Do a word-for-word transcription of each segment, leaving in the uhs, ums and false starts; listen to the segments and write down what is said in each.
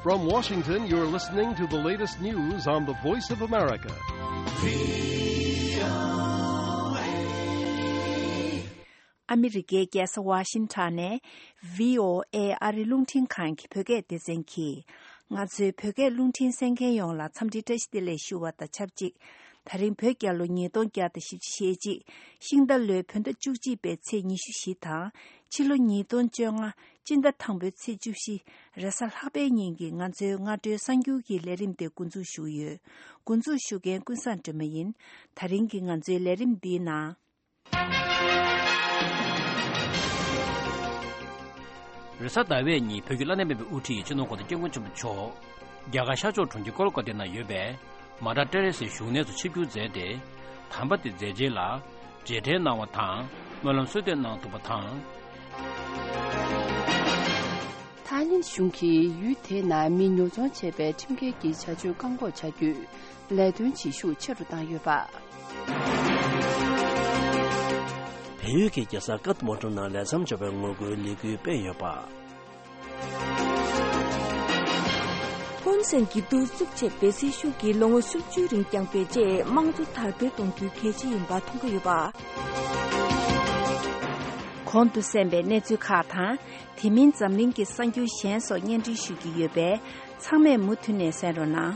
From Washington, you're listening to the latest news on the Voice of America. ཨ་མི་རི་ཀའི་རྒྱལ་ས་ཝ་ཤིང་ཊོན་ནས་བྷི་ཨོ་ཨེ་ཨ་རི་རླུང་འཕྲིན་ཁང་གི་བོད་སྐད་སྡེ་ཚན་གྱིས། ང་ཚོའི་བོད་སྐད་རླུང་འཕྲིན་གསན་མཁན་ཡོངས་ལ་འཚམས་འདྲི་བཀྲ་ཤིས་བདེ་ལེགས་ཞུ་བ་དང་ཆབས་ཅིག་ད་རིང་བོད་རྒྱལ་ལོ་ཉིས་སྟོང་བརྒྱ་དང་བཞི་བཅུ་ཞེ་གཅིག་ཤིང་རྟ་ལོའི་བོད་ཟླ་བཅུ་གཅིག་པའི་ཚེས་ཉི་ཤུ་བཞི་དང་། ཕྱི་ལོ་ཉིས་སྟོང་བཅོ་ལྔ་སྤྱི་ཟླ་དང་པོའི་ཚེས་བཅུ་བཞི་རེས་གཟའ་ལྷག་པའི་ཉིན་གྱི་ང་ཚོའི་སྔ་དྲོའི་གསར་འགྱུར་གྱི་ལས་རིམ་དེ་འགོ་འཛུགས་ཞུ་གི་ཡོད། འགོ་འཛུགས་ཞུ་མཁན་ཀུན་བཟང་སྒྲོལ་མ་ཡིན། ད་རིང་གི་ང་ཚོའི་ལས་རིམ་འདིའི་ནང་། རེས་གཟའ་ཟླ་བའི་ཉིན་བོད་ཀྱི་བླ་ན་མེད་པའི་དབུ་ཁྲིད་སྤྱི་ནོར་གོང་ས་སྐྱབས་མགོན་ཆེན་པོ་མཆོག་རྒྱ་གར་ཤར་ཕྱོགས་གྲོང་ཁྱེར་ཀོལ་ཀ་ཏའི་ནང་ཡོད་པའི་མ་ཏྲ་ཏེ་རེ་སའི་བཞུགས་གནས་སུ་ཆིབས་བསྒྱུར་མཛད་དེ། དམ་པ་དེའི་མཛད་རྗེས་ལ་རྗེས་དྲན་གནང་བ་དང་། སྨོན་ལམ་གསོལ་འདེབས་གནང་ཐུབ་པ་དང་། ཐའི་ལེན་གཞུང་གིས་ཡུལ་དེའི་ནང་མི་ཉོ་ཚོང་བྱེད་པའི་ཁྲིམས་འགལ་གྱི་བྱ་སྤྱོད་བཀག་འགོག་བྱ་རྒྱུའི་ལས་དོན་བྱེད་ཤུགས་ཆེ་རུ་བཏང་ཡོད་པ། བལ་ཡུལ་གྱི་རྒྱལ་ས་ཀ་ཐ་མན་ཌུ་ནང་ལས་མཚམས་འཇོག་པའི་ངོ་རྒོལ་ལས་འགུལ་སྤེལ་ཡོད་པ། ཧུན་སེན་གྱིས་གདུག་རྩུབ་ཆེད་བེད་སྤྱོད་ཤུགས་ཀྱིས་ལོ་ངོ་སུམ་ཅུའི་རིང་བསྐྱངས་པའི་རྗེས་དམངས་གཙོ་དར་སྤེལ་གཏོང་རྒྱུ་གལ་ཆེ་ཡིན་པ་མཐོང་གི་ཡོད་པ། གོང་དུ་གསན་པའི་གནས་ཚུལ་ཁག་དང་། དེ་མིན་འཛམ་གླིང་གི་གསར་འགྱུར་གཞན་སོགས་སྙན་སྒྲོན་ཞུ་རྒྱུ་ཡོད་པས། ཚང་མས་མུ་མཐུད་ནས་གསན་རོགས་གནང་།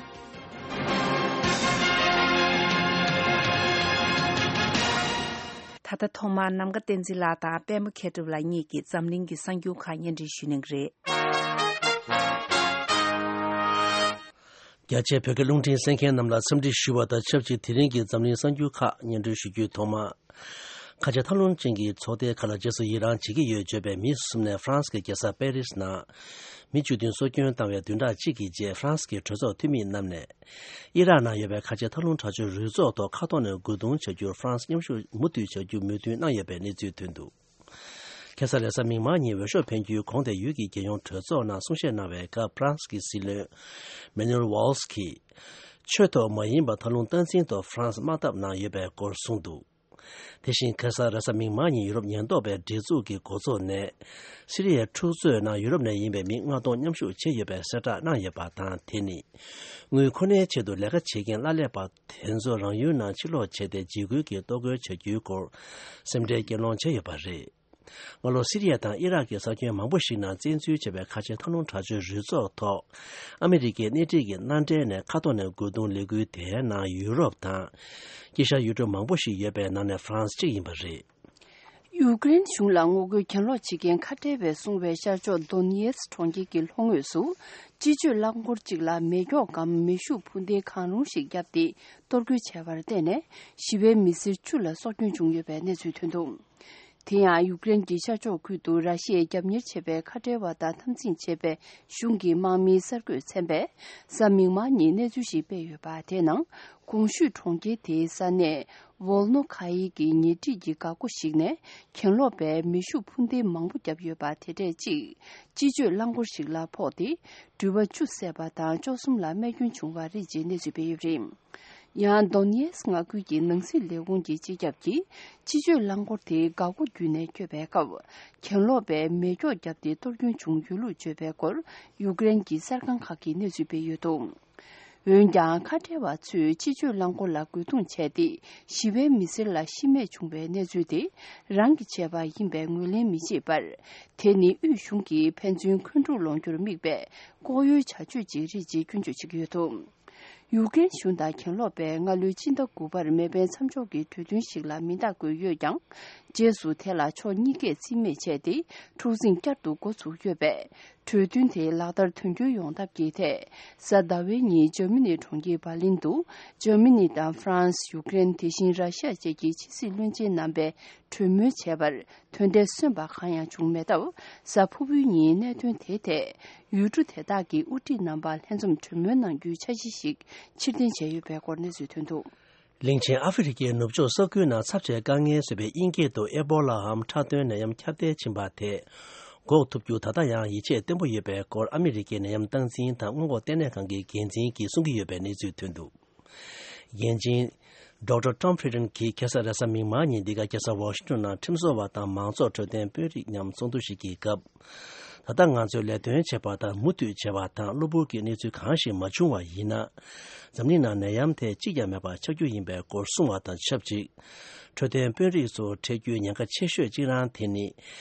ད་ལྟ་ཐོག་མར་ནམ་མཁའ་བསྟན་འཛིན་ལགས་དང་པད་མ་མཁས་གྲུབ་ལགས་གཉིས་ཀྱིས་འཛམ་གླིང་གི་གསར་འགྱུར་ཁག་སྙན་སྒྲོན་ཞུ་གནང་གི་རེད། རྒྱ་ཆེའི་བོད་སྐད་རླུང་འཕྲིན་གསན་མཁན་རྣམས་ལ་འཚམས་འདྲི་ཞུ་བ་དང་ཆབས་ཅིག་དེ་རིང་གི་འཛམ་གླིང་གསར་འགྱུར་ཁག་སྙན་སྒྲོན་ཞུ་རྒྱུའི་ཐོག་མ། ཁ་ཆེ་ཐབས་ལམ་ཅན་གྱི་ཚོགས་སྡེའི་ཁ་ལ་རྗེས་སུ་ཡི་རང་བྱེད་ཀྱི་ཡོད་བརྗོད་པའི་མི་གསུམ་ནས་ཧྥ་རན་སི་གི་རྒྱལ་ས་པེ་རི་སི་ནང་མི་བཅུ་བདུན་སྲོག་སྐྱོན་བཏང་བའི་བདུན་ཕྲག་གཅིག་གི་རྗེས་ཧྥ་རན་སི་གི་གྲོས་ཚོགས་འཐུས་མི་རྣམས་ནས་ཨི་རག་ནང་ཡོད་པའི་ཁ་ཆེ་ཐབས་ལམ་དྲག་སྤྱོད་རུས་ཚོགས་ཐོག་ཁ་ཐོག་ནས་རྒོལ་རྡུང་བྱ་རྒྱུར་ཧྥ་རན་སི་མཉམ་ཞུགས་མུ་མཐུད་བྱ་རྒྱུ་མོས་མཐུན་གནང་ཡོད་པའི་གནས་ཚུལ་ཐོན་འདུག་ཁ་སང་རེས་གཟའ་མིག་དམར་ཉིན་འོས་ཤོག་འཕེན་རྒྱུའི་གོང་དེ་ཡུལ་གྱི་རྒྱལ་ཡོངས་གྲོས་ཚོགས་ནང་གསུང་བཤད་གནང་བའི་སྐབས་ཧྥ་རན་སི་གི་སྲིད་བློན་མེ་ནུ་ཨེལ་ཝཱལ་སི་གིས། ཆོས་ཐོག་མ་ཡིན་པ་ཐབས་ལམ་སྟངས་འཛིན་ཐོག་ཧྥ་རན་སི་དམག་འཐབ་གནང་ཡོད་པའི་སྐོར་གསུངས་འདུག་དེ་བཞིན་ཁ་སང་རེས་གཟའ་མིག་དམར་ཉིན་ཡུ་རོབ་ཉེན་རྟོག་པའི་སྒྲིག་འཛུགས་ཀྱི་འགོ་ཚུགས་ནས། སི་རི་ཡའི་འཁྲུག་རྩོད་ནང་ཡུ་རོབ་ནས་ཡིན་པའི་མི་ལྔ་སྟོང་མཉམ་ཞུགས་བྱས་ཡོད་པའི་གསལ་བསྒྲགས་གནང་ཡོད་པ་དང་། དེ་ནི་དངུལ་ཁོ་ནའི་ཆེད་དུ་ལས་ཀ་བྱེད་མཁན་གླ་ལས་པ་དེ་ཚོ་རང་ཡུལ་ནང་ཕྱིར་ལོག་བྱས་ཏེ་འཇིགས་སྐུལ་གྱིས་གཏོར་རྒོལ་བྱ་རྒྱུའི་སྐོར་སེམས་ཁྲལ་སྐྱེད་སློང་བྱས་ཡོད་པ་རེད། སྔ་ལོ་སི་རི་ཡ་དང་ཨི་རག་གི་ས་ཁྱོན་མང་པོ་ཞིག་ནང་བཙན་འཛུལ་བྱས་པའི་ཁ་ཆེ་ཐབས་ལམ་དྲག་སྤྱོད་རུས་ཚོགས་ཐོག་ཨ་མི་རི་ཀའི་སྣེ་ཁྲིད་ཀྱི་མནའ་འབྲེལ་ནས་ཁ་ཐོག་ནས་རྒོལ་རྡུང་ལས་འགུལ་དེའི་ནང་ཡུ་རོབ་དང་། དཀྱིལ་ཤར་ཡུལ་གྲུ་མང་པོ་ཞིག་ཡོད་པའི་ནང་ནས་ཧྥ་རན་སི་གཅིག་ཡིན་པ་རེད། ཡུ་ཀེ་རེན་གཞུང་ལ་ངོ་རྒོལ་གྱེན་ལོག་བྱེད་མཁན་ཁ་བྲལ་བས་བཟུང་བའི་ཤར་ཕྱོགས་དོ་ནེ་ཡེ་སི་གྲོང་ཁྱེར་གྱི་ལྷོ་ངོས་སུ། སྤྱི་སྤྱོད་རླངས་འཁོར་གཅིག་ལ་མེ་སྒྱོགས་སྒམ་མེ་ཤུགས་འཕུར་མདེལ་གང་རུང་ཞིག་བརྒྱབ་སྟེ་གཏོར་རྒོལ་བྱས་པར་བརྟེན་ནས། ཞི་བའི་མི་སེར་བཅུ་ལ་སྲོག་སྐྱོན་བྱུང་ཡོད་པའི་གནས་ཚུལ་ཐོན་འདུག་དེ་ཡང་ཡུཀ་རེན་གྱི་ཤར་ཕྱོགས་ཁུལ་དུ་ར་ཤི་ཡས་རྒྱབ་གཉེར་བྱེད་པའི་ཁ་བྲལ་བ་དང་འཐབ་འཛིང་བྱེད་པའི་གཞུང་གི་དམག་མིའི་གསར་འགོད་ཚན་པས་གཟའ་མིག་དམར་ཉིན་གནས་ཚུལ་ཞིག་སྤེལ་ཡོད་པ། དེའི་ནང་གོང་ཞུས་གྲོང་ཁྱེར་དེའི་ས་གནས་ཝོལ་ནོ་ཁ་ཡི་གི་ཉེ་འཁྲིས་ཀྱི་འགག་སྒོ་ཞིག་ནས་གྱེན་ལོག་པས་མེ་ཤུགས་འཕུར་མདེལ་མང་པོ་བརྒྱབ་ཡོད་པ། དེ་གྲས་གཅིག་སྤྱི་སྤྱོད་རླངས་འཁོར་ཞིག་ལ་ཕོག་སྟེ་འགྲུལ་པ་བཅུ་བསད་པ་དང་བཅུ་གསུམ་ལ་རྨས་སྐྱོན་བྱུང་བ་རེད་ཅེས་གནས་ཚུལ་སྤེལ་ཡོད་པ་རེད། ཡང་དོ་ནེ་ཡེས་མངའ་ཁུལ་གྱི་ནང་སྲིད་ལས་ཁུངས་ཀྱི་སྤྱི་ཁྱབ་ཀྱིས་སྤྱི་སྤྱོད་རླངས་འཁོར་དེ་འགག་སྒོ་བརྒྱུད་ནས་བསྐྱོད་པའི་སྐབས། གྱེན་ལོག་པས་མེ་སྒྱོགས་བརྒྱབ་སྟེ་གཏོར་སྐྱོན་བྱུང་ཡོད་ལུགས་བརྗོད་པའི་སྐོར་ཡུཀ་རེན་གྱི་གསར་ཁང་ཁག་གིས་གནས་ཚུལ་སྤེལ་ཡོད་འདུག་འོན་ཀྱང་། ཁ་བྲལ་བ་ཚོས་སྤྱི་སྤྱོད་རླངས་འཁོར་ལ་རྒོལ་རྡུང་བྱས་ཏེ། ཞི་བའི་མི་སེར་ལ་ཤི་རྨས་བྱུང་བའི་གནས་ཚུལ་དེ། རང་གིས་བྱས་པ་ཡིན་པའི་ངོས་ལེན་མི་བྱེད་པར། དེ་ནི་དབུས་གཞུང་གིས་ཕན་ཚུན་འཁོན་འཁྲུག་སློང་རྒྱུར་དམིགས་པའི་ལྐོག་གཡོའི་བྱ་སྤྱོད་ཅིག་རེད་ཅེས་སྐྱོན་བརྗོད་བྱེད་ཀྱི་ཡོད་འདུག་ཡུཀ་རེན་གཞུང་དང་གྱེན་ལོག་པས་སྔ་ལོའི་ཕྱི་ཟླ་དགུ་པར་མེ་འཕེན་མཚམས་འཇོག་གི་གྲོས་མཐུན་ཞིག་ལ་མིང་རྟགས་བཀོད་ཡོད་ཀྱང་། རྗེས་སུ་དེ་ལ་ཕྱོགས་གཉིས་ཀས་རྩིས་མེད་བྱས་ཏེ། འཁྲུག་འཛིང་བསྐྱར་དུ་འགོ་ཚུགས་ཡོད་པས། གྲོས་མཐུན་དེ་ལག་བསྟར་དོན་འཁྱོལ་ཡོང་ཐབས་ཀྱི་ཐད། གཟའ་ཟླ་བའི་ཉིན་འཇར་མ་ནི་གྲོང་ཁྱེར་འབར་ལིན་དུ། འཇར་མ་ནི་དང་ཧྥ་རན་སི། ཡུཀ་རེན། དེ་བཞིན་ར་ཤི་ཡ་བཅས་ཀྱི་ཕྱི་སྲིད་བློན་ཆེན་རྣམ་པས་གྲོས་མོལ་བྱས་པར། དོན་འབྲས་སོན་པ་གང་ཡང་བྱུང་མེད་སྟབས། གཟའ་ཕུར་བུའི་ཉིན་གནད་དོན་དེའི་ཐད། ཡུལ་གྲུ་དེ་དག་གི་དབུ་ཁྲིད་རྣམ་པ་ལྷན་འཛོམས་གྲོས་མོལ་གནང་རྒྱུའི་འཆར་གཞི་ཞིག་ཕྱིར་འཐེན་བྱས་ཡོད་པའི་སྐོར་གནས་ཚུལ་ཐོན་འདུག་གླིང་ཆེན་ཨ་ཧྥེ་རི་ཁའི་ནུབ་ཕྱོགས་ས་ཁུལ་ནང་ཚབས་ཆེའི་དཀའ་ངལ་བཟོས་པའི་དབྱིན་སྐད་དུ་ཨེ་བོ་ལ་འམ་ཁྲག་དོན་ནད་ཡམས་ཁྱབ་གདལ་ཕྱིན་པ་དེ་འགོག་ཐུབ་རྒྱུ་ད་ལྟ་ཡང་ཡིད་ཆེས་བརྟན་པོ་ཡོད་པའི་སྐོར་ཨ་མི་རི་ཀའི་ནད་ཡམས་སྟངས་འཛིན་དང་སྔོན་འགོག་ལྟེ་གནས་ཁང་གི་འགན་འཛིན་གྱིས་གསུང་གི་ཡོད་པའི་གནས་ཚུལ་ཐོན་འདུག་འགན་འཛིན་ཌོག་ཊར་Tom Frieden་གྱིས་ཁ་སང་རེས་གཟའ་མིག་དམར་ཉིན་འདི་ག་རྒྱལ་ས་ཝ་ཤིང་ཊོན་ནང་ཁྲིམས་བཟོ་བ་དང་མང་ཚོགས་འཕྲོད་བསྟེན་དཔོན་རིགས་མཉམ་ཚོགས་འདུ་ཞིག་གི་སྐབས། ད་ལྟ་ང་ཚོས་ལས་དོན་བྱེད་པ་དང་མུ་མཐུད་བྱེད་པ་དང་གློ་བུར་གྱི་གནས་ཚུལ་གང་ཞིག་མ་བྱུང་བ་ཡིན་ན། འཛམ་གླིང་ནང་ནད་ཡམས་དེ་གཅིག་ཀྱང་མེད་པ་ཆགས་རྒྱུ་ཡིན་པའི་སྐོར་གསུངས་པ་དང་ཆབས་ཅིག་འཕྲོད་བསྟེན་དཔོན་རིགས་ཚོ་འཕྲད་རྒྱུའི་ཉེན་ཁ་ཆེ་ཤོས་གཅིག་རང་དེ་ནི།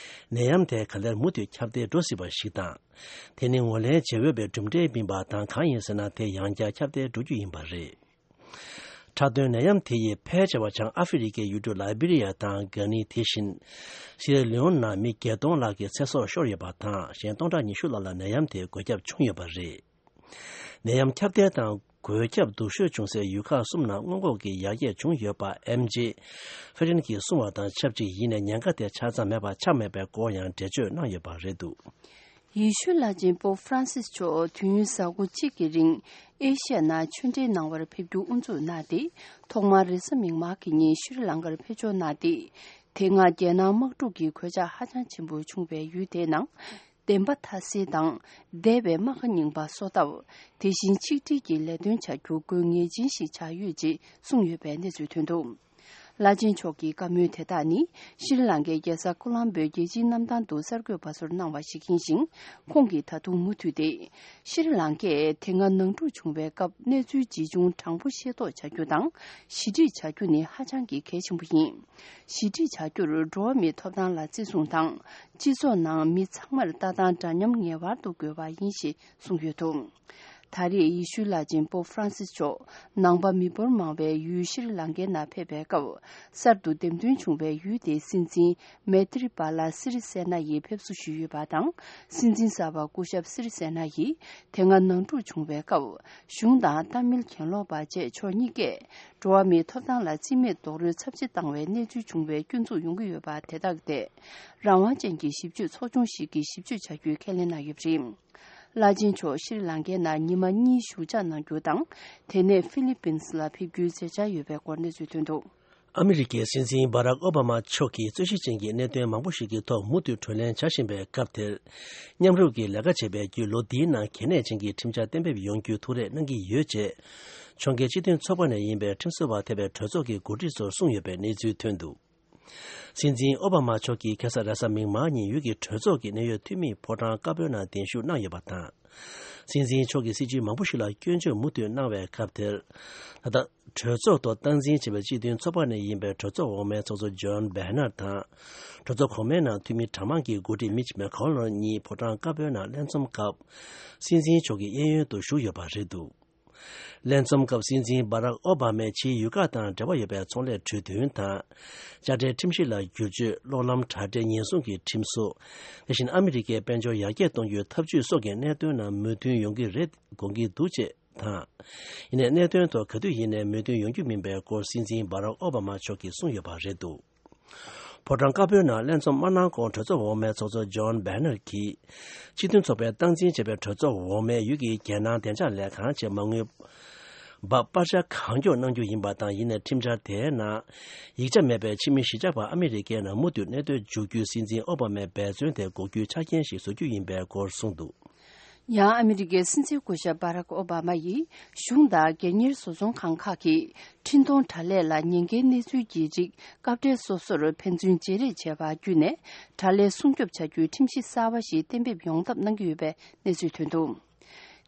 ནད་ཡམས་དེ་ག་ལེར་མུ་མཐུད་ཁྱབ་གདལ་འགྲོ་སྲིད་པ་ཞིག་དང་། དེ་ནི་ངོས་ལེན་བྱེད་འོས་པའི་གྲུབ་འབྲས་མིན་པ་དང་། གང་ཡིན་ཟེར་ན། དེ་ཡང་བསྐྱར་ཁྱབ་གདལ་འགྲོ་རྒྱུ་ཡིན་པ་རེད། འཁྲབ་སྟོན་ནད་ཡམས་དེ་ཡིས་ཕལ་ཆེ་བ་བྱང་ཨ་ཧྥེ་རི་ཁའི་ཡུལ་གྲུ་ལའི་བི་རི་ཡ་དང་གྷ་ནི། དེ་བཞིན་སི་ཡེ་ར་ལེ་ཨོན་ནང་མི་བརྒྱད་སྟོང་ལྷག་གི་ཚེ་སྲོག་ཤོར་ཡོད་པ་དང་། གཞན་སྟོང་ཕྲག་ཉི་ཤུ་ལྷག་ལ་ནད་ཡམས་དེའི་འགོས་ཁྱབ་བྱུང་ཡོད་པ་རེད། ནད་ཡམས་ཁྱབ་གདལ་དང་འགོས་ཁྱབ་སྡུག་ཤོས་བྱུང་སའི་ཡུལ་ཁག་གསུམ་ནང་སྔོན་འགོག་གི་ཡར་རྒྱས་བྱུང་ཡོད་པ། ཨེམ་ཇེ་ཧྥེ་རན་གྱིས་གསུངས་པ་དང་ཆབས་ཅིག་ཡིན་ནའི་ཉེན་ཁ་དེ་ཆ་ཚང་མེད་པ་ཆགས་མེད་པའི་སྐོར་ཡང་འགྲེལ་བརྗོད་གནང་ཡོད་པ་རེད་འདུག། ཡེ་ཤུའི་བླ་ཆེན་པོབ་ཧྥ་རན་སིས་མཆོག་དུས་ཡུན་གཟའ་འཁོར་གཅིག་གི་རིང་ཨེ་ཤི་ཡ་ནང་ཆོས་འབྲེལ་གནང་བར་ཕེབས་རྒྱུ་དབུ་འཛུགས་གནང་སྟེ། ཐོག་མར་རེས་གཟའ་མིག་དམར་གྱི་ཉིན་ཤྲི་ལང་ཀར་ཕེབས་འབྱོར་གནང་སྟེ། དེ་སྔ་རྒྱལ་ནང་དམག་འཁྲུག་གི་གོད་ཆག་ཧ་ཅང་ཆེན་པོ་བྱུང་བའི་ཡུལ་དེའི་ནང་བདེན་པ་མཐའ་གསལ་དང་འདས་པའི་རྨ་ཁ་རྙིང་པ་གསོ་ཐབས། དེ་བཞིན་ཆིག་སྒྲིལ་གྱི་ལས་དོན་བྱ་རྒྱུ་དགོས་ངེས་ཅན་ཞིག་ཆགས་ཡོད་ཅེས་གསུངས་ཡོད་པའི་གནས་ཚུལ་ཐོན་འདུག། བླ་ཆེན་མཆོག་གི་བཀའ་མོལ་དེ་དག་ནི་ཤྲི་ལང་ཀའི་རྒྱལ་ས་ཀོ་ལོམ་བྷོའི་རྒྱལ་སྤྱིའི་གནམ་ཐང་དུ་གསར་འགོད་པ་ཚོར་གནང་བ་ཞིག་ཡིན་ཞིང་། ཁོང་གིས་ད་དུང་མུ་མཐུད་དེ། ཤྲི་ལང་ཀས་དེ་སྔ་ནང་འཁྲུག་བྱུང་བའི་སྐབས་གནས་ཚུལ་ཇི་བྱུང་དྲང་པོ་ཤེས་རྟོགས་བྱ་རྒྱུ་དང་། ཞི་འགྲིག་བྱ་རྒྱུ་ནི་ཧ་ཅང་གི་གལ་ཆེན་པོ་ཡིན། ཞི་འགྲིག་བྱ་རྒྱུར་འགྲོ་བ་མིའི་ཐོབ་ཐང་ལ་བརྩི་སྲུང་དང་། སྤྱི་ཚོགས་ནང་མི་ཚང་མར་ལྟ་སྟངས་འདྲ་མཉམ་ངེས་པར་དུ་དགོས་པ་ཡིན་ཞེས་གསུངས་ཡོད་འདུག། ད་རེས་ཡེ་ཤུའི་བླ་ཆེན་པོབ་ཧྥ་རན་སིས་མཆོག་ནང་པ་མི་འབོར་མང་བའི་ཡུལ་ཤྲི་ལང་ཀའི་ནང་ཕེབས་པའི་སྐབས། གསར་དུ་འདེམས་ཐོན་བྱུང་བའི་ཡུལ་དེའི་སྲིད་འཛིན་མེ་ཏྲི་པཱ་ལ་སི་རི་སེ་ན་ཡིས་ཕེབས་བསུ་ཞུས་ཡོད་པ་དང་། སྲིད་འཛིན་གསར་པ་སྐུ་ཞབས་སི་རི་སེ་ན་ཡིས་དེ་སྔ་ནང་འཁྲུག་བྱུང་བའི་སྐབས། གཞུང་དང་ཏཱ་མིལ་གྱེན་ལོག་པ་བཅས་ཕྱོགས་གཉིས་ཀས་འགྲོ་བ་མིའི་ཐོབ་ཐང་ལ་རྩིས་མེད་རྡོག་རོལ་ཚབས་ཆེ་བཏང་བའི་གནས་ཚུལ་བྱུང་བའི་སྐྱོན་འཛུགས་ཡོང་གི་ཡོད་པ་དེ་དག་ཐད། རང་དབང་ཅན་གྱི་ཞིབ་དཔྱོད་ཚོགས་ཆུང་ཞིག་གིས་ཞིབ་དཔྱོད་བྱ་རྒྱུའི་ཁས་ལེན་གནང་ཡོད་པ་རེད། བླ་ཆེན་མཆོག་ཤྲི་ལང་ཀའི་ནང་ཉི་མ་གཉིས་བཞུགས་ཕྱག་གནང་རྒྱུ་དང་། དེ་ནས་ཧྥི་ལི་པིན་སི་ལ་ཕེབས་རྒྱུའི་མཛད་འཆར་ཡོད་པའི་སྐོར་གནས་ཚུལ་ཐོན་འདུག། ཨ་མི་རི་ཀའི་སྲིད་འཛིན་སྦ་རག་ཨོ་བྷ་མ་མཆོག་གིས་རྩོད་གཞི་ཅན་གྱི་གནད་དོན་མང་པོ་ཞིག་གི་ཐོག་མུ་མཐུད་གྲོས་གླེང་བྱ་བཞིན་པའི་སྐབས་དེར། མཉམ་རུབ་ཀྱིས་ལས་ཀ་བྱེད་པའི་བརྒྱུད་ལོ་འདིའི་ནང་གལ་གནད་ཅན་གྱི་ཁྲིམས་འཆར་གཏན་འབེབས་ཡོང་རྒྱུའི་ཐུགས་རེ་གནང་གི་ཡོད་ཅེས། ཕྱོགས་འགལ་སྤྱི་མཐུན་ཚོགས་པ་ནས་ཡིན་པའི་ཁྲིམས་བཟོ་བ་ཐེ་བའི་གྲོས་ཚོགས་ཀྱི་འགོ་ཁྲིད་ཚོར་གསུངས་ཡོད་པའི་གནས་ཚུལ་ཐོན་འདུག། སྲིད་འཛིན་ཨོ་བྷ་མ་མཆོག་གིས་ཁ་སང་རེས་གཟའ་མིག་དམར་ཉིན་ཡུལ་གྱི་གྲོས་ཚོགས་ཀྱི་གནད་ཡོད་འཐུས་མིའི་ཕོ་བྲང་དཀར་པོའི་ནང་གདན་ཞུ་གནང་ཡོད་པ་དང་། སྲིད་འཛིན་མཆོག་གིས་སྲིད་བྱུས་མང་པོ་ཞིག་ལ་སྐྱོན་བརྗོད་མུ་མཐུད་གནང་བའི་སྐབས་དེར། ད་ལྟ་གྲོས་ཚོགས་ཐོག་སྟངས་འཛིན་བྱེད་པའི་སྤྱི་མཐུན་ཚོགས་པ་ནས་ཡིན་པའི་གྲོས་ཚོགས་འོག་མའི་ཚོགས་གཙོ་ཇོན་བྷེ་ནར་དང་། གྲོས་ཚོགས་གོང་མའི་ནང་འཐུས་མི་གྲངས་མང་གི་འགོ་ཁྲིད་མིཆ་མེ་ཁོ་ལོན་གཉིས་ཕོ་བྲང་དཀར་པོའི་ནང་ལྷན་འཛོམས་སྐབས། སྲིད་འཛིན་མཆོག་གི་གཡས་གཡོན་དུ་བཞུགས་ཡོད་པ་རེད་འདུག། ལྷན་འཛོམས་སྐབས་སྲིད་འཛིན་སྦ་རག་ཨོ་བྷ་མས་ཕྱིའི་ཡུལ་ཁག་དང་འབྲེལ་བ་ཡོད་པའི་ཚོང་ལས་གྲོས་མཐུན་དང་། དཔྱ་ཁྲལ་ཁྲིམས་གཞི་ལ་བསྒྱུར་བཅོས། གློག་ལམ་དྲ་སྦྲེལ་ཉེན་སྲུང་གི་ཁྲིམས་སྲོལ། དེ་བཞིན་ཨ་མི་རི་ཀའི་དཔལ་འབྱོར་ཡར་རྒྱས་གཏོང་རྒྱུའི་ཐབས་ཇུས་སོགས་ཀྱི་གནད་དོན་ནང་མོས་མཐུན་ཡོང་གི་རེད་དགོངས་ཀྱི་འདུག་ཅེས་དང་། ཡིན་ནའི་གནད་དོན་ཐོག་ག་དུས་ཡིན་ནའི་མོས་མཐུན་ཡོང་རྒྱུ་མིན་པའི་སྐོར་སྲིད་འཛིན་སྦ་རག་ཨོ་བྷ་མ་མཆོག་གིས་གསུངས་ཡོད་པ་རེད་འདུག། ཕོ་བྲང་དཀར་པོའི་ནང་ལྷན་འཛོམས་མ་གནང་གོང་གྲོས་ཚོགས་འོག་མའི་ཚོགས་གཙོ་ཇོན་བྷེ་ནར་གྱིས། སྤྱི་མཐུན་ཚོགས་པའི་སྟངས་འཛིན་བྱས་པའི་གྲོས་ཚོགས་འོག་མའི་ཡུལ་གྱི་རྒྱལ་ནང་བདེ་འཇགས་ལས་ཁང་བཅས་མ་དངུལ་འབབ་སྤར་ཆ་གང་མགྱོགས་གནང་རྒྱུ་ཡིན་པ་དང་། ཡིན་ནའི་ཁྲིམས་འཆར་དེའི་ནང་ཡིག་ཆ་མེད་པའི་ཕྱི་མི་གཞིས་ཆགས་པ་ཨ་མི་རི་ཀའི་ནང་མུ་མཐུད་གནས་སྡོད་འཇུག་རྒྱུའི་སྲིད་འཛིན་ཨོ་བྷ་མའི་འབད་བརྩོན་དེ་འགོག་རྒྱུའི་ཆ་རྐྱེན་ཞིག་བཟོ་རྒྱུ་ཡིན་པའི་སྐོར་གསུངས་འདུག། ཡང་ཨ་མི་རི་ཀའི་སྲིད་འཛིན་སྐུ་ཞབས་སྦ་རག་ཨོ་བྷ་མ་ཡིས་གཞུང་དང་སྒེར་གཉེར་བཟོ་ཚོང་ཁང་ཁག་གིས་འཕྲིན་གཏོང་དྲ་ལས་ལ་ཉེན་ཁའི་གནས་ཚུལ་གྱི་རིགས་སྐབས་འབྲེལ་སོ་སོར་ཕན་ཚུན་བརྗེ་རེས་བྱས་པ་བརྒྱུད་ནས་དྲ་ལས་སྲུང་སྐྱོབ་བྱ་རྒྱུའི་ཁྲིམས་གཞི་གསར་བ་ཞིག་གཏན་འབེབས་ཡོང་ཐབས་གནང་གི་ཡོད་པའི་གནས་ཚུལ་ཐོན་འདུག།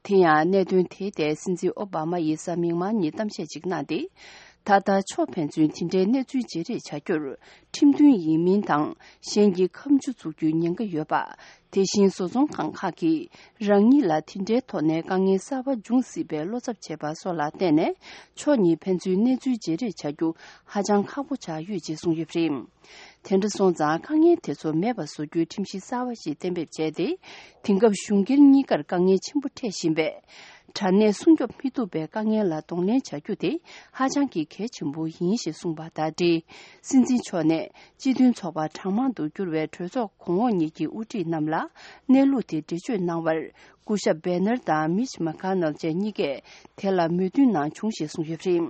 དེ་ཡང་གནད་དོན་དེའི་ཐད་སྲིད་འཛིན་ཨོ་བྷ་མ་ཡིས་གཟའ་མིག་དམར་ཉིན་གཏམ་བཤད་ཅིག་གནང་སྟེ། ད་ལྟ་ཕྱོགས་ཕན་ཚུན་དེ་འདྲའི་གནས་ཚུལ་བརྗེ་རེས་བྱ་རྒྱུར་ཁྲིམས་མཐུན་ཡིན་མིན་དང་གཞན་གྱི་ཁ་མཆུ་བཙུགས་རྒྱུའི་ཉེན་ཁ་ཡོད་པ། དེ་བཞིན་བཟོ་ཚོང་ཁང་ཁག་གིས་རང་ཉིད་ལ་དེ་འདྲའི་ཐོག་ནས་དཀའ་ངལ་གསར་པ་འབྱུང་སྲིད་པའི་བློ་འཚབ་བྱས་པ་སོགས་ལ་བརྟེན་ནས་ཕྱོགས་གཉིས་ཕན་ཚུན་གནས་ཚུལ་བརྗེ་རེས་བྱ་རྒྱུ་ཧ་ཅང་ཁག་པོ་ཆགས་ཡོད་ཅེས་གསུངས་ཡོད་པ་རེད། དེ་འདྲ་སོང་ཙང་དཀའ་ངལ་དེ་ཚོ་མེད་པ་བཟོ་རྒྱུའི་ཁྲིམས་གཞི་གསར་བ་ཞིག་གཏན་འབེབས་བྱས་ཏེ། དེང་སྐབས་གཞུང་སྒེར་གཉིས་ཀར་དཀའ་ངལ་ཆེན་པོ་འཕྲད་བཞིན་པའི་དྲ་གནས་སྲུང་སྐྱོབ་མི་ཐུབ་པའི་དཀའ་ངལ་ལ་གདོང་ལེན་བྱ་རྒྱུ་དེ་ཧ་ཅང་གི་གལ་ཆེན་པོ་ཡིན་ཞེས་གསུངས་པ་དང་འབྲེལ། སྲིད་འཛིན་མཆོག་ནས་སྤྱི་མཐུན་ཚོགས་པ་གྲངས་མང་དུ་གྱུར་བའི་གྲོས་ཚོགས་གོང་འོག་གཉིས་ཀྱི་དབུ་ཁྲིད་རྣམས་ལ་གནས་ལུགས་དེ་འགྲེལ་བརྗོད་གནང་བར། སྐུ་ཞབས་བྷེ་ནར་དང་མིཆ་མེ་ཁ་ནལ་བཅས་གཉིས་ཀས་དེ་ལ་མོས་མཐུན་གནང་བྱུང་ཞེས་གསུངས་ཡོད་པ་རེད།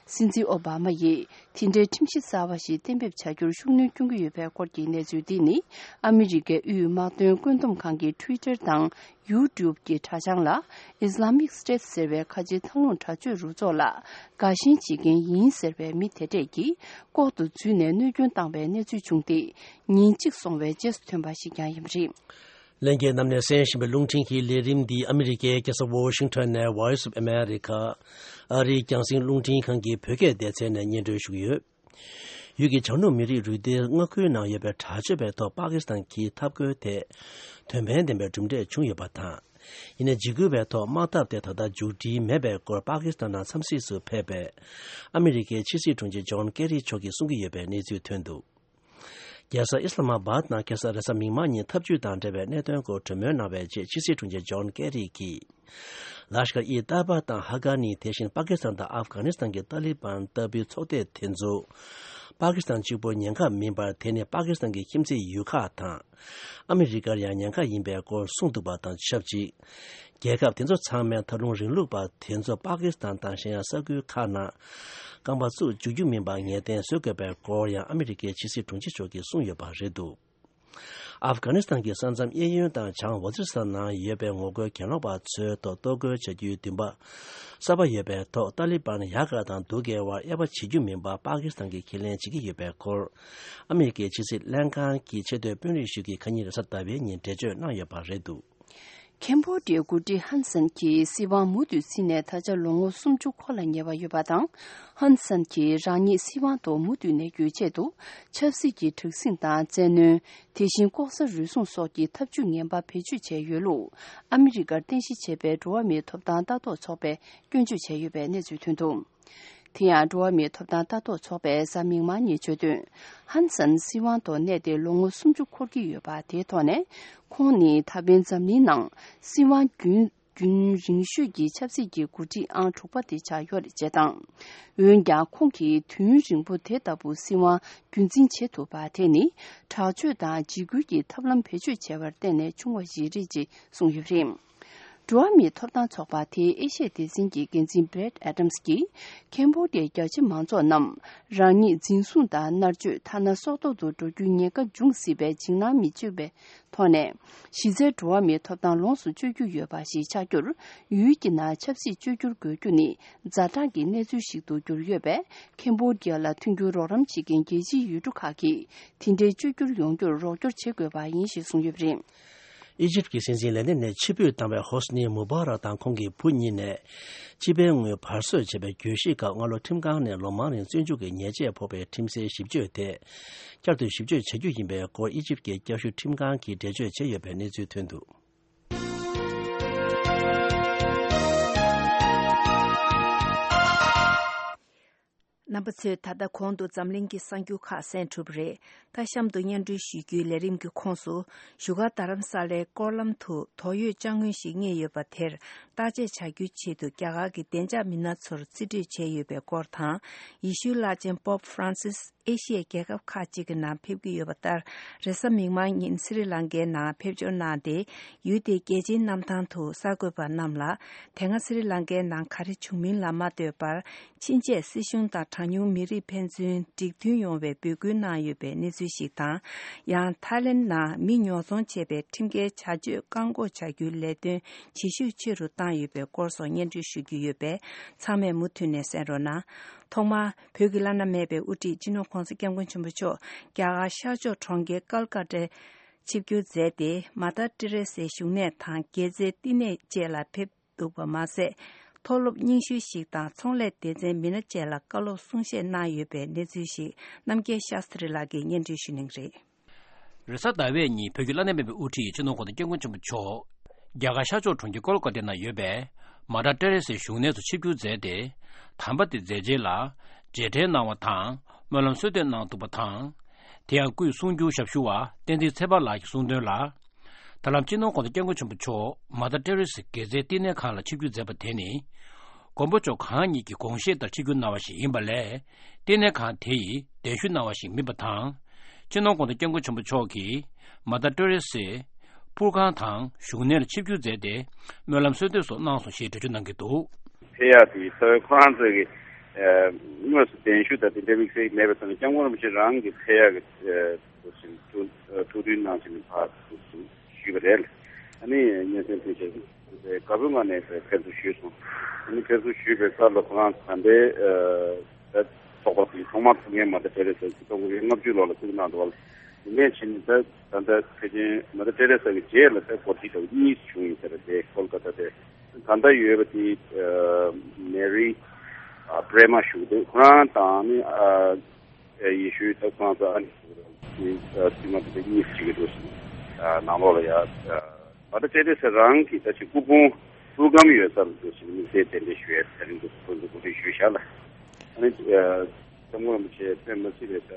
སྲིད་འཛིན་ཨོ་བྷ་མ་ཡིས་དེ་འདྲའི་ཁྲིམས་གཞི་གསར་བ་ཞིག་གཏན་འབེབས་བྱ་རྒྱུར་ཤུགས་སྣོན་སྐྱོན་གྱི་ཡོད་པའི་སྐོར་གྱི་གནས་ཚུལ་འདི་ནི། ཨ་མི་རི་ཀའི་དབུས་དམག་དོན་བཀོད་འདོམས་ཁང་གི་Twitter་དང་YouTube་གྱི་དྲ་བྱང་ལ་Islamic State་ཟེར་བའི་ཁ་ཆེའི་ཐང་ལུང་དྲག་སྤྱོད་རུ་ཚོགས་ལ་དགའ་ཞེན་བྱེད་མཁན་ཡིན་ཟེར་བའི་མི་དེ་གྲས་ཀྱིས་ལྐོག་ཏུ་འཛུལ་ནས་གནོད་སྐྱོན་བཏང་བའི་གནས་ཚུལ་བྱུང་སྟེ། ཉིན་གཅིག་སོང་བའི་རྗེས་སུ་ཐོན་པ་ཞིག་ཀྱང་ཡིན་པ་རེད། ལྷན་རྒྱས་རྣམས་ནས་གསན་བཞིན་པའི་རླུང་འཕྲིན་གྱི་ལས་རིམ་འདི་ཨ་མི་རི་ཀའི་རྒྱལ་ས་ཝོ་ཤིང་ཊོན་ནས་Voice of America ཨ་རིའི་རྒྱང་སྲིང་རླུང་འཕྲིན་ཁང་གི་བོད་སྐད་སྡེ་ཚན་ནས་སྙན་སྒྲོན་ཞུ་གི་ཡོད། ཡུལ་གྱི་བྱང་ནུབ་མི་རིགས་རུས་སྡེའི་མངའ་ཁུལ་ནང་ཡོད་པའི་དྲག་སྤྱོད་པའི་ཐོག་པ་ཀི་སི་ཐན་གྱི་འཐབ་རྒོལ་ཐད་དོན་ཕན་ལྡན་པའི་གྲུབ་འབྲས་བྱུང་ཡོད་པ་དང་། ཡིན་ནའི་འཇིགས་སྐུལ་བའི་ཐོག་དམག་འཐབ་དེ་ད་ལྟ་མཇུག་སྒྲིལ་མེད་པའི་སྐོར་པ་ཀི་སི་ཐན་ནང་འཚམས་གཟིགས་སུ་ཕེབས་པའི་ཨ་མི་རི་ཀའི་ཕྱི་སྲིད་དྲུང་ཆེ་ཇོན་ཀེ་རི་མཆོག་གིས་གསུང་གི་ཡོད་པའི་གནས་ཚུལ་ཐོན་འདུག་རྒྱལ་ས་ཨི་སི་ལ་མ་བཱད་ནང་ཁ་སང་རེས་གཟའ་མིག་དམར་ཉིན་འཐབ་ཇུས་དང་འབྲེལ་བའི་གནད་དོན་སྐོར་གྲོས་མོལ་གནང་བའི་རྗེས་ཕྱི་སྲིད་དྲུང་ཆེ་ཇོན་ཀེ་རི་གིས། ལཱཤ་ཀར་ཨི་ཏཱ་ཡེ་བ་དང་ཧ་ཀ་ནི་དེ་བཞིན་པ་ཀི་སི་ཐན་དང་ཨབ་གྷ་ནི་སི་ཐན་གྱི་ཏཱ་ལི་བན་ལྟ་བུའི་ཚོགས་སྡེ་དེ་ཚོ་པ་ཀི་སི་ཐན་གཅིག་པུར་ཉེན་ཁ་མིན་པར་དེ་ནི་པ་ཀི་སི་ཐན་གྱི་ཁྱིམ་མཚེས་ཡུལ་ཁག་དང་ཨ་མི་རི་ཀར་ཡང་ཉེན་ཁ་ཡིན་པའི་སྐོར་གསུངས་འདུག་པ་དང་ཆབས་ཅིག་རྒྱལ་ཁབ་དེ་ཚོ་ཚང་མས་ད་རུང་རིང་ལུགས་པ་དེ་ཚོ་པ་ཀི་སི་ཐན་དང་གཞན་ཡང་ས་ཁུལ་ཁག་ནང་རྐང་པ་བཙུགས་འཇུག་རྒྱུ་མིན་པར་ངེས་གཏན་བཟོ་དགོས་པའི་སྐོར་ཡང་ཨ་མི་རི་ཀའི་ཕྱི་སྲིད་དྲུང་ཆེ་མཆོག་གིས་གསུངས་ཡོད་པ་རེད་འདུག་ཨབ་གྷ་ནི་སི་ཐན་གྱི་ས་མཚམས་གཡས་གཡོན་དང་བྱང་ཝ་ཛི་རི་སི་ཐན་ནང་ཡོད་པའི་ངོ་རྒོལ་གྱེན་ལོག་པ་ཚོའི་ཐོག་གཏོར་རྒོལ་བྱ་རྒྱུའི་འདུན་པ་གསར་པ་ཡོད་པའི་ཐོག་ཏཱ་ལི་བན་ཡག་ག་དང་སྡུག་གའི་བར་དབྱེ་བ་འབྱེད་རྒྱུ་མིན་པ་པ་ཀི་སི་ཐན་གྱིས་ཁས་ལེན་བྱེད་ཀྱི་ཡོད་པའི་སྐོར། ཨ་མི་རི་ཀའི་ཕྱི་སྲིད་ལྷན་ཁང་གི་ཆེས་མཐོའི་དཔོན་རིགས་ཤིག་གིས་ཁ་ཉིན་རེས་གཟའ་ཟླ་བའི་ཉིན་འགྲེལ་བརྗོད་གནང་ཡོད་པ་རེད་འདུག་ཁེམ་བྷོ་ཌི་ཡའི་འགོ་ཁྲིད་ཧན་སན་གྱིས་སྲིད་དབང་མུ་མཐུད་ཚུད་ནས་ད་ཆ་ལོ་ངོ་སུམ་ཅུ་འཁོར་ལ་ཉེ་བ་ཡོད་པ་དང་། ཧན་སན་གྱིས་རང་ཉིད་སྲིད་དབང་ཐོག་མུ་མཐུད་གནས་རྒྱུའི་ཆེད་དུ། ཆབ་སྲིད་ཀྱི་དྲག་ཟིང་དང་བཙན་གནོན། དེ་བཞིན་ལྐོག་ཟ་རུལ་སུངས་སོགས་ཀྱི་ཐབས་ཇུས་ངན་པ་བེད་སྤྱོད་བྱས་ཡོད་ལུགས། ཨ་མི་རི་ཀར་རྟེན་གཞི་བྱས་པའི་འགྲོ་བ་མིའི་ཐོབ་ཐང་ལྟ་རྟོག་ཚོགས་པས་སྐྱོན་བརྗོད་བྱས་ཡོད་པའི་གནས་ཚུལ་ཐོན་འདུག་དེ་ཡང་། འགྲོ་བ་མིའི་ཐོབ་ཐང་ལྟ་རྟོག་ཚོགས་པས་གཟའ་མིག་དམར་ཉིན་བརྗོད་དོན། ཧན་སན་སྲིད་དབང་ཐོག་གནས་ཏེ་ལོ་ངོ་སུམ་ཅུ་འཁོར་གྱི་ཡོད་པ་དེའི་ཐོག་ནས། ཁོང་ནི་ད་ཕན་འཛམ་གླིང་ནང་སྲིད་དབང་རྒྱུན་རྒྱུན་རིང་ཤོས་ཀྱི་ཆབ་སྲིད་ཀྱི་འགོ་ཁྲིད་ཨང་དྲུག་པ་དེ་ཆགས་ཡོད་རེད་ཅེས་དང་། འོན་ཀྱང་། ཁོང་གིས་དུས་ཡུན་རིང་པོ་དེ་ལྟ་བུ་སྲིད་དབང་རྒྱུན་འཛིན་བྱེད་ཐུབ་པ་དེ་ནི། དྲག་སྤྱོད་དང་འཇིགས་སྐུལ་གྱི་ཐབས་ལམ་བེད་སྤྱོད་བྱས་པར་བརྟེན་ནས་བྱུང་བ་ཞིག་རེད་ཅེས་གསུངས་ཡོད་པ་རེད། འགྲོ་བ་མིའི་ཐོབ་ཐང་ཚོགས་པ་དེའི་ཨེ་ཤི་ཡ་སྡེ་ཚན་གྱི་འགན་འཛིན་བྷི་རེད་ཨེ་ཌམ་སི་གྱིས། ཁེམ་བྷོ་ཌི་ཡའི་རྒྱ་ཆེ་མང་ཚོགས་རྣམས་རང་ཉིད་འཛིན་བཟུང་དང་མནར་གཅོད། ཐ་ན་སྲོག་ཐོག་ཏུ་འགྲོ་རྒྱུའི་ཉེན་ཁ་འབྱུང་སྲིད་པའི་འཇིགས་སྣང་མི་བྱེད་པའི་ཐོག་ནས། གཞི་རྩའི་འགྲོ་བ་མིའི་ཐོབ་ཐང་ལོངས་སུ་སྤྱོད་རྒྱུ་ཡོད་པ་ཞིག་ཆགས་རྒྱུར། ཡུལ་གྱི་ནང་ཆབ་སྲིད་བཅོས་བསྒྱུར་དགོས་རྒྱུ་ནི། ཛ་དྲག་གི་གནས་ཚུལ་ཞིག་ཏུ་གྱུར་ཡོད་པས། ཁེམ་བྷོ་ཌི་ཡ་ལ་མཐུན་འགྱུར་རོགས་རམ་བྱེད་མཁན་རྒྱལ་སྤྱིའི་ཡུལ་གྲུ་ཁག་གིས། དེ་འདྲའི་བཅོས་བསྒྱུར་ཡོང་རྒྱུར་རོགས་སྐྱོར་བྱེད་དགོས་པ་ཡིན་ཞེས་གསུངས་ཡོད་པ་རེད། ཨི་ཇིབ་ཀྱི་སྲིད་འཛིན་ལས་གནས་ནས་ཕྱིར་འབུད་བཏང་བའི་ཧོ་སི་ནི་མུ་བྷ་རག་དང་ཁོང་གི་བུ་གཉིས་ནས། སྤྱི་པའི་དངུལ་བར་གསོད་བྱས་པའི་གྱོད་གཞི་སྐབས་སྔ་ལོ་ཁྲིམས་ཁང་ནས་ལོ་མང་རིང་བཙོན་འཇུག་གི་ཉེས་ཆད་ཕོག་པའི་ཁྲིམས་སའི་ཞིབ་དཔྱོད་དེ། བསྐྱར་དུ་ཞིབ་དཔྱོད་བྱ་རྒྱུ་ཡིན་པའི་སྐོར་ཨི་ཇིབ་ཀྱི་བསྐྱར་ཞིབ་ཁྲིམས་ཁང་གིས་འགྲེལ་བརྗོད་བྱས་ཡོད་པའི་གནས་ཚུལ་ཐོན་འདུག་རྣམ་པ་ཚོས་ད་ལྟ་གོང་དུ་འཛམ་གླིང་གི་གསར་འགྱུར་ཁག་གསན་གྲུབ་པ་རེད། ད་གཤམ་དུ་སྙན་སྒྲོན་ཞུ་རྒྱུའི་ལས་རིམ་གྱི་ཁོངས་སུ། བཞུགས་སྒར་རྡ་རམ་ས་ལའི་སྐོར་ལམ་དུ་དོགས་ཡོད་ཅ་དངོས་ཤིག་རྙེད་ཡོད་པ་དེར་བརྟག་དཔྱད་བྱ་རྒྱུའི་ཆེད་དུ་རྒྱ་གར་གྱི་བདེ་འཇགས་མི་སྣ་ཚོར་རྩིས་སྤྲོད་བྱས་ཡོད་པའི་སྐོར་དང་། ཡེ་ཤུའི་བླ་ཆེན་པོབ་ཧྥ་རན་སིས་ཨེ་ཤི་ཡའི་རྒྱལ་ཁབ་ཁག་ཅིག་གི་ནང་ཕེབས་ཀྱི་ཡོད་པ་ལྟར། རེས་གཟའ་མིག་དམར་ཉིན་སི་རི་ལང་ཀའི་ནང་ཕེབས་འབྱོར་གནང་སྟེ། ཡུལ་དེའི་རྒྱལ་སྤྱིའི་གནམ་ཐང་དུ་གསར་འགོད་པ་རྣམས་ལ། དེ་སྔ་སི་རི་ལང་ཀའི་ནང་ག་རེ་བྱུང་མིན་ལ་མ་ལྟོས་པར། ཕྱིན་ཆད་སྲིད་གཞུང་དང་གྲངས་ཉུང་མི་རིགས་ཕན་ཚུན་འགྲིག་མཐུན་ཡོང་བའི་འབོད་སྐུལ་གནང་ཡོད་པའི་གནས་ཚུལ་ཞིག་དང་། ཡང་ཐའི་ལེན་ནང་མི་ཉོ་ཚོང་བྱེད་པའི་ཁྲིམས་འགལ་བྱ་སྤྱོད་བཀག་འགོག་བྱ་རྒྱུའི་ལས་དོན་ཇེ་ཤུགས་ཆེ་རུ་བཏང་ཡོད་པའི་སྐོར་སོགས་སྙན་སྒྲོན་ཞུ་རྒྱུ་ཡོད་པས། ཚང་མས་མུ་མཐུད་ནས་གསན་རོགས་གནང་། ཐོག་མར། བོད་ཀྱི་བླ་ན་མེད་པའི་དབུ་ཁྲིད་སྤྱི་ནོར་༧གོང་ས་༧སྐྱབས་མགོན་ཆེན་པོ་མཆོག་རྒྱ་གར་ཤར་ཕྱོགས་གྲོང་ཁྱེར་ཀལ་ཀ་ཏའི་ཆིབས་བསྒྱུར་མཛད་དེ། མ་དར་ཏི་རེ་སའི་བཞུགས་གནས་དང་དགེ་རྩའི་བསྟི་གནས་བཅས་ལ་ཕེབས་འདུག་པ་མ་ཟད། མཐོ་སློབ་རྙིང་ཤོས་ཤིག་དང་ཚོང་ལས་སྡེ་ཚན་མི་སྣ་བཅས་ལ་བཀའ་སློབ་གསུང་བཤད་གནང་ཡོད་པའི་གནས་ཚུལ་ཞིག་རྣམ་རྒྱལ་ཤཱསྟྲི་ལགས་ཀྱིས་སྙན་སྒྲོན་ཞུ་གནང་གི་རེད། རེས་གཟའ་ཟླ་བའི་ཉིན་བོད་ཀྱི་བླ་ན་མེད་པའི་དབུ་ཁྲིད་སྤྱི་ནོར་༧གོང་ས་༧སྐྱབས་མགོན་ཆེན་པོ་མཆོག་རྒྱ་གར་ཤར་ཕྱོགས་གྲོང་ཁྱེར་ཀོལ་ཀ་ཏའི་ནང་ཡོད་པའི་མ་དར་ཏེ་རེ་སའི་བཞུགས་གནས་སུ་ཆིབས་བསྒྱུར་མཛད་དེ། དམ་པ་དེ་མཛད་རྗེས་ལ་རྗེས་དྲན་གནང་བ་དང་སྨོན་ལམ་གསོལ་འདེབས་གནང་འདུག་པ་དང་། དེ་ཡང་སྐུའི་གསུང་སྒྱུར་ཞབས་ཞུ་བ་བསྟན་འཛིན་ཚེ་དཔག་ལགས་ཀྱིས་གསུངས་དོན་ལ། ད་ལམ་སྤྱི་ནོར་༧གོང་ས་༧སྐྱབས་མགོན་ཆེན་པོ་མཆོག་མ་དར་ཏེ་རེ་སའི་དགེ་རྩའི་བསྟི་གནས་ཁང་ལ་ཆིབས་བསྒྱུར་མཛད་པ་དེ་ནི། མགོན་པོ་མཆོག་གང་ཉིད་ཀྱི་དགོངས་བཞེད་ལྟར་ཆིབས་བསྒྱུར་གནང་བ་ཞིག་ཡིན་པ་ལས། བསྟི་གནས་ཁང་དེ་ཡི་གདན་ཞུ་གནང་བ་ཞིག་མིན་པ་དང་། སྤྱི་ནོར་༧གོང་ས་༧སྐྱབས་མགོན་ཆེན་པོ་མཆོག་གིས་མ་དར་ཏེ་རེ་སའི་ཕུར་ཁང་དང་བཞུགས་གནས་ལ་ཆིབས་བསྒྱུར་མཛད་དེ། སྨོན་ལམ་གསོལ་འདེབས་སོགས་གནང་སོང་ཞེས་འགྲེལ་བརྗོད་གནང་གི་འདུག་ཕེབས་ཡག་དེ་རྩ་བའི་ཁོ་རང་ཚོའི་གི་ཨ་དངོས་སུ་གདན་ཞུ་དང་དེ་འདྲ་དམིགས་བསལ་མེད་པའི་ཐོག་ནས་སྐྱབས་མགོན་རིན་པོ་ཆེ་རང་གི་ཕེབས་ཡག་གི་ཨ་ཐུགས་ཐུགས་འདུན་གནང་བྱས་ནས་ཕར་ཞུས་པ་རེད། ཨ་ནི་སྙན་སེང་ཕུལ་བྱས་དགའ་པོའི་ངང་ནས་ཕེབས་བསུ་ཞུས་སོང་། ཨ་ནི་ཕེབས་བསུ་ཞུས་པའི་སྐབས་ལ་ཁོ་རང་ད་ལྟའི་ཨ་ཚོགས་པ་དེ་ཐོག་མར་ཐུགས་འགན་མ་དར་ཏེ་རེ་སའི་ཆིག་སྟོང་དགུ་བརྒྱ་ལྔ་བཅུ་ལོ་ལ་བཙུགས་གནང་འདུག་བ། དེ་ནས་ཕྱིན་ད་ད་ལྟ་ཕལ་ཆེར་མ་ད་ཏེ་རེ་ས་གི་རྗེས་ལ་ད་འགོ་ཁྲིད་དང་གཉིས་བྱུང་ཡིན་ཟེར་དེ་ཀོལ་ཀ་ཏ་དེ་ད་ལྟ་ཡོད་པ་དེ་མེ་རི་པྲེ་མ་ཞུ་འདུག་ཁོ་རང་དང་ནི་ཡེ་ཤུའི་ད་ཁོ་རང་ཚོ་ཨ་ནི་ཙི་མ་དེ་གཉིས་བྱེད་ཀྱི་འདུག་ནང་ལོགས་ལ་ཡ་མ་ད་ཏེ་རེ་ས་རང་གི་ད་ཅི་སྐུ་ཕུང་པུར་སྒམ་ཡོད་ས་ལ་འདུག་ཟེར་དམིགས་བསལ་གདན་འདྲེན་ཞུ་ཡ་ད་རིང་འདུག་ཁོ་ཚོ་གོ་སྒྲིག་ཞུས་བཞག་ལ་ཨ་ནི། སྐྱབས་མགོན་རིན་པོ་ཆེ་དཔེ་མི་སྲིད་པའི་ད་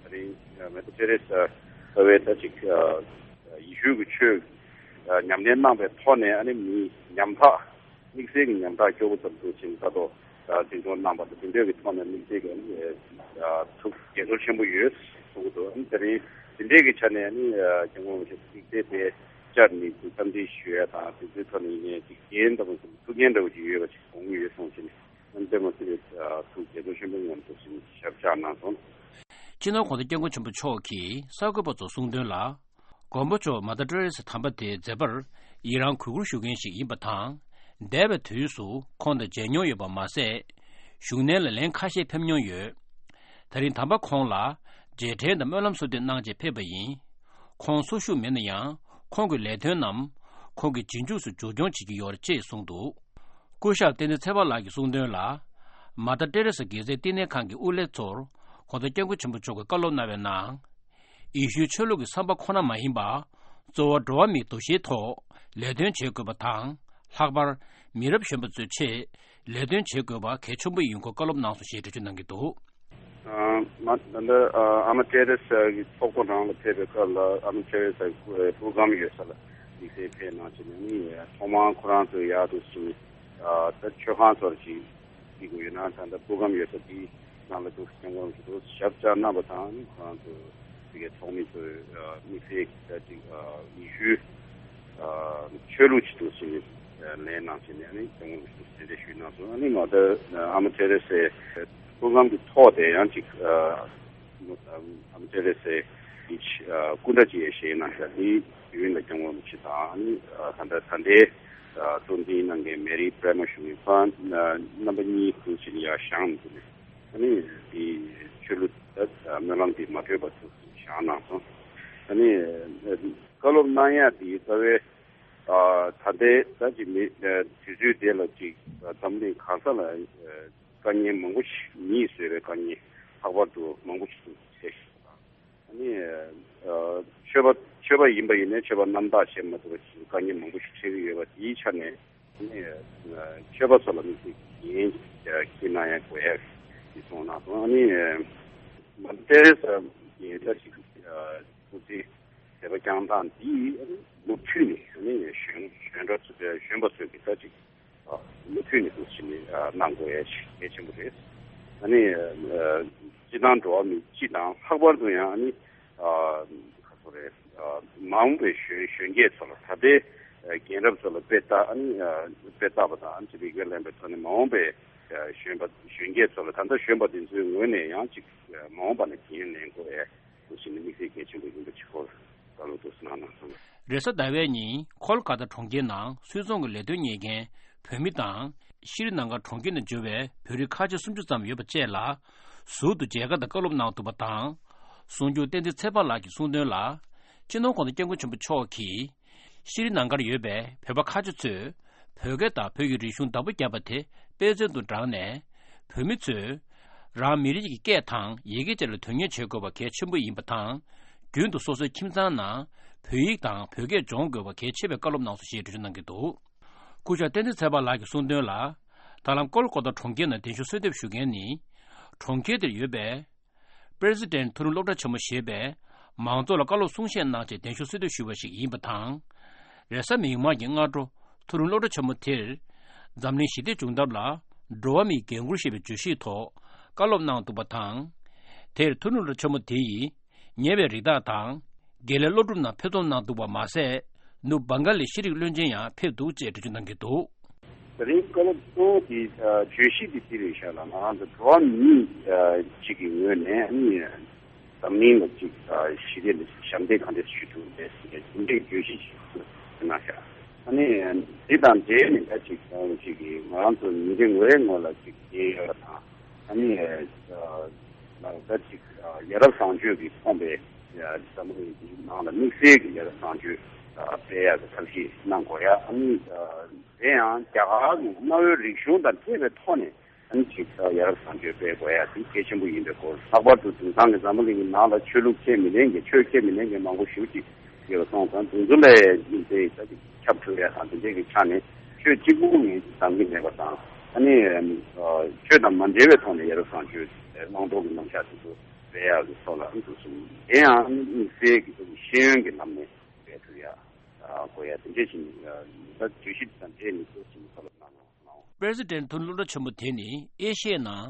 ད་རིང་མེ་ཏོ་ཏེ་རེ་ས་ལྟ་བུའི་ད་ཅིག་ཡེ་ཤུ་གི་ཆོས་ཉམས་ལེན་གནང་པའི་ཐོག་ནས་ཨ་ནི་མི་ཉམ་ཐག་དམིགས་བསལ་གྱི་ཉམ་ཐག་སྐྱོ་པོ་ཙམ་དུ་ཕྱིན་ས་ཐོག་འཛིན་སྐྱོང་གནང་པ་དང་དེ་འདྲ་གི་ཐོག་ནས་དམིགས་བསལ་གྱི་ཐུགས་དགྱེས་ཚོར་ཆེན་པོ་ཡོད་གསུང་གི་འདུག་ཨ་ནི་ད་རིང་དེ་འདྲའི་གི་ཆ་ནས་ཨ་ནི་སྐྱབས་མགོན་རིན་པོ་ཆེ་དམིགས་བསལ་དེ་བཅར་ནས་འཚམས་འདྲི་ཞུ་ཡ་དང་དེ་ཚོའི་ཐོག་ནས་ཡིན་ནའི་ཅིག་འགན་འདྲ་པོ་ཅིག་ཐུགས་འགན་འདྲ་པོ་ཅིག་ཡོད་པ་ཅིག་དགོངས་ཀྱི་ཡོད་གསུངས་བྱས་ནས། ཨ་ནི་དཔེ་མི་སྲིད་པའི་ཐུགས་དགྱེས་ཚོར་ཆེན་པོའི་ངང་དུ་ཞབས་བཅགས་གནང་སོང་། སྤྱི་ནོར་༸གོང་ས་༸སྐྱབས་མགོན་ཆེན་པོ་མཆོག་གིས་གསར་འགོད་པ་ཚོར་གསུངས་དོན་ལ། མགོན་པོ་མཆོག་མ་ད་ཏྲེ་རེ་སི་དམ་པ་དེ་མཛད་པར་ཡི་རང་གུས་བཀུར་ཞུ་མཁན་ཞིག་ཡིན་པ་དང་། འདས་པའི་དུས་སུ་ཁོང་དང་མཇལ་མྱོང་ཡོད་པ་མ་ཟད། བཞུགས་གནས་ལ་ལན་ཁ་ཤས་ཕེབས་མྱོང་ཡོད། ད་རིང་དམ་པ་ཁོང་ལ་རྗེས་དྲན་དང་སྨོན་ལམ་གསོལ་འདེབས་གནང་ཆེད་ཕེབས་པ་ཡིན། ཁོང་འཚོ་བཞུགས་མེད་ན་ཡང་ཁོང་གི་ལས་དོན་རྣམས་ཁོང་གི་རྗེས་འཇུག་སུ་འཇུག་སྐྱོང་བྱེད་ཀྱི་ཡོད་རེད་ཅེས་གསུངས་འདུག་སྐུ་ཞབས་བསྟན་འཛིན་ཚེ་དཔག་ལགས་ཀྱིས་གསུངས་དོན་ལ། མ་ད་ཏྲེ་རེ་ས་དགེ་རྩའི་བསྟི་གནས་ཁང་གི་དབུ་ལས་ཚོར་༸གོང་ས་༸སྐྱབས་མགོན་ཆེན་པོ་མཆོག་གིས་བཀའ་སློབ་གནང་བའི་ནང་། ཡེ་ཤུའི་ཆོས་ལུགས་ཀྱི་བསམ་པ་ཁོ་ན་མ་ཡིན་པ། གཙོ་བོ་འགྲོ་བ་མིའི་འདུ་ཤེས་ཐོག་ལས་དོན་བྱེད་དགོས་པ་དང་། ལྷག་པར་མི་རབས་གཞོན་པ་ཚོའི་ཆེད་ལས་དོན་བྱེད་དགོས་པ་གལ་ཆེན་པོ་ཡིན་སྐོར་བཀའ་སློབ་གནང་སོང་ཞེས་འགྲེལ་བརྗོད་གནང་གི་འདུག་ཨ་མ་ད་ལྟ་ཨ་མ་ཏེ་རེ་ས་གི་ཚོགས་པ་རང་ལ་ཕེབས་པའི་སྐབས་ལ་ཨ་མ་ཏེ་རེ་ས་གི་སྐུ་སྒམ་ཡོད་ས་ལ་དམིགས་བསལ་ཕེབས་གནང་བྱས་ནས་ནི་ཐོག་མར་ཁོ་རང་ཚོ་ཡར་དུ་ཕྱིན་ནས་ད་མཆོད་ཁང་ཚོར་ཅིག་བྱེད་དགོས་ཡོད་ན་ད་ལྟ་སྐུ་སྒམ་ཡོད་ས་དེའི་ནང་ལ་འདུག་སྐྱབས་མགོན་རིན་པོ་ཆེ་ཞབས་བཅགས་གནང་པ་དང་ནི་ཁོ་རང་ཚོ་དེ་གའི་ཚོགས་མི་ཚོས་དམིགས་བསལ་གྱི་ད་ཅིག་ཡེ་ཤུའི་ཆོས་ལུགས་ཅིག་ཏུ་ཕྱིན་ནས་ལེན་གནང་བྱས་ནས་ནི་སྐྱབས་མགོན་རིན་པོ་ཆེ་གདན་འདྲེན་ཞུས་གནང་སོང་། ཨ་ནི་མ་ད་ཨ་མ་ཏེ་རེ་སའི་སྐུ་སྒམ་གྱི་ཐོག་དེ་ཡང་ཅིག་ཨ་མ་ཏེ་རེ་སའི་སྐུ་འདྲ་ཅིག་ཡང་བཞེངས་གནང་ཤག་དེའི་དུས་ཡུན་ལ་སྐྱབས་མགོན་རིན་པོ་ཆེ་དང་ཨ་ནི་ད་ལྟ་ད་ལྟའི་གཙོ་འཛིན་གནང་མཁན་མེ་རི་པྲེ་མ་ཞུ་མཁན་ཁོང་རྣམ་པ་གཉིས་ཐུག་ཕྱིན་ཡར་བཞེངས་འདུག་ཨ་ནི་དེ་ཆོས་ལུགས་ད་སྨོན་ལམ་དེ་མ་གྲོལ་བར་དུ་བཞེངས་གནང་སོང་། ཨ་ནི་བཀའ་སློབ་གནང་ཡག་དེ་རྩ་བའི་ད་ལྟའི་ད་ཅིག་མི་དུས་ཚོད་དེ་ལ་ཅིག་འཛམ་གླིང་གང་ས་ལ་དཀའ་ངལ་མང་པོ་ཞིག་མིས་བཟོས་པའི་དཀའ་ངལ་ལྷག་པར་དུ་མང་པོ་ཞིག་འཕྲད་ཤག་ཨ་ནི་ཆོས་པ་ཆོས་པ་ཡིན་པ་ཡིན་ནའི་ཆོས་པ་རྣམ་དག་བྱེད་མ་ཐུབ་པ་ཞིག་དཀའ་ངལ་མང་པོ་ཞིག་འཕྲད་ཀྱི་ཡོད་པ་དེའི་ཆ་ནས། ནི་ཆོས་པ་ཚོ་ལ་དམིགས་བསལ་གྱི་འགན་ཁྱེད་གནང་ཡ་དགོས་ཡ་ཞིག་གསུངས་གནང་སོང་། ཨ་ནི་མ་ཏེ་རེ་ས་ཡིན་ད་ཅིག་སྐུ་ཚེ་མཛད་པ་བསྐྱངས་སྟངས་འདི་མུ་མཐུད་ནས་ཨ་ནི་གཞོན་གཞོན་གྲྭ་ཚོ་གཞོན་པ་ཚོས་ཀྱི་ད་ཅིག་མུ་མཐུད་ནས་འདུག་ཕྱིན་ནས་གནང་དགོས་ཡ་ཞིག་གལ་ཆེན་པོ་རེད། ཨ་ནི་སྤྱི་བཏང་འགྲོ་བ་མི་སྤྱི་དང་ལྷག་པར་དུ་ཡང་ཨ་ནི། ཁ་སོ་རེད། མ་འོངས་པའི་གཞོན་གཞོན་སྐྱེས་ཚོ་ལ་ད་ལྟའི་རྒན་རབས་ཚོ་ལ་དཔེ་ལྟ་ཨ་ནི་དཔེ་ལྟ་བ་དང་ཨ་ནི་རིགས་པས་ལེན་པའི་ཐོག་ནས་མ་འོངས་པའི་གཞོན་པ་གཞོན་སྐྱེས་ཚོ་ལ་ད་ལྟ་གཞོན་པ་དེ་ཚོའི་ངོས་ནས་ཡང་ཅིག་མ་འོངས་པ་ནས་འགན་ལེན་དགོས་ཡས་འདུག་ཕྱིན་ནས་དམིགས་བསལ་གལ་ཆེན་པོ་ཡིན་པ་ཅིག་སྐོར་བཀའ་སློབ་ཏོག་ཙམ་གནང་གནང་སོང་། རེས་གཟའ་ཟླ་བའི་ཉིན་ཁོལ་ཀ་ཏ་གྲོང་ཁྱེར་ནང་སུད་ཚོང་གི་ལས་དོན་གཉེར་མཁན་བོད་མི་དང་། ཤྲི་ལང་ཀ་གྲོང་ཁྱེར་ནང་འབྱོར་བའི་བོད་རིགས་ཁ་ཆེ་སུམ་ཅུ་ཙམ་ཡོད་པ་བཅས་ལ་ཟུར་དུ་མཇལ་ཁ་དང་བཀའ་སློབ་གནང་འདུག་པ་དང་། གསུང་སྒྱུར་བསྟན་འཛིན་ཚེ་དཔག་ལགས་ཀྱིས་གསུངས་དོན་ལ། སྤྱི་ནོར་༸གོང་ས་༸སྐྱབས་མགོན་ཆེན་པོ་མཆོག་གིས་ཤྲི་ལང་ཀར་ཡོད་པའི་བོད་པ་ཁ་ཆེ་ཚོས་བོད་སྐད་དང་བོད་ཀྱི་རིག་གཞུང་བདག་པོ་བརྒྱབ་པ་དེ་དཔེ་མཚོན་དུ་བགྲངས་ནས། བོད་མི་ཚོས་རང་མི་རིགས་ཀྱི་སྐད་དང་ཡི་གེ་བཅས་ལ་དོན་གཉེར་བྱེད་དགོས་པ་གལ་ཆེན་པོ་ཡིན་པ་དང་། རྒྱུན་དུ་སོ་སོའི་ཁྱིམ་ཚང་ནང་བོད་ཡིག་དང་བོད་སྐད་སྦྱོང་དགོས་པ་གལ་ཆེ་བའི་བཀའ་སློབ་གནང་སོང་ཞེས་འགྲེལ་བརྗོད་གནང་གི་འདུག་སྐུ་ཞབས་བསྟན་འཛིན་ཚེ་དཔག་ལགས་ཀྱིས་གསུངས་དོན་ལ། ད་ལམ་ཀོལ་ཀོ་ཏ་གྲོང་ཁྱེར་ནང་གདན་ཞུ་གསོལ་འདེབས་ཞུ་མཁན་ནི། གྲོང་ཁྱེར་དེར་ཡོད་པའི་པྲེ་སི་ཌེན་མཐོ་རིམ་སློབ་གྲྭ་ཆེན་མོ་ཞེས་པས་མང་ཚོགས་ལ་བཀའ་སློབ་གསུང་བཤད་གནང་ཆེད་གདན་ཞུ་གསོལ་འདེབས་ཞུས་པ་ཞིག་ཡིན་པ་དང་། རེས་གཟའ་མིག་དམར་གྱི་སྔ་དྲོ་མཐོ་རིམ་སློབ་གྲྭ་ཆེན་མོ་དེར། འཛམ་གླིང་ཞི་བདེ་བྱུང་ཐབས་ལ་འགྲོ་བ་མིའི་འགན་འཁུར་ཞེས་པའི་བརྗོད་གཞིའི་ཐོག་བཀའ་སློབ་གནང་འདུག་པ་དང་། དེར་མཐོ་རིམ་སློབ་གྲྭ་ཆེན་མོ་དེ་ཡིས། ཉེ་བའི་རིགས་བདག་དང་། དགེ་ལས་སློབ་ཕྲུག་རྣམས་ཕེབས་གཏོང་གནང་འདུག་པ་མ་ཟད། ནུབ་བྷང་ག་ལའི་ཤེས་རིག་བློན་ཆེན་ཡང་ཕེབས་འདུག་ཅེས་འགྲེལ་བརྗོད་གནང་གི་འདུག་དེ་རིང་བཀའ་སློབ་གཙོ་བོ་དེ་བརྗོད་གཞི་དེ་དེ་རེད་ཤག་ལ། ང་རང་ཚོ་འགྲོ་བ་མི་གཅིག་གི་ངོས་ནས་ཨ་ནི་འཛམ་གླིང་ལ་གཅིག་ཞི་བདེ་ལ་ཞབས་འདེགས་གང་འདྲས་ཞུ་ཐུབ་རེད་ཟེར་དེ་འདྲའི་བརྗོད་གཞི་ཞིག་གནང་ཤག་ཨ་ནི་དེ་དང་འབྲེལ་ནས་ད་ཅིག་ང་རང་ཚོ་ཉིན་རེ་ངོ་རེ་ངོ་ལ་ཅིག་བསྟན་ཡོད་པ་དང་། ཨ་ནི་ལ་ད་ཅིག་ཡ་རབས་བཟང་སྤྱོད་ཀྱིས་ཕོངས་པའི་ འཛམ་བུ་གླིང་གི་ནང་ལ་དམིགས་བསལ་གྱི་ཡ་རབས་གསང་སྤྱོད་སྤེལ་ཡག་གི་ཐབས་ཤེས་གནང་དགོས་ཡ། ཨ་ནི་དེ་ཡང་རྒྱ་གར་གྱི་གནའ་བོའི་རིག་གཞུང་དང་འཕྲད་པའི་ཐོག་ནས། ཨ་ནི་ཅིག་ཡ་རབས་གསང་སྤྱོད་སྤེལ་དགོས་ཡ་དེ་གལ་ཆེན་པོ་ཡིན་པའི་སྐོར། ལྷག་པར་དུ་དེང་སང་གི་འཛམ་བུ་གླིང་གི་ནང་ལ་ཆོས་ལུགས་ཁས་མི་ལེན་མཁན། ཆོས་ཁས་མི་ལེན་མཁན་མང་པོ་ཞེ་པོ་ཅིག་ཡོད་པ་སོང་ཙང་། དེ་ཚོ་ལ་དེ་ཁྱབ་བསྒྲགས་ཡ་དང་། དེ་འདྲའི་གི་ཆ་ནས་ཆོས་གཅིག་པུ་ངོས་འཛིན་བཏང་གི་མེད་པ་དང་། ཨ་ནི་ཆོས་དང་མ་འབྲེལ་བའི་ཐོག་ནས་ཡ་རབས་གསང་སྤྱོད་བླང་དོར་གྱི་རྣམ་གཞག་དེ་ཚོ་སྤེལ་ཡག་གི་ཐོག་ལ་འདུག་སོང་། དེ་ཡང་དམིགས་བསལ་གྱི་ཤེས་ཡོན་གྱི་ལམ་ནས་སྤེལ་ཐུབ་ཡ་དགོས་ཡ། དེ་འདྲ་ཞིག་ད་བརྗོད་གཞི་དང་འབྲེལ་ནས་ཚོ་ཞིག་བཀའ་སློབ་གནང་། པྲེ་སི་ཌེན་ཐུན་སློབ་གྲྭ་ཆེན་མོ་དེ་ནི་ཨེ་ཤི་ཡའི་ནང་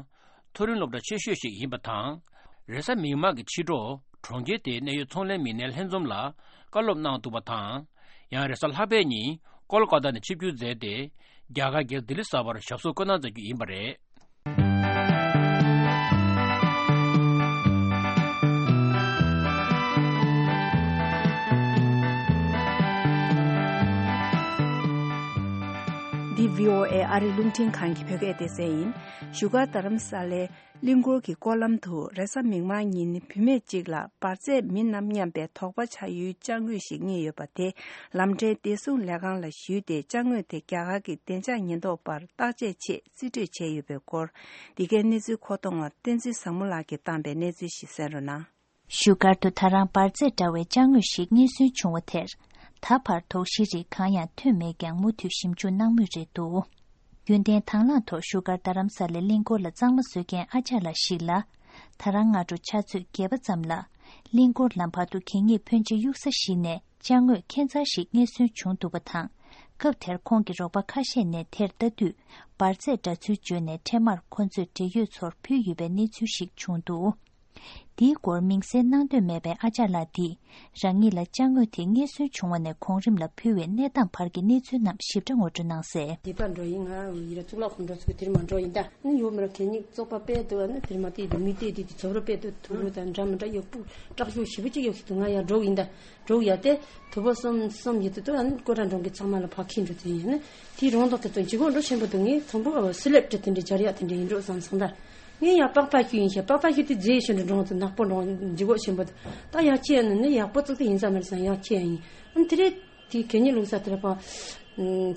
མཐོ་རིམ་སློབ་གྲྭ་ཆེ་ཤོས་ཤིག་ཡིན་པ་དང་། རེས་གཟའ་མིག་དམར་གྱི་ཕྱི་དྲོ་གྲོང་ཁྱེར་དེའི་གནད་ཡོད་ཚོང་ལས་མི་སྣའི་ལྷན་འཛོམས་ལ་བཀའ་སློབ་གནང་འདུག་པ་དང་། ཡང་རེས་གཟའ་ལྷག་པའི་ཉིན་ཀོལ་ཀ་ཏ་ནས་ཆིབས་བསྒྱུར་མཛད་དེ། རྒྱ་གར་རྒྱལ་ལྡི་ལི་གསར་པར་ཞབས་སོར་བཀོད་གནང་མཛད་རྒྱུ་ཡིན་པ་རེད། འདི་བྷི་ཨོ་ཨེ་ཨ་རིའི་རླུང་འཕྲིན་ཁང་གི་བོད་སྐད་སྡེ་ཚན་ཡིན། བཞུགས་སྒར་རྡ་རམ་ས་ལའི་གླིང་སྐོར་གྱི་སྐོར་ལམ་དུ་རེས་གཟའ་མིག་དམར་ཉིན་བུད་མེད་ཅིག་ལ་འབར་རྫས་མིན་ནམ་སྙམ་པའི་དོགས་པ་ཆགས་ཡུལ་ཅ་དངོས་ཤིག་རྙེད་ཡོད་པ་དེ་ལམ་འབྲེལ་བདེ་སྲུང་ལས་ཁང་ལ་ཞུས་ཏེ། ཅ་དངོས་དེ་རྒྱ་གར་གྱི་བདེ་འཇགས་ཉེན་རྟོག་པར་བརྟག་དཔྱད་ཆེད་རྩིས་སྤྲོད་བྱས་ཡོད་པའི་སྐོར། འདི་གའི་གནས་ཚུལ་མཁོ་གཏོང་བ་བསྟན་འཛིན་བཟང་མོ་ལགས་ཀྱིས་བཏང་པའི་གནས་ཚུལ་ཞིག་གསན་རོགས་གནང་། བཞུགས་སྒར་དུ་ད་རང་འབར་རྫས་འདྲ་བའི་ཅ་དངོས་ཤིག་རྙེད་སོན་བྱུང་བ་དེར། ད་བར་དོགས་གཞིའི་རིགས་གང་ཡང་ཐོན་མེད་ཀྱང་། མུ་མཐུད་ཞིབ་འཇུག་གནང་མུས་རེད་འདུག་རྒྱུན་ལྡན་དང་བླངས་ཐོག་བཞུགས་སྒར་རྡ་རམ་ས་ལའི་གླིང་སྐོར་ལ་གཙང་མ་བཟོ་མཁན་ཨ་ཅག་ལགས་ཤིག་ལ། ད་རང་སྔ་དྲོ་ཆུ་ཚོད་བརྒྱད་པ་ཙམ་ལ། གླིང་སྐོར་ལམ་བར་དུ་གད་སྙིགས་ཕོན་ཆེ་གཡུག་ས་ཞིག་ནས་ཅ་དངོས་ཁྱད་མཚར་ཞིག་རྙེད་སོན་བྱུང་འདུག་པ་དང་། སྐབས་དེར་ཁོང་གི་རོགས་པ་ཁ་ཤས་ནས་དེར་ལྟ་དུས། འབར་རྫས་འདྲ་ཚུལ་བརྗོད་ནས། འཕྲལ་མར་ཁོ་ཚོས་འབྲེལ་ཡོད་ཚོར་ཕུལ་ཡོད་པའི་གནས་ཚུལ་ཞིག་བྱུང་འདུག་འདིའི་སྐོར་མིང་གསལ་གནང་འདོད་མེད་པའི་ཨ་ཅག་ལགས་འདིས། རང་ཉིད་ལ་ཅ་དངོས་དེ་རྙེད་སོན་བྱུང་བ་ནས་གོང་རིམ་ལ་ཕུལ་བའི་གནས་སྟངས་བར་གྱི་གནས་ཚུལ་རྣམས་ཞིབ་ཕྲ་ངོ་སྤྲོད་གནང་གསལ། སྡེ་པ་འགྲོ་ཡིན། ང་ཡིན་ན་གཙུག་ལག་ཁང་འགྲོ་ཚུགས་དེར་མ་འགྲོ་ཡིན་ད། ནི་ཡོད་མ་ར་གད་སྙིགས་བཙོག་པ་དཔེ་འདུག་ཨ་ནི་དེར་མ་དེ་དུ་མི་དེ་དེ་དེ་ཚོ་ར་དཔེ་འདུག་ཐུག་རུ་དང་འདྲ་མི་འདྲ་ཡོད་པུ་སྐྲག་ཤོས་ཞེ་པོ་ཅིག་ཡོད་ཤི་འདུག་ང་ཡར་འགྲོ་ཡིན་ད། འགྲོ་ཡ་དེ་དུ་བ་གསུམ་གསུམ་ཡོད་དུ་དུ་ཨ་ནི་ཀོ་ཊ་འགྲོ་གི་ཚང་མ་ལ་ཕ་ཁི་འགྲོ་དེ་ཡིན་ནི་དེའི་རོང་དོག་དེ་ཚོ་འཇིགས་འོག་འགྲོ་ཆེན་པོ་འདུག་ངས་ཚོང་པོ་སི་ལེབ་ཏི་དེ་འདྲའི་སྦྱར་ཡག་དེ་འདྲ་ཡིན་འགྲོ་བསམ་སོང་ད། ངས་ཡར་པགས་པ་ཤུ་ཡིན་ཤ་པགས་པ་ཤུ་དེ་རྫས་ཤུ་འདྲ་འགྲོ་ཚུ་ནག་པོ་འགྲོ་འཇིགས་འོག་ཆེན་པོ་འདུག་ད་ཡག་ཁྱི་ཡ་ནི་ནི་ཡག་པོ་ཙིག་ཙིག་ཡིན་ས་མ་རེད་བསམ། ཡག་ཁྱི་ཡ་ཡིན། ཨ་ནི་དེ་རེད། དེའི་གད་སྙིགས་བླུགས་ས་དེ་ལ་ཕ།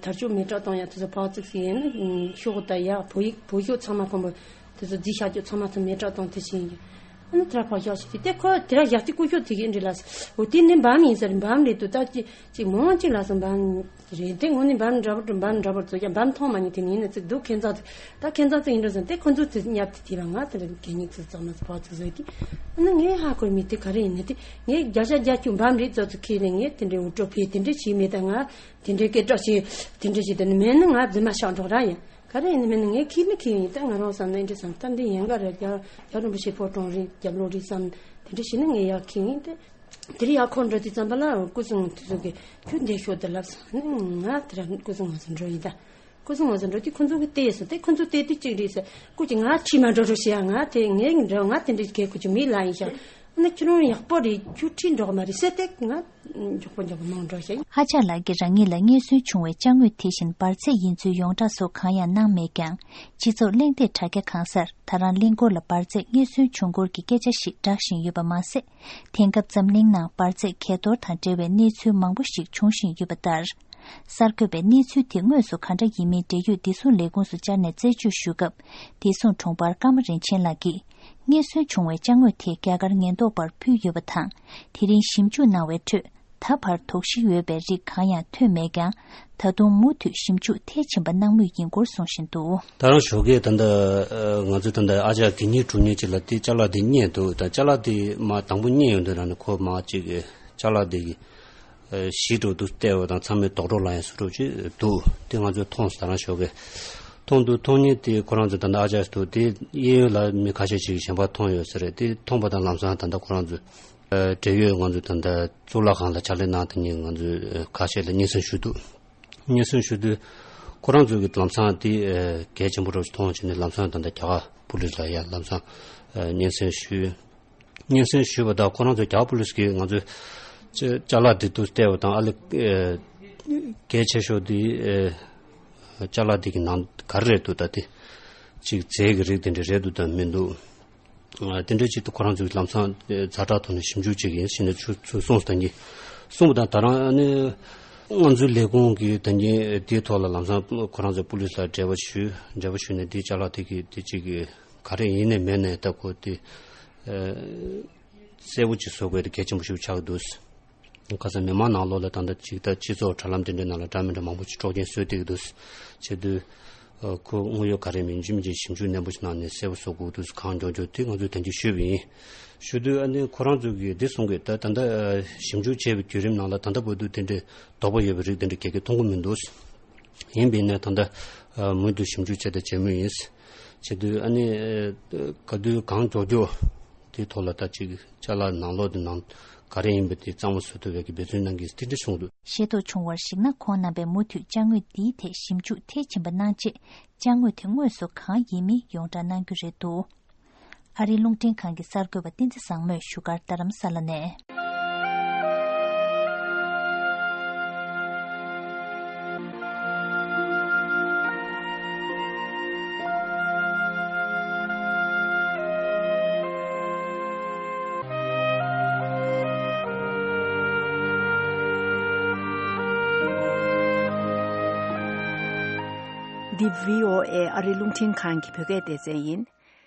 དར་ལྕོག་མེ་སྲེག་གཏོང་ཡག་དེ་ཚོ་ཕག་ཙིག་ཟིག་ཡིན་ན་ཤོག་གུ་ད་ཡག་བོད་ཡིག་བོད་ཤོག་ཚང་མ་ཁོམ་པོ་དེ་ཚོ་རྫིག་ཤག་ཅོག་ཚང་མ་ཚོ་མེ་སྲེག་གཏོང་དེ་བྱེད་ཡིན། ཨ་ནི་དེ་ལ་ཕག་ཤག་ཞིག་དེ་ཁོ་དེ་ལ་ཡག་དེ་ཀུ་ཤོག་དེ་གི་འདྲི་ལ་ས་འོ་དེ་ནི་འབམ་ཡིན་ས་རེད། འབམ་རེད་དུ་ད་ཅི་ཅི་མང་ཅི་ལ་ས་འབམ་རེད། དེ་ངོ་ནི་འབམ་འདྲ་པོ་འབམ་འདྲ་པོ་ཚོ་ཡང་འབམ་མཐོང་མ་མྱོང་དེ་ནི་ཡིན་ན་ཙིག་འདུག་ཁྱེད་ཚོ་ད་ཁྱེད་ཚོ་ཚོ་ཡིན་འགྲོ་ས་དེ་ཁོ་ཚོ་དེ་ཉབ་དེ་དེ་ལ་ང་དེ་ལ་གད་སྙིགས་ཚོ་ཚང་མ་ཚོ་ཕག་ཚོ་ཟོས་དེ་ཨ་ནི་ངས་ཧ་གོ་མི་དེ་ག་རེ་ཡིན་ན་དེ། ངས་བརྒྱ་ཆ་བརྒྱད་ཅུ་འབམ་རེད་ཙོ་ཙོ་ཁྱེད་ནས་ངས་དེ་འདྲའི་འུར་སྒྲོག་ཕེ་དེ་འདྲ་བྱས་མེད་ད། ང་དེ་འདྲའི་སྐད་གྲགས་བྱས་དེ་འདྲ་བྱས་དེ་ནི་མེད་ན་ང་རྫུན་མ་བཤད་འགྲོ་ར་ཡིན། ག་རེ་ཡིན་ནི་མེད་ན་ངས་ཁྱེད་ནི་ཁྱེད་ཡིན་ད། ང་རང་བསམ་ན་འདྲ་བསམ་ད་འདི་ཡན་ག་རེད། རྒྱ་རྒྱ་རིན་པོ་ཆེ་ཕོ་བྲང་རེད། རྒྱབ་ལོག་རེད་བསམ་དེ་འདྲ་བྱས་ན་ངས་ཡག་ཁྱེད་ཡིན་ད། དེ་རིང་ཡག་ཁོ་འགྲོ་དུས་ཙམ་པ་ལ་སྐུ་སྲུང་དེ་ཚོ་གིས་ཁྱོད་འདི་ཤོག་དེ་ལབ་སོང་། ཨ་ནི་ང་དེ་ར་སྐུ་སྲུང་ང་ཚོ་འགྲོ་ཡིན་ད། སྐུ་སྲུང་ང་ཚོ་འགྲོ་དུས་ཁོ་ཚོ་གིས་བལྟས་སོང་སྟེ། ཁོ་ཚོ་བལྟས་དུས་གཅིག་རེད་ཟེར། སྐུ་ཅི་ང་ཁྱི་མ་འགྲོ་རོགས་བྱེད་ཡ། ང་དེ་ངས་འགྲོ་ང་དེ་འདྲའི་གས་སྐུ་ཅི་མི་ལ་ཡིན་ཤག་ཨ་ནི་ཁྱོད་རང་ཡག་པོ་རེད། ཁྱོད་ཁྲིད་འགྲོ་གི་མ་རེད་ཟེར་ཏེ་ང་མགྱོགས་པོ་མགྱོགས་པོ་མང་འགྲོ་ཤག་ཨ་ཅག་ལགས་ཀྱིས་རང་ཉིད་ལ་རྙེད་སོན་བྱུང་བའི་ཅ་དངོས་དེ་བཞིན་འབར་རྫས་ཡིན་ཚུལ་ཡོངས་གྲགས་སོགས་གང་ཡང་གནང་མེད་ཀྱང་། སྤྱི་ཚོགས་གླེང་སྟེགས་དྲ་རྒྱ་གང་སར་ད་རང་གླིང་སྐོར་ལ་འབར་རྫས་རྙེད་སོན་བྱུང་སྐོར་གྱི་སྐད་ཆ་ཞིག་བསྒྲགས་བཞིན་ཡོད་པ་མ་ཟད། དེང་སྐབས་འཛམ་གླིང་ནང་འབར་རྫས་གས་གཏོར་དང་འབྲེལ་བའི་གནས་ཚུལ་མང་པོ་ཞིག་འབྱུང་བཞིན་ཡོད་པ་ལྟར། གསར་འགོད་པས་གནས་ཚུལ་དེ་དངོས་སུ་ག་འདྲ་ཡིན་མིན་འབྲེལ་ཡོད་བདེ་སྲུང་ལས་ཁུངས་སུ་བཅར་ནས་རྩད་གཅོད་ཞུ་སྐབས། བདེ་སྲུང་དྲུང་འཕར་ཀརྨ་རིན་ཆེན་ལགས་ཀྱིས། རྙེད་སོན་བྱུང་བའི་ཅ་དངོས་དེ་རྒྱ་གར་ཉེན་རྟོག་པར་ཕུལ་ཡོད་པ་དང་། དེ་རིང་ཞིབ་འཇུག་གནང་བའི་ཁྲོད། ད་བར་དོགས་གཞི་ཡོད་པའི་རིགས་གང་ཡང་ཐོན་མེད་ཀྱང་། ད་དུང་མུ་མཐུད་ཞིབ་འཇུག་མཐིལ་ཕྱིན་པ་གནང་མུས་ཡིན་སྐོར་གསུངས་བཞིན་འདུག་ད་རང་ཞོགས་ཀས་ད་ལྟ་ང་ཚོས་ད་ལྟ་ཨ་ཅག་གད་སྙིགས་སྒྲུག་མཁན་ཅིག་ལ་དེ་ཅ་ལག་དེ་རྙེད་འདུག་ད་ཅ་ལག་དེ་མ་དང་པོ་རྙེད་ཡོང་དུས་རང་ནས་ཁོ་མ་ཅིག་ཅ་ལག་དེ་གི་གཞི་འགྲོ་འདུག་བལྟས་པ་དང་ཚང་མས་རྡོག་རྡོག་ལ་ཡང་བཟོ་འདྲ་ཅིག་འདུག་དེ་ང་ཚོས་མཐོང་སོང་། ད་རང་ཞོགས་ཀས་མཐོང་འདུག་མཐོང་མཁན་དེ་ཁོ་རང་ཚོ་ད་ལྟ་ཨ་ཅག་འདུག་དེ་གཡས་གཡོན་ལ་མི་ཁ་ཤས་ཅིག་གཞན་པ་མཐོང་ཡོད་ས་རེད། དེ་མཐོང་པ་དང་ལམ་སང་ད་ལྟ་ཁོ་རང་ཚོ་འབྲེལ་ཡོད་ང་ཚོ་ད་ལྟ་གཙུག་ལག་ཁང་ལ་ཕྱག་ལས་གནང་སྟེ་ཉིན་ང་ཚོས་ཁ་ཤས་ལ་སྙན་སེང་ཞུས་འདུག་སྙན་སེང་ཞུས་དུས་ཁོ་རང་ཚོ་གི་ལམ་སང་དེ་གལ་ཆེན་པོ་རུ་མཐོང་བྱས་ནས་ལམ་སང་ད་ལྟ་རྒྱ་གར་པུ་ལིས་ལ་ཡང་ལམ་སང་སྙན་སེང་ཞུས། སྙན་སེང་ཞུས་པ་དང་ཁོ་རང་ཚོ་རྒྱ་གར་པུ་ལིས་ཀྱིས་ང་ཚོས་ཅ་ཅ་ལག་དེ་དུ་བལྟས་པ་དང་ཨ་ལེ་གལ་ཆེ་ཤོས་དེ་ཅ་ལག་དེ་གི་ནང་ག་རེ་རེད་འདུག་ད་དེ་ཅིག་རྫས་ཀྱི་རིགས་དེ་འདྲ་རེད་འདུག་དང་མི་འདུག་དེ་འདྲ་ཅིག་ཏུ་ཁོ་རང་ཚོས་ལམ་སང་ཛ་དྲག་ཐོག་ནས་ཞིབ་འཇུག་བྱེད་ཀྱི་ཡིན་ཟེར་ནས་ཚུར་ཚུར་གསུངས་སོང་། ད་གིན་གསུངས་པ་དང་། ད་རང་ནི་ང་ཚོའི་ལས་ཁུངས་ཀྱི་ད་གིན་དེའི་ཐོག་ལ་ལམ་སང་ཁོ་རང་ཚོས་པུ་ལིས་ལ་འབྲེལ་བ་ཞུས། འབྲེལ་བ་ཞུས་ནས་དེའི་ཅ་ལག་དེ་གི་དེ་ཅིག་གི་ག་རེ་ཡིན་ནའི་མིན་ནའི་ད་ཁོ་དེ་གསལ་པོ་ཅིག་བཟོ་དགོས་དེ་གལ་ཆེན་པོ་ཞིག་ཆགས་འདུག། ཁ་སང་མི་མང་ནང་ལོགས་ལ་ད་ལྟ་ཅིག་ད་སྤྱི་ཚོགས་དྲ་ལམ་དེ་འདྲའི་ནང་ལ་འདྲ་མི་འདྲ་མང་པོ་ཅིག་དཀྲོག་རྐྱེན་བཟོས་བསྡད་ཀྱི་འདུག། བྱས་དུས་ཁོ་དངོས་ཡོད་ག་རེ་མིན་ཅི་མིན་ཅིག་ཞིབ་འཇུག་ནན་པོ་ཞིག་གནང་ནས་གསལ་པོ་བཟོ་དགོས་འདུག། གང་མགྱོགས་མགྱོགས་དེ་ང་ཚོས་ད་གིན་ཞུས་པ་ཡིན། ཞུ་དུས་ཨ་ནི་ཁོ་རང་ཚོ་གིས་འདི་གསུང་གི། ད་ད་ལྟ་ཞིབ་འཇུག་བྱས་པའི་བརྒྱུད་རིམ་ནང་ལ་ད་ལྟ་བར་དུ་དེ་འདྲའི་དོགས་པ་ཡོད་པའི་རིགས་དེ་འདྲ་ག་གེ་མཐོང་གི་མི་འདུག། ཡིན་པས་ན་ད་ལྟ་མུ་མཐུད་ཞིབ་འཇུག་བྱས་དང་བྱེད་མུས་ཡིན། བྱས་དུས་ཨ་ནི་ག་དུས་གང་མགྱོགས་མགྱོགས་དེའི་ཐོག་ལ་ད་ཅིག་ཅ་ལག་ནང་ལོགས་དེ་ནང་ག་རེ་ཡིན་པ་དེ་གཙང་མ་བཟོ་ཐུབ་པའི་གི་འབད་བརྩོན་གནང་གི་ཡིན་ཟེར་དེ་འདྲ་གསུངས་འདུག། ཤེས་རྟོགས་བྱུང་བར་གཞིགས་ན། ཁོང་རྣམ་པས་མུ་མཐུད་ཅ་དངོས་འདིའི་ཐད་ཞིབ་འཇུག་མཐིལ་ཕྱིན་པ་གནང་རྗེས། ཅ་དངོས་དེ་དངོས་སུ་གང་ཡིན་མིན་ཡོངས་བསྒྲགས་གནང་རྒྱུ་རེད་འདུག། ཨ་རིའི་རླུང་འཕྲིན་ཁང་གི་གསར་འགོད་པ་བསྟན་འཛིན་བཟང་མོས་བཞུགས་སྒར་རྡ་རམ་ས་ལ་ནས། འདི་བྷི་ཨོ་ཨེ་ཨ་རིའི་རླུང་འཕྲིན་ཁང་གི་བོད་སྐད་སྡེ་ཚན་ཡིན།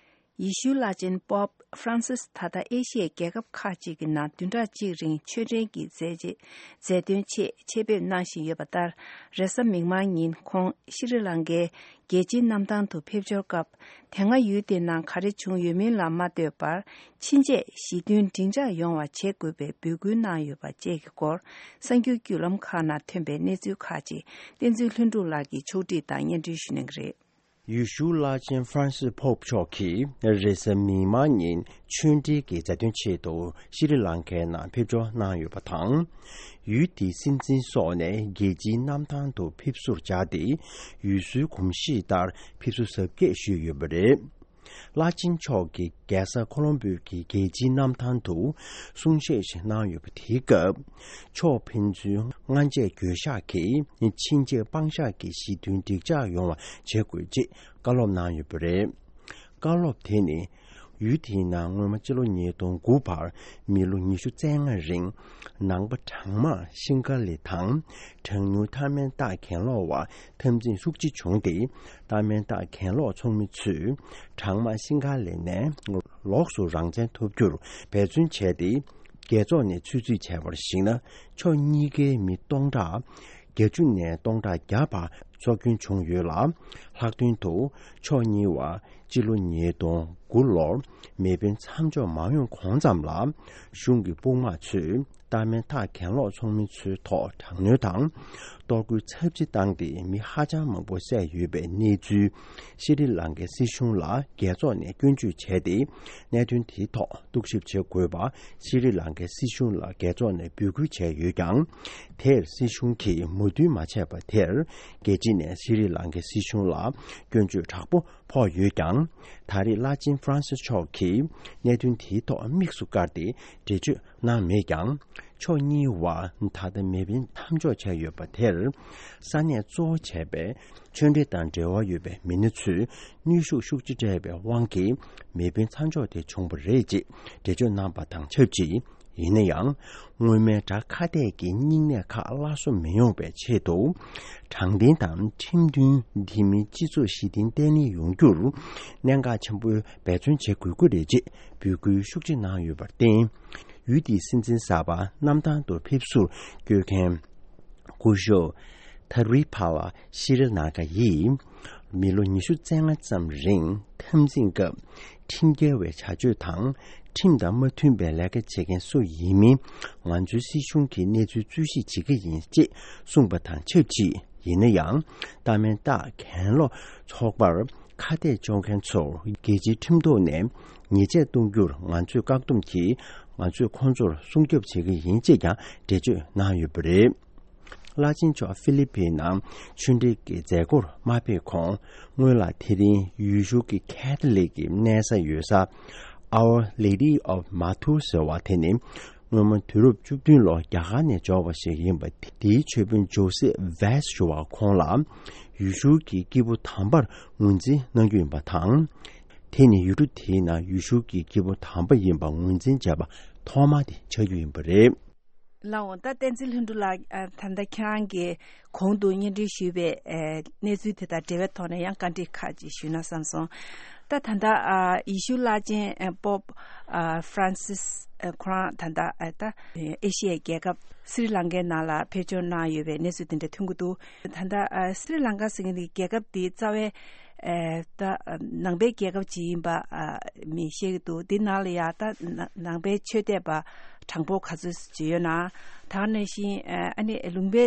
ཡེ་ཤུའི་བླ་ཆེན་པོབ་ཧྥ་རན་སིས་ད་ལྟ་ཨེ་ཤི་ཡའི་རྒྱལ་ཁབ་ཁག་ཅིག་གི་ནང་བདུན་ཕྲག་གཅིག་རིང་ཆོས་འབྲེལ་གྱི་མཛད་རྗེས་མཛད་དོན་ཆེད་ཆེད་ཕེབས་གནང་བཞིན་ཡོད་པ་ལྟར། རེས་གཟའ་མིག་དམར་ཉིན་ཁོང་ཤྲི་ལང་ཀའི་རྒྱལ་སྤྱིའི་གནམ་ཐང་དུ་ཕེབས་འབྱོར་སྐབས། དེ་སྔ་ཡུལ་དེའི་ནང་ག་རེ་བྱུང་ཡོད་མིན་ལ་མ་ལྟོས་པར། ཕྱིན་ཆད་ཞི་མཐུན་འགྲིག་འཇགས་ཡོང་བ་བྱེད་དགོས་པའི་འབོད་སྐུལ་གནང་ཡོད་པ་བཅས་ཀྱི་སྐོར། གསར་འགྱུར་བརྒྱུད་ལམ་ཁག་ནང་ཐོན་པའི་གནས་ཚུལ་ཁག་ཅིག་བསྟན་འཛིན་ལྷུན་གྲུབ་ལགས་ཀྱིས་ཕྱོགས་སྒྲིག་དང་སྙན་སྒྲོན་ཞུ་གནང་གི་རེད། ཡེ་ཤུ་བླ་ཆེན་ཧྥ་རན་སིས་པོབ་མཆོག་གིས་རེས་གཟའ་མིག་དམར་ཉིན་ཆོས་འབྲེལ་གྱི་མཛད་དོན་ཆེད་དུ་ཤྲི་ལང་ཀའི་ནང་ཕེབས་འབྱོར་གནང་ཡོད་པ་དང་། ཡུལ་དེའི་སྲིད་འཛིན་སོགས་ནས་རྒྱལ་སྤྱིའི་གནམ་ཐང་དུ་ཕེབས་བསུར་བཅར་ཏེ། ཡུལ་སྲོལ་གོམས་གཤིས་ལྟར་ཕེབས་བསུ་གཟབ་རྒྱས་ཞུས་ཡོད་པ་རེད། བླ་ཆེན་མཆོག་གིས་རྒྱལ་ས་ཁོ་ལོམ་པོའི་གི་རྒྱལ་སྤྱིའི་གནམ་ཐང་དུ་གསུང་བཤད་ཞིག་གནང་ཡོད་པ། དེའི་སྐབས་མཆོག་ཕན་ཚུན་སྔ་རྗེས་འགྱོད་བཤགས་ཀྱིས་ཕྱིན་ཆད་དཔང་བཞག་གི་ཞི་མཐུན་འགྲིག་འཇགས་ཡོང་བ་བྱེད་དགོས་ཅེས་བཀའ་སློབ་གནང་ཡོད་པ་རེད། བཀའ་སློབ་དེ་ནི་ཡུལ་དེའི་ནང་སྔོན་མ་སྤྱི་ལོ་ཉིས་སྟོང་དགུ་བར་མི་ལོ་ཉི་ཤུ་རྩ་ལྔ་རིང་ནང་པ་གྲང་དམག་ཤིང་ཁ་ལི་དང་གྲངས་ཉུང་ཐའེ་མན་སྟག་གྱེན་ལོག་པ་འཐབ་འཛིང་ཤུགས་ཆེ་བྱུང་སྟེ། ཐའེ་མན་སྟག་གྱེན་ལོག་ཚོགས་མི་ཚོས་གྲང་དམག་ཤིང་ཁ་ལི་ནས་ལོགས་སུ་རང་བཙན་ཐོབ་རྒྱུར་འབད་བརྩོན་བྱས་ཏེ། རྒྱལ་ཚོགས་ནས་ཆུད་ཟོས་བྱས་པར་གཞིགས་ན། ཕྱོགས་གཉིས་ཀའི་མི་སྟོང་ཕྲག་བརྒྱད་ཅུ་ནས་སྟོང་ཕྲག་བརྒྱ་བར་འཚོ་སྐྱོན་བྱུང་ཡོད་ལ། ལྷག་དོན་དུ་ཕྱོགས་གཉིས་བར་སྤྱི་ལོ་ཉིས་སྟོང་དགུ་ལོར་མེ་འཕེན་མཚམས་འཇོག་མ་ཡོང་གོང་ཙམ་ལ། གཞུང་གི་དཔུང་དམག་ཚོས་ཐའེ་མན་སྟག་གྱེན་ལོག་ཚོགས་མི་ཚོའི་ཐོག་དྲག་གནོན་དང་གཏོར་རྒོལ་ཚབས་ཆེ་བཏང་སྟེ། མི་ཧ་ཅང་མང་པོ་བསད་ཡོད་པའི་གནས་ཚུལ། ཤྲི་ལང་ཀའི་སྲིད་གཞུང་ལ་རྒྱལ་ཚོགས་ནས་སྐྱོན་བརྗོད་བྱས་ཏེ། གནད་དོན་དེའི་ཐོག་རྟོག་ཞིབ་བྱེད་དགོས་པ་ཤྲི་ལང་ཀའི་སྲིད་གཞུང་ལ་རྒྱལ་ཚོགས་ནས་འབོད་སྐུལ་བྱས་ཡོད་ཀྱང་། དེར་སྲིད་གཞུང་གིས་མོས་མཐུན་མ་བྱས་པ་དེར། རྒྱལ་སྤྱི་ནས་ཤྲི་ལང་ཀའི་སྲིད་གཞུང་ལ་སྐྱོན་བརྗོད་དྲག་པོ་ཕོག་ཡོད་ཀྱང་། ད་རེས་བླ་ཆེན་ཧྥ་རན་སིས་མཆོག་གིས་གནད་དོན་དེའི་ཐོག་དམིགས་སུ་བཀར་ཏེ་འགྲེལ་བརྗོད་གནང་མེད་ཀྱང་། ཕྱོགས་གཉིས་བར་ད་ལྟ་མེ་འཕེན་མཚམས་འཇོག་བྱས་ཡོད་པ་དེར། ས་གནས་གཙོ་བོ་བྱས་པའི་ཆོས་འབྲེལ་དང་འབྲེལ་བ་ཡོད་པའི་མི་སྣ་ཚོས་གནོན་ཤུགས་ཤུགས་ཆེ་སྤྲད་པའི་དབང་གིས་མེ་འཕེན་མཚམས་འཇོག་དེ་བྱུང་བ་རེད་ཅེས་འགྲེལ་བརྗོད་གནང་པ་དང་ཆབས་ཅིག། ཡིན་ན་ཡང་། སྔོན་མའི་དགྲ་ཁ་གཏད་ཀྱི་སྙིང་ནད་ཁག་སླར་གསོ་མི་ཡོང་བའི་ཆེད་དུ། དྲང་བདེན་དང་ཁྲིམས་མཐུན་འདི་མིན་སྤྱི་ཚོགས་ཞི་བདེ་བརྟན་ལྷིང་ཡོང་རྒྱུར་གནད་འགག་ཆེན་པོའི་འབད་བརྩོན་བྱེད་དགོས་ཀྱི་རེད་ཅེས་འབོད་སྐུལ་ཤུགས་ཆེ་གནང་ཡོད་པར་བརྟེན། ཡུལ་དེའི་སྲིད་འཛིན་གསར་པ་གནམ་ཐང་དུ་ཕེབས་བསུར་བསྐྱོད་མཁན་སྐུ་ཞབས་ཐ་རི་ཕ་ལ་ཤི་རི་ན་ཀ་ཡིས། མི་ལོ་ཉི་ཤུ་རྩ་ལྔ་ཙམ་རིང་འཐབ་འཛིང་སྐབས་ཁྲིམས་འགལ་བའི་བྱ་སྤྱོད་དང་། ཁྲིམས་དང་མ་མཐུན་པའི་ལས་ཀ་བྱེད་མཁན་སུ་ཡིན་མིན་ང་ཚོའི་སྲིད་གཞུང་གིས་གནས་ཚུལ་འཚོལ་ཞིབ་བྱེད་ཀྱི་ཡིན་ཅེས་གསུངས་པ་དང་ཆབས་ཅིག། ཡིན་ན་ཡང་། ཐའེ་མན་སྟག་གྱེན་ལོག་ཚོགས་པར་ཁ་གཏད་གཅོག་མཁན་ཚོར་རྒྱལ་སྤྱིའི་ཁྲིམས་ཐོག་ནས་ཉེས་ཆད་གཏོང་རྒྱུར་ང་ཚོས་བཀག་སྡོམ་གྱིས་ང་ཚོས་ཁོང་ཚོར་སྲུང་སྐྱོབ་བྱེད་ཀྱི་ཡིན་ཅེས་ཀྱང་འགྲེལ་བརྗོད་གནང་ཡོད་པ་རེད། བླ་ཆེན་མཆོག་ཧྥི་ལི་པིན་ནང་ཆོས་འབྲེལ་གྱི་མཛད་སྒོར་མ་ཕེབས་གོང་། སྔོན་ལ་དེ་རིང་ཡུལ་ཤུལ་གྱི་ཁེ་ཐ་ལིག་གི་གནས་ས་ཡོད་ས། Our Lady of Matur ཟེར་བ་དེ་ནི། སྔོན་མ་དུས་རབས་བཅུ་བདུན་ལོར་རྒྱ་གར་ནས་འབྱོར་བ་ཞིག་ཡིན་པ། དེའི་ཆོས་དཔོན་ཇོ་སེ་ཝེས་ཞུ་བ་ཁོང་ལ་ཡུལ་ཤུལ་གྱི་སྐྱེས་བུ་དམ་པར་ངོས་འཛིན་གནང་རྒྱུ་ཡིན་པ་དང་། དེ་ནི་ཡུལ་གྲུ་དེའི་ནང་ཡུལ་ཤུལ་གྱི་སྐྱེ་བོ་དམ་པ་ཡིན་པ་ངོས་འཛིན་བྱས་པ་ཐོག་མ་དེ་ཆགས་རྒྱུ་ཡིན་པ་རེད། ལགས་འོང་། ད་བསྟན་འཛིན་ལྷུན་གྲུབ་ལགས། ཨ། ད་ལྟ་ཁྱེད་རང་གིས་གོང་དུ་སྙན་སྒྲོན་ཞུས་པའི་ཨ་གནས་ཚུལ་དེ་དང་འབྲེལ་བའི་ཐོག་ནས་ཡང་བཀའ་འདྲི་ཁག་ཅིག་ཞུས་ན་བསམ་སོང་། ད་ད་ལྟ་ཨ་ཡེ་ཤུ་བླ་ཆེན་ཨ་པོབ་ཨ་ཧྥ་རན་སིས་ཨ་ཁོ་རང་ད་ལྟ་ཨ་ད་ཨེ་ཤི་ཡའི་རྒྱལ་ཁབ་སི་རི་ལང་ཀའི་ནང་ལ་ཕེབས་འབྱོར་གནང་ཡོད་པའི་གནས་ཚུལ་དེ་འདྲ་ཐོན་གྱི་འདུག། ད་ལྟ་ཨ་སི་རི་ལང་ཀ་ཟེར་མཁན་དེ་རྒྱལ་ཁབ་དེ་རྩ་བའི་ཨ་ད་ནང་པའི་རྒྱལ་ཁབ་ཅིག་ཡིན་པ་ཨ་མི་ཤེས་ཀྱི་འདུག། འདི་ནང་ལ་ཡ་ད་ནང་པའི་ཆོས་དད་པ་གྲངས་འབོར་ག་ཚོད་ཅིག་ཡོད་ན། ད་ག་ནང་བཞིན་ཨ་ནི་ལུང་པའི་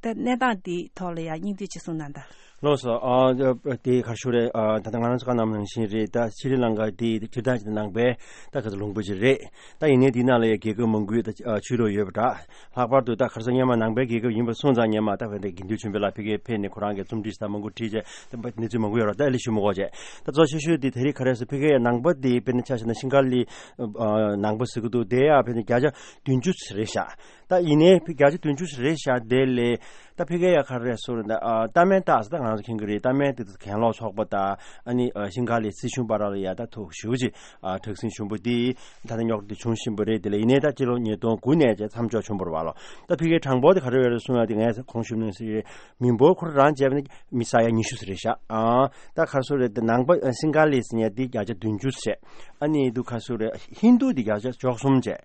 ད་གནས་སྟངས་འདིའི་ཐོག་ལ་ཡ་སྙིང་བསྡུས་ཅིག་གསུངས་གནང་དང་། ལགས་སོ། ཨ་དེ་ག་རེ་ཞུ་རེད། ཨ་ད་ལྟ་ང་རང་ཚོ་བཀའ་གནང་བ་ནང་བཞིན་རེད། ད་སི་རི་ལང་ཀ་དེ་སྤྱིར་བཏང་ཅིག་ནང་པའི་ད་ག་ཚོད་ལུང་པ་ཅིག་རེད། ད་ཡིན་ནའི་དེའི་ནང་ལ་ཡ་རྒྱལ་ཁབ་མང་པོའི་ད་ཨ་ཆོས་ལུགས་ཡོད་པ་འདྲ། ལྷག་པར་དུ་ད་ག་རེ་ཟེར། སྔོན་མ་ནང་པའི་རྒྱལ་ཁབ་ཡིན་པ་སོང་ཙང་། སྔོན་མ་ད་བན་དེ་དགེ་འདུན་ཆོས་འཕེལ་ལགས་ཕ་གིར་ཕེབས་ནས་ཁོ་རང་གི་རྩོམ་སྒྲིག་ད་མང་པོ་བྲིས་བྱས། ད་གནས་ཚུལ་མང་པོ་ཡོད་རེད། ད་ཨ་ལེ་ཞུ་མི་དགོས་བྱས། ད་གཙོ་ཆེ་ཤོས་དེ་དེ་རིང་ག་རེ་ཟེར། ཕ་གིར་ཡ་ནང་པ་དེ་དཔེར་ན་ཆ་བཞག་ན་ཤིང་ཁ་ལི་ཨ་ནང་པ་ཟེར་གྱི་འདུག། དེ་ཡ་དཔེར་ན་བརྒྱ་ཆ་བདུན་ཅུ་རེད་ཤག། ད་ཡིན་ནའི་བརྒྱ་ཆ་བདུན་ཅུ་རེད་ཤག། དེ་ལས་ད་ཕ་གིར་ཡ་ག་རེ་ཟེར་ན། ཨ་ཏཱ་མེན་ཏཱ་ཟེར། ད་ང་ཚོ་མཁྱེན་གྱི་རེད། ཏཱ་མེན་དེ་གྱེན་ལོག་ཚོགས་པ་དང་ཨ་ནི་ཨ་ཤིང་ཁ་ལི་སྲིད་གཞུང་བར་ལ་ཡ་ད་ཐུག་ཞེ་པོ་ཅིག་ཨ་དྲག་ཟིང་ཆེན་པོ་དེ་ད་ལྟ་རྙོག་དྲ་དེ་བྱུང་བཞིན་པ་རེད། དེ་ལས་ཡིན་ནའི་ད་སྤྱི་ལོ་ཉིས་སྟོང་དགུ་ནས་བྱས་མཚམས་འཇོག་བྱུང་བ་རེད་པ་ལགས། ད་ཕ་གིའི་གྲངས་འབོར་དེ་ག་རེ་ཡོད་རེད་གསུངས་ཡ་དེ་ངས་གོང་ཞུས་ནང་བཞིན་རེད། མི་འབོར་ཁོ་རང་བྱས་པ་ནི་མི་ས་ཡ་ཉི་ཤུ་ཙམ་རེད་ཤག། ཨ་ད་ག་རེ་ཟེར་རེད། དེ་ནང་པ་ཨ་ཤིང་ཁ་ལི་ཟེར་མཁན་དེ་བརྒྱ་ཆ་བདུན་ཅུ་བྱས། ཨ་ནི་དེ་ག་རེ་ཟེར་རེད། ཧིན་དུ་དེ་བརྒྱ་ཆ་བཅུ་གསུམ་བྱས།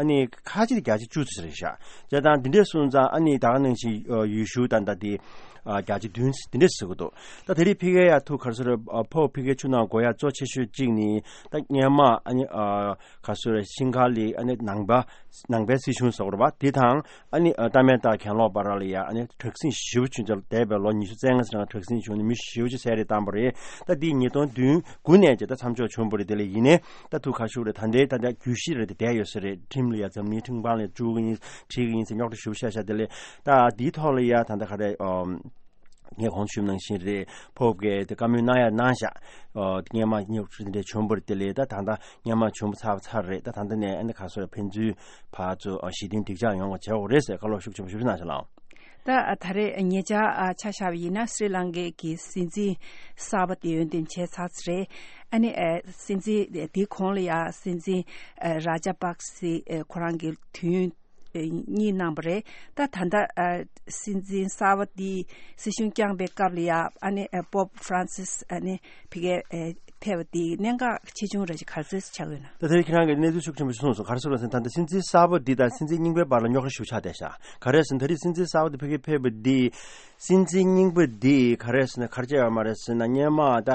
ཨ་ནི་ཁ་ཆེ་དེ་བརྒྱ་ཆ་བཅུ་ཙམ་རེད་ཤག། བྱས་ཙང་འདི་འདྲས་སོང་ཙང་ཨ་ནི་ད་ག་ནང་བཞིན་ཨ་ཡུལ་ཤུལ་ད་ལྟ་དེ་ཨ་བརྒྱ་ཆ་བདུན་འདི་འདྲས་ཟེར་གྱི་འདུག། ད་དེ་རིང་ཕ་གིར་ཡ་ཐུག་ག་རེ་ཟེར་རེད། ཨ་ཕོབ་ཕ་གིར་ཆུ་ནང་འགོ་ཡ་གཙོ་ཆེ་ཤོས་གཅིག་ནི་ད་སྔོན་མ་ཨ་ནི་ཨ་ག་རེ་ཟེར་རེད། ཤིང་ཁ་ལི་ཨ་ནི་ནང་པ་ནང་པའི་སྲིད་གཞུང་ཟེར་བ་རེད་པ། དེ་དང་ཨ་ནི་ཨ་ཏཱ་མེན་ཏཱ་གྱེན་ལོག་བར་ལ་ཡ་ཨ་ནི་དྲག་ཟིང་ཞེ་པོ་བྱུང་། འདས་པའི་ལོ་ཉི་ཤུ་རྩ་ལྔ་ཙམ་དྲག་ཟིང་བྱུང་ནས་མི་ཞེ་པོ་ཅིག་བསད་རེས་བཏང་པ་རེད། ད་དེ་ཉིས་སྟོང་བདུན་དགུ་ནས་བྱས་ད་མཚམས་འཇོག་བྱུང་བ་རེད། དེ་ལས་ཡིན་ནའི་ད་ཐུག་ག་རེ་ཞུ་རེད། ད་ལྟའི་ད་ལྟ་བརྗོད་གཞི་རེད་དེ་བསྡད་ཡོད་ས་རེད། ཁྲིམས་ལ་ཡ་འཛམ་གླིང་ཁྲིམས་ཁང་ལ་བཅུག་གི་ཡིན། ཁྲིད་གི་ཡིན་ཟེར་རྙོག་དྲ་ཞེ་པོ་བཤད་ཤག། དེ་ལས་ད་དེའི་ཐོག་ལ་ཡ་ད་ལྟ་ག་རེ་ཨམ། ངས་གོང་ཞུས་ནང་བཞིན་རེད། ཕོབ་ཀྱིས་དེ་བཀའ་མོལ་གནང་ཡ་གནང་ཤག། ཨོ་སྔོན་མ་རྙོག་དྲ་དེ་འདྲ་བྱུང་བ་རེད། དེ་ལས་ད་ད་ལྟ་སྔོན་མ་བྱུང་བ་ཚར་བ་ཚར་རེད། ད་ད་ལྟ་ནས་ཨ་ནི་ག་རེ་ཟེར་རེད། ཕན་ཚུན་ཕར་ཚུར་ཨ་ཞི་མཐུན་འགྲིག་འཇགས་ཡོང་བ་བྱེད་དགོས་རེད་ཟེར་བཀའ་སློབ་ཤུགས་ཆེན་པོ་ཞུ་གནང་ཤག་ལགས། ད་ཨ་ད་རེས་ཉེ་ཆར་ཨ་ཆ་བཞག་པ་ཡིན་ན་སི་རི་ལང་ཀའི་གི་སྲིད་འཛིན་གསར་པ་དེ་འོས་འདེམས་བྱས་ཚར་ཚར་རེད། ཨ་ནི་ཨ་སྲིད་འཛིན་དེའི་གོང་ལ་ཡ་སྲིད་འཛིན་ཨ་ར་ཇ་པག་སི་ཨ་ཁོ་རང་གི་དུས་ཡུན་ཨ་གཉིས་གནང་བ་རེད། ད་ད་ལྟ་ཨ་སྲིད་འཛིན་གསར་པ་དེ་སྲིད་གཞུང་བསྐྱངས་པའི་སྐབས་ལ་ཡ་ཨ་ནི་ཨ་པོབ་ཧྥ་རན་སིས་ཨ་ནི་ཕ་གིར་ཨ་ཕེབས་པ་དེའི་གནད་འགག་ཆེ་ཆུང་རེ་ཞིག་ག་རེ་ཟེར་ཆགས་ཡོད་ན། ད་དེ་རིང་ཁྱེད་རང་གིས་གནས་ཚུལ་ཤུགས་ཆེན་པོ་ཞིག་གསུངས་སོང་། ག་རེ་ཟེར་བ་ཟེར་ན། ད་ལྟ་སྲིད་འཛིན་གསར་པ་འདི་དང་སྲིད་འཛིན་རྙིང་པའི་བར་ལ་རྙོག་དྲ་ཞེ་པོ་ཆགས་བསྡད་ཤག། ག་རེ་ཟེར་ན། ད་རེས་སྲིད་འཛིན་གསར་པ་འདི་ཕ་གིར་ཕེབས་པ་འདི་སྲིད་འཛིན་རྙིང་པ་འདི་ག་རེ་ཟེར་ན། ག་རེ་བྱས་ཡོད་མ་རེད་ཟེར་ན། སྔོན་མ་ད་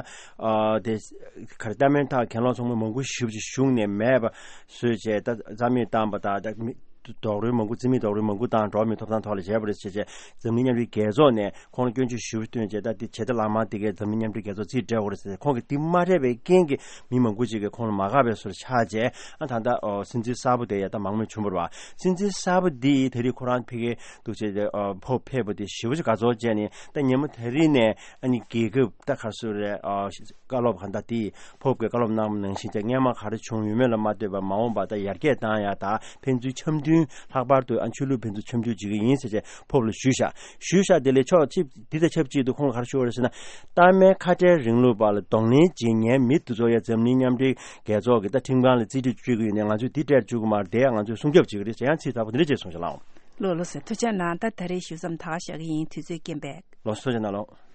ཨ་དེ་ག་རེ་ཏཱ་མེན་ཏཱ་གྱེན་ལོག་ཚོགས་པ་མང་པོ་ཞེ་པོ་ཅིག་བཞུགས་ནས་མེད་པ་བཟོས་བྱས། ད་རྩ་མེད་བཏང་པ་དང་། ད་མི་རྡོག་རོལ་མང་པོ། རྩིས་མེད་རྡོག་རོལ་མང་པོ་བཏང་། འགྲོ་བ་མིའི་ཐོབ་ཐང་ཐོག་ལ་བྱས་པ་རེད་ཟེར་བྱས། འཛམ་གླིང་མཉམ་འབྲེལ་རྒྱལ་ཚོགས་ནས་ཁོང་ལ་སྐྱོན་བརྗོད་ཞེ་པོ་བཏོན་བྱས། ད་འདི་བྱེད་ཐབས་ལམ་ཁ་དེ་གས་འཛམ་གླིང་མཉམ་འབྲེལ་རྒྱལ་ཚོགས་རྩིས་སྤྲད་དགོས་རེད་ཟེར། ཁོང་གིས་འདི་མ་སྤྲད་པའི་རྐྱེན་གྱིས་མི་མང་པོ་ཅིག་གིས་ཁོང་ལ་མ་དགའ་བའི་བཟོ་འདྲ་ཆགས་བྱས། ཨ་ད་ལྟ་ཨོ་སྲིད་འཛིན་གསར་པ་དེ་ཡ་ད་མང་མོས་བྱུང་བ་རེད་པ། སྲིད་འཛིན་གསར་པ་འདིས་དེ་རིང་ཁོ་རང་ཕ་གིར་འདུག་བྱས་ཏེ་ཨོ་ཕོབ་ཕེབས་པ་དེ་ཞེ་པོ་ཅིག་དགའ་ཚོར་བྱས་ནས། ད་ཉིན་མོ་དེ་རིང་ནས་ཨ་ནི་རྒྱལ་ཁབ་ད་ག་རེ་ཟེར་རེད། ཨོ་བཀའ་སློབ་གང་ལྟར་དེ་ཕོབ་ཀྱིས་བཀའ་སློབ་གནང་བ་ནང་བཞིན་བྱས། སྔོན་མ་ག་རེ་བྱུང་ཡོད་མེད་ལ་མ་ལྟོས་པར་མ་འོངས་པ་ད་ཡར་རྒྱས་བཏང་ཡ་དང་། ཕན་ཚུན་འཆམ་མཐུན། ལྷག་པར་དུ་ཨ་ཆོས་ལུགས་ཕན་ཚུན་འཆམ་མཐུན་བྱེད་ཀྱི་ཡིན་ཟེར་བྱས་ཕོབ་ལ་ཞུས་ཤག། ཞུས་ཤག། དེ་ལས་ཕྱོགས་གཅིག་འདི་དང་ཆབས་ཅིག་ཏུ་ཁོང་གིས་ག་རེ་ཞུས་པ་རེད་ཟེར་ན། ཏཱ་མེན་ཁ་བྲལ་རིང་ལུགས་པ་ལ་གདོང་ལེན་བྱེད་མཁན་མི་དེ་ཚོ་ཡ་འཛམ་གླིང་མཉམ་འབྲེལ་རྒྱལ་ཚོགས་ཀྱི་ད་ཁྲིམས་ཁང་ལ་རྩིས་སྤྲོད་བཅུག་གི་ཡོད་ནས། ང་ཚོས་འདི་སྤྲད་བཅུག་གི་མ་རེད། དེ་ཡང་ང་ཚོས་སྲུང་སྐྱོབ་བྱེད་ཀྱི་རེད་ཟེར། ཡང་ཚིག་དག་པོ་འདི་འདྲ་བྱས་གསུངས་ཤག་ལགས། ལགས་ལགས་སོ། ཐུགས་རྗེ་གནང་། ད་ད་རེས་ཞུ་མཚམས་ད་ག་བཞག་གི་ཡིན། དུས་ཚོད་རྐྱེན་པས། ལགས་སོ། ཐུགས་རྗེ་གནང་ལགས།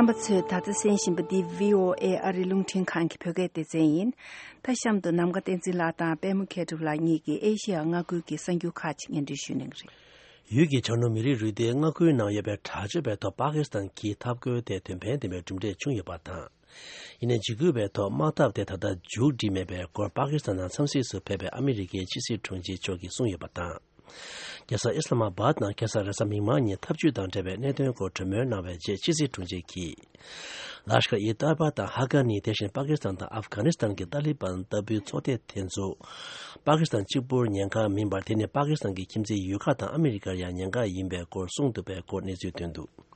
རྣམ་པ་ཚོས་ད་ལྟ་གསན་བཞིན་པ་འདི་བྷི་ཨོ་ཨེ་ཨ་རིའི་རླུང་འཕྲིན་ཁང་གི་བོད་སྐད་སྡེ་ཚན་ཡིན། ད་གཤམ་དུ་ནམ་མཁའ་བསྟན་འཛིན་ལགས་དང་པད་མ་མཁས་གྲུབ་ལགས་གཉིས་ཀྱིས་ཨེ་ཤེ་ཡ་མངའ་ཁུལ་གྱི་གསར་འགྱུར་ཁག་ཅིག་སྙན་སྒྲོན་ཞུ་གནང་གི་རེད། ཡུལ་གྱི་བྱང་ནུབ་མི་རིགས་རུས་སྡེའི་མངའ་ཁུལ་ནང་ཡོད་པའི་དྲག་སྤྱོད་པའི་ཐོག་པ་ཀི་སི་ཐན་གྱིས་འཐབ་རྒོལ་དེ་དོན་ཕན་ལྡན་པའི་གྲུབ་འབྲས་བྱུང་ཡོད་པ་དང་། ཡིན་ནའི་འཇིགས་སྐུལ་བའི་ཐོག་དམག་འཐབ་དེ་ད་ལྟ་མཇུག་སྒྲིལ་མེད་པའི་སྐོར་པ་ཀི་སི་ཐན་ནང་འཚམས་གཟིགས་སུ་ཕེབས་པའི་ཨ་མི་རི་ཀའི་ཕྱི་སྲིད་དྲུང་ཆེ་མཆོག་གིས་གསུངས་ཡོད་པ་དང་། རྒྱལ་ས་ཨི་སི་ལ་མ་བཱད་ནང་ཁ་སང་རེས་གཟའ་མིག་དམར་ཉིན་ཐབས་ཇུས་དང་འབྲེལ་བའི་གནད་དོན་སྐོར་གྲོས་མོལ་གནང་བའི་རྗེས་ཕྱི་སྲིད་དྲུང་ཆེ་གིས། ལ་ཤ་ཁར་ཨི་ཏཱ་ལི་བ་དང་ཧ་ཀ་ནི། དེ་བཞིན་པ་ཀི་སི་ཐན་དང་ཨབ་གྷ་ནི་སི་ཐན་གྱི་ཏཱ་ལི་བན་ལྟ་བུའི་ཚོགས་སྡེ་དེ་ཚོ་པ་ཀི་སི་ཐན་གཅིག་པུར་ཉེན་ཁ་མིན་པར། དེ་ནི་པ་ཀི་སི་ཐན་གྱི་ཁྱིམ་མཚེས་ཡུལ་ཁག་དང་ཨ་མི་རི་ཀར་ཡང་ཉེན་ཁ་ཡིན་པའི་སྐོར་གསུངས་འདུག་པའི་སྐོར་གནས་ཚུལ་ཐོན་འདུག།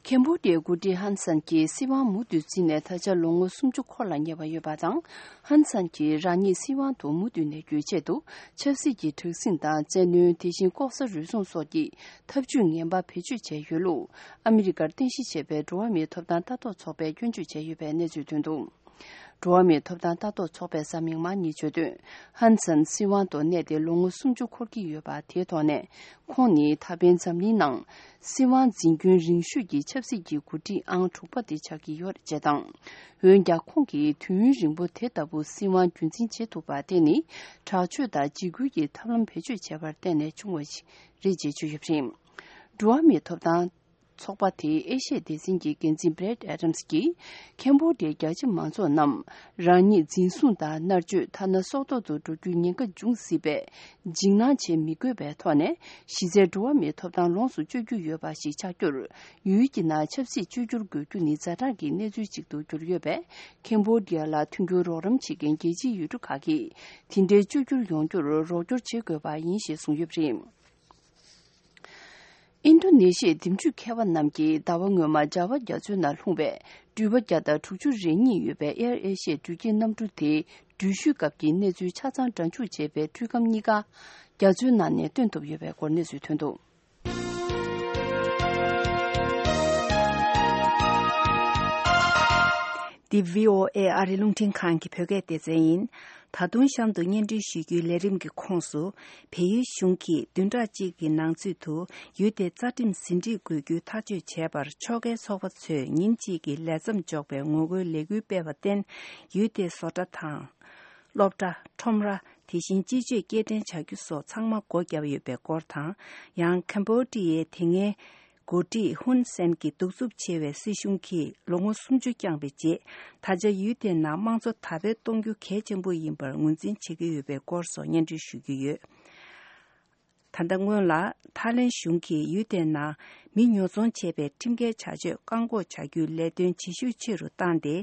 ཁེམ་བྷོ་ཌི་ཡའི་འགོ་ཁྲིད་ཧན་སན་གྱིས་སྲིད་དབང་མུ་མཐུད་འཛིན་ནས་ད་ཆ་ལོ་ངོ་སུམ་ཅུ་འཁོར་ལ་ཉེ་བ་ཡོད་པ་དང་། ཧན་སན་གྱིས་རང་ཉིད་སྲིད་དབང་དུ་མུ་མཐུད་གནས་རྒྱུའི་ཆེད་དུ། ཆབ་སྲིད་ཀྱི་དྲག་ཟིང་དང་། བཙན་གནོན། དེ་བཞིན་ལྐོག་ཟ་རུལ་སུངས་སོགས་ཀྱི་ཐབས་ཇུས་ངན་པ་བེད་སྤྱོད་བྱས་ཡོད་ལུགས། ཨ་མི་རི་ཀར་རྟེན་གཞི་བྱས་པའི་འགྲོ་བ་མིའི་ཐོབ་ཐང་ལྟ་རྟོག་ཚོགས་པས་སྐྱོན་བརྗོད་བྱས་ཡོད་པའི་གནས་ཚུལ་ཐོན་འདུག། འགྲོ་བ་མིའི་ཐོབ་ཐང་ལྟ་རྟོག་ཚོགས་པས་གཟའ་མིག་དམར་ཉིན་བརྗོད་དོན། ཧན་སན་སྲིད་དབང་དུ་གནས་ཏེ་ལོ་ངོ་སུམ་ཅུ་འཁོར་གྱི་ཡོད་པ་དེའི་ཐོག་ནས། ཁོང་ནི་ད་ཕན་འཛམ་གླིང་ནང་སྲིད་དབང་འཛིན་སྐྱོང་རིང་ཤོས་ཀྱི་ཆབ་སྲིད་ཀྱི་འགོ་ཁྲིད་ཨང་དྲུག་པ་དེ་ཆགས་ཀྱི་ཡོད་རེད་ཅེས་དང་། འོན་ཀྱང་། ཁོང་གིས་དུས་ཡུན་རིང་པོ་དེ་ལྟ་བུ་སྲིད་དབང་རྒྱུན་འཛིན་བྱེད་ཐུབ་པ་དེ་ནི། དྲག་སྤྱོད་དང་འཇིགས་སྐུལ་གྱི་ཐབས་ལམ་བེད་སྤྱོད་བྱས་པར་བརྟེན་ནས་བྱུང་བ་ཞིག་རེད་ཅེས་བརྗོད་ཡོད་པ་རེད། འགྲོ་བ་མིའི་ཐོབ་ཐང་ཚོགས་པ་དེའི་ཨེ་ཤི་ཡའི་སྡེ་ཚན་གྱི་འགན་འཛིན་བྷི་རེད་ཨེ་ཌམ་སི་གྱིས། ཁེམ་བྷོ་ཌི་ཡའི་རྒྱ་ཆེ་མང་ཚོགས་རྣམས་རང་ཉིད་འཛིན་བཟུང་དང་མནར་གཅོད། ཐ་ན་སྲོག་ཐོག་ཏུ་འགྲོ་རྒྱུའི་ཉེན་ཁ་འབྱུང་སྲིད་པས། འཇིགས་སྣང་བྱེད་མི་དགོས་པའི་ཐོག་ནས། གཞི་རྩའི་འགྲོ་བ་མིའི་ཐོབ་ཐང་ལོངས་སུ་སྤྱོད་རྒྱུ་ཡོད་པ་ཞིག་ཆགས་རྒྱུར། ཡུལ་གྱི་ནང་ཆབ་སྲིད་བཅོས་བསྒྱུར་དགོས་རྒྱུ་ནི་ཛ་དྲག་གི་གནས་ཚུལ་ཅིག་ཏུ་གྱུར་ཡོད་པས། ཁེམ་བྷོ་ཌི་ཡ་ལ་མཐུན་འགྱུར་རོགས་རམ་བྱེད་མཁན་རྒྱལ་སྤྱིའི་ཡུལ་གྲུ་ཁག་གིས། དེ་འདྲའི་བཅོས་བསྒྱུར་ཡོང་རྒྱུར་རོགས་སྐྱོར་བྱེད་དགོས་པ་ཡིན་ཞེས་གསུངས་ཡོད་པ་རེད། ཨིན་རྡོ་ནེ་ཤི་ཡའི་འདེམས་སྤྱོད་མཁས་པ་རྣམས་ཀྱིས་ཟླ་བ་སྔོན་མ་ཇཱ་ཝ་རྒྱ་མཚོའི་ནང་ལྷུང་བའི་འགྲུལ་པ་བརྒྱ་དང་དྲུག་ཅུ་རེ་གཉིས་ཡོད་པའི་ཨེར་ཨེ་ཤི་ཡའི་འགྲུལ་སྐྱེལ་གནམ་གྲུ་དེའི་འགྲུལ་བཞུད་སྐབས་ཀྱི་གནས་ཚུལ་ཆ་ཚང་སྒྲ་འཇུག་བྱས་པའི་འཕྲུལ་ཁམས་གཉིས་ཀ་རྒྱ་མཚོའི་ནང་ནས་བཏོན་ཐུབ་ཡོད་པའི་སྐོར་གནས་ཚུལ་ཐོན་འདུག། འདི་བྷི་ཨོ་ཨེ་ཨ་རི་རླུང་འཕྲིན་ཁང་གི་བོད་སྐད་སྡེ་ཚན་ཡིན། ད་དུང་གཤམ་དུ་སྙན་སྒྲོན་ཞུ་རྒྱུའི་ལས་རིམ་གྱི་ཁོངས་སུ། བལ་ཡུལ་གཞུང་གིས་བདུན་ཕྲག་གཅིག་གི་ནང་ཚུད་དུ་ཡུལ་དེའི་རྩ་ཁྲིམས་ཟིན་བྲིས་དགོས་རྒྱུའི་ཐག་གཅོད་བྱས་པར། ཕྱོགས་འགལ་ཚོགས་པ་ཚོས་ཉིན་གཅིག་གི་ལས་མཚམས་འཇོག་པའི་ངོ་རྒོལ་ལས་འགུལ་སྤེལ་བར་བརྟེན། ཡུལ་དེའི་བཟོ་གྲྭ་དང་། སློབ་གྲྭ། ཁྲོམ་ར། དེ་བཞིན་སྤྱི་སྤྱོད་སྐྱེལ་འདྲེན་བྱ་རྒྱུ་སོགས་ཚང་མ་སྒོ་བརྒྱབ་ཡོད་པའི་སྐོར་དང་། ཡང་། ཁམ་བྷོ་ཌི་ཡའི་དེ་སྔའི་འགོ་ཁྲིད་ཧུན་སེན་གྱི་གདུག་རྩུབ་ཆེ་བའི་སྲིད་གཞུང་གིས་ལོ་ངོ་སུམ་ཅུ་བསྐྱངས་པའི་རྗེས། ད་ཆ་ཡུལ་དེའི་ནང་དམངས་གཙོ་དར་སྤེལ་གཏོང་རྒྱུ་གལ་ཆེན་པོ་ཡིན་པར་ངོས་འཛིན་བྱེད་ཀྱི་ཡོད་པའི་སྐོར་སོགས་སྙན་སྒྲོན་ཞུ་རྒྱུ་ཡོད། ད་ལྟ་སྔོན་ལ། ཐའི་ལེན་གཞུང་གིས་ཡུལ་དེའི་ནང་མི་ཉོ་ཚོང་བྱེད་པའི་ཁྲིམས་འགལ་བྱ་སྤྱོད་བཀག་འགོག་བྱ་རྒྱུའི་ལས་དོན་བྱེད་ཤུགས་ཆེ་རུ་བཏང་སྟེ།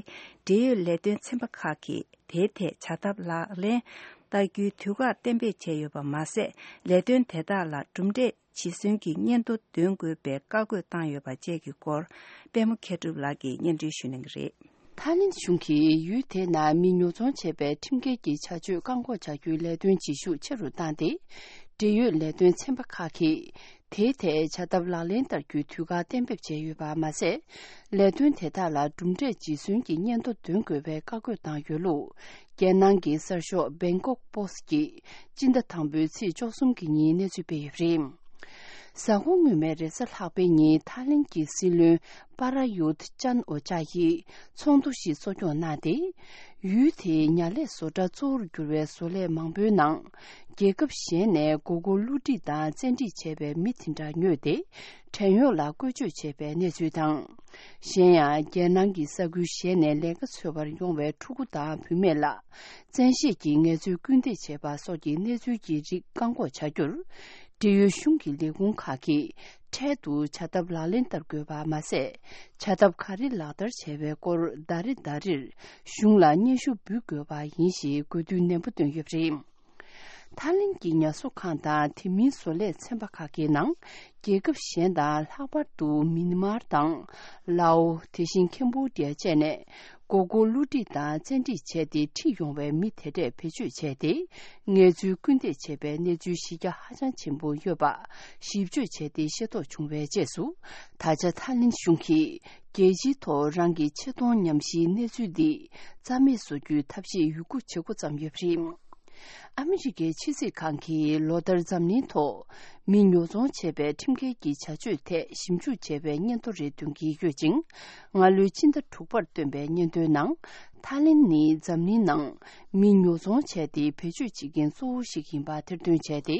འབྲེལ་ཡོད་ལས་དོན་ཚན་པ་ཁག་གིས་དེའི་ཐད་བྱ་ཐབས་ལག་ལེན་བསྟར་རྒྱུའི་དུས་བཀག་གཏན་འབེབས་བྱས་ཡོད་པ་མ་ཟད། ལས་དོན་དེ་དག་ལ་གྲུབ་འབྲས་ཇི་སོན་གྱི་སྙན་ཐོ་འདོན་དགོས་པའི་བཀའ་བཀོད་བཏང་ཡོད་པ་བཅས་ཀྱི་སྐོར། པད་མ་མཁས་གྲུབ་ལགས་ཀྱིས་སྙན་སྒྲོན་ཞུ་གནང་གི་རེད། ཐའི་ལེན་གཞུང་གིས་ཡུལ་དེའི་ནང་མི་ཉོ་ཚོང་བྱེད་པའི་ཁྲིམས་འགལ་གྱི་བྱ་སྤྱོད་བཀག་འགོག་བྱ་རྒྱུའི་ལས་དོན་བྱེད་ཤུགས་ཆེ་རུ་བཏང་སྟེ། འབྲེལ་ཡོད་ལས་དོན་ཚན་པ་ཁག་གིས་དེའི་ཐད་བྱ་ཐབས་ལག་ལེན་བསྟར་རྒྱུའི་དུས་བཀག་གཏན་འབེབས་བྱས་ཡོད་པ་མ་ཟད། ལས་དོན་དེ་དག་ལ་གྲུབ་འབྲས་ཇི་སོན་གྱི་སྙན་ཐོ་འདོན་དགོས་པའི་བཀའ་བཀོད་བཏང་ཡོད་ལུགས། རྒྱལ་ནང་གི་གསར་ཤོག་Bangkok Post་གིས་སྤྱི་ཟླ་དང་པོའི་ཚེས་བཅུ་གསུམ་གྱི་ཉིན་གནས་ཚུལ་སྤེལ་ཡོད་པ་རེད། གཟའ་འཁོར་སྔོན་མའི་རེས་གཟའ་ལྷག་པའི་ཉིན་ཐའི་ལེན་གྱི་སྲིད་བློན་པ་ར་ཡུད་ཅན་ཨོ་ཅཱ་ཡིས་ཚོགས་འདུ་ཞིག་གཙོ་སྐྱོང་གནང་སྟེ། ཡུལ་དེའི་ཉ་ལས་བཟོ་གྲྭ་གཙོ་བོར་གྱུར་བའི་བཟོ་ལས་མང་པོའི་ནང་། རྒྱལ་ཁབ་གཞན་ནས་སྒོར་སྒོར་བསླུ་བྲིད་དང་བཙན་ཁྲིད་བྱས་པའི་མི་དེ་འདྲ་ཉོས་ཏེ། བྲན་གཡོག་ལ་བཀོལ་སྤྱོད་བྱས་པའི་གནས་ཚུལ་དང་། གཞན་ཡང་། རྒྱལ་ནང་གི་ས་ཁུལ་གཞན་ནས་ལས་ཀ་འཚོལ་བར་ཡོང་བའི་ཕྲུ་གུ་དང་བུད་མེད་ལ། བཙན་ཤེད་ཀྱིས་ངལ་རྩོལ་སྐུལ་འདེད་བྱས་པ་སོགས་ཀྱི་གནས་ཚུལ་གྱི་རིགས་བཀག་འགོག་བྱ་རྒྱུར། འབྲེལ་ཡོད་གཞུང་གི་ལས་ཁུངས་ཁག་གིས་འཕྲལ་དུ་བྱ་ཐབས་ལག་ལེན་བསྟར་དགོས་པ་མ་ཟད། བྱ་ཐབས་ག་རེ་ལག་བསྟར་བྱས་པའི་སྐོར་ཟླ་རེ་ཟླ་རེར་གཞུང་ལ་སྙན་ཞུ་འབུལ་དགོས་པ་ཡིན་ཞེས་དགོས་འདུན་ནན་པོ་བཏོན་ཡོད་པ་རེད། ཐའི་ལེན་གྱི་ཉ་གསོ་ཁང་དང་དེ་མིན་བཟོ་ལས་ཚན་པ་ཁག་གི་ནང་། རྒྱལ་ཁབ་གཞན་དང་ལྷག་པར་དུ་མིན་མར་དང་། ལའོ། དེ་བཞིན་ཁེམ་བྷོ་ཌི་ཡ་བཅས་ནས། སྒོར་སྒོར་བསླུ་བྲིད་དང་བཙན་ཁྲིད་བྱས་ཏེ་ཁྲིད་ཡོང་བའི་མི་དེ་འདྲས་བེད་སྤྱོད་བྱས་ཏེ། ངལ་རྩོལ་སྐུལ་འདེད་བྱས་པའི་གནས་ཚུལ་གཞི་རྒྱ་ཧ་ཅང་ཆེན་པོ་ཡོད་པ་ཞིབ་དཔྱོད་བྱས་ཏེ་ཤེས་རྟོགས་བྱུང་བའི་རྗེས་སུ། ད་ཆ་ཐའི་ལེན་གཞུང་གིས་རྒྱལ་སྤྱིའི་ཐོག་རང་གི་ཆེ་མཐོང་ཉམས་ཞིབ་གནས་ཚུལ་འདི་རྩ་མེད་བཟོ་རྒྱུའི་ཐབས་ཤེས་ཡོད་རྒུ་བྱེད་འགོ་བརྩམས་ཡོད་པ་རེད། ཨ་མི་རི་ཀའི་ཕྱི་སྲིད་ཁང་གིས་ལོ་ལྟར་འཛམ་གླིང་ཐོག་མི་ཉོ་ཚོང་བྱས་པའི་ཁྲིམས་འགལ་གྱི་བྱ་སྤྱོད་ཐད་ཞིབ་འཇུག་བྱས་པའི་སྙན་ཐོ་རེ་འདོན་གྱི་ཡོད་ཅིང་། སྔ་ལོའི་ཕྱི་ཟླ་དྲུག་པར་བཏོན་པའི་སྙན་ཐོའི་ནང་། ཐའི་ལེན་ནི་འཛམ་གླིང་ནང་མི་ཉོ་ཚོང་བྱས་ཏེ་བེད་སྤྱོད་བྱེད་མཁན་གཙོ་བོ་ཞིག་ཡིན་པ་ཐེར་འདོན་བྱས་ཏེ།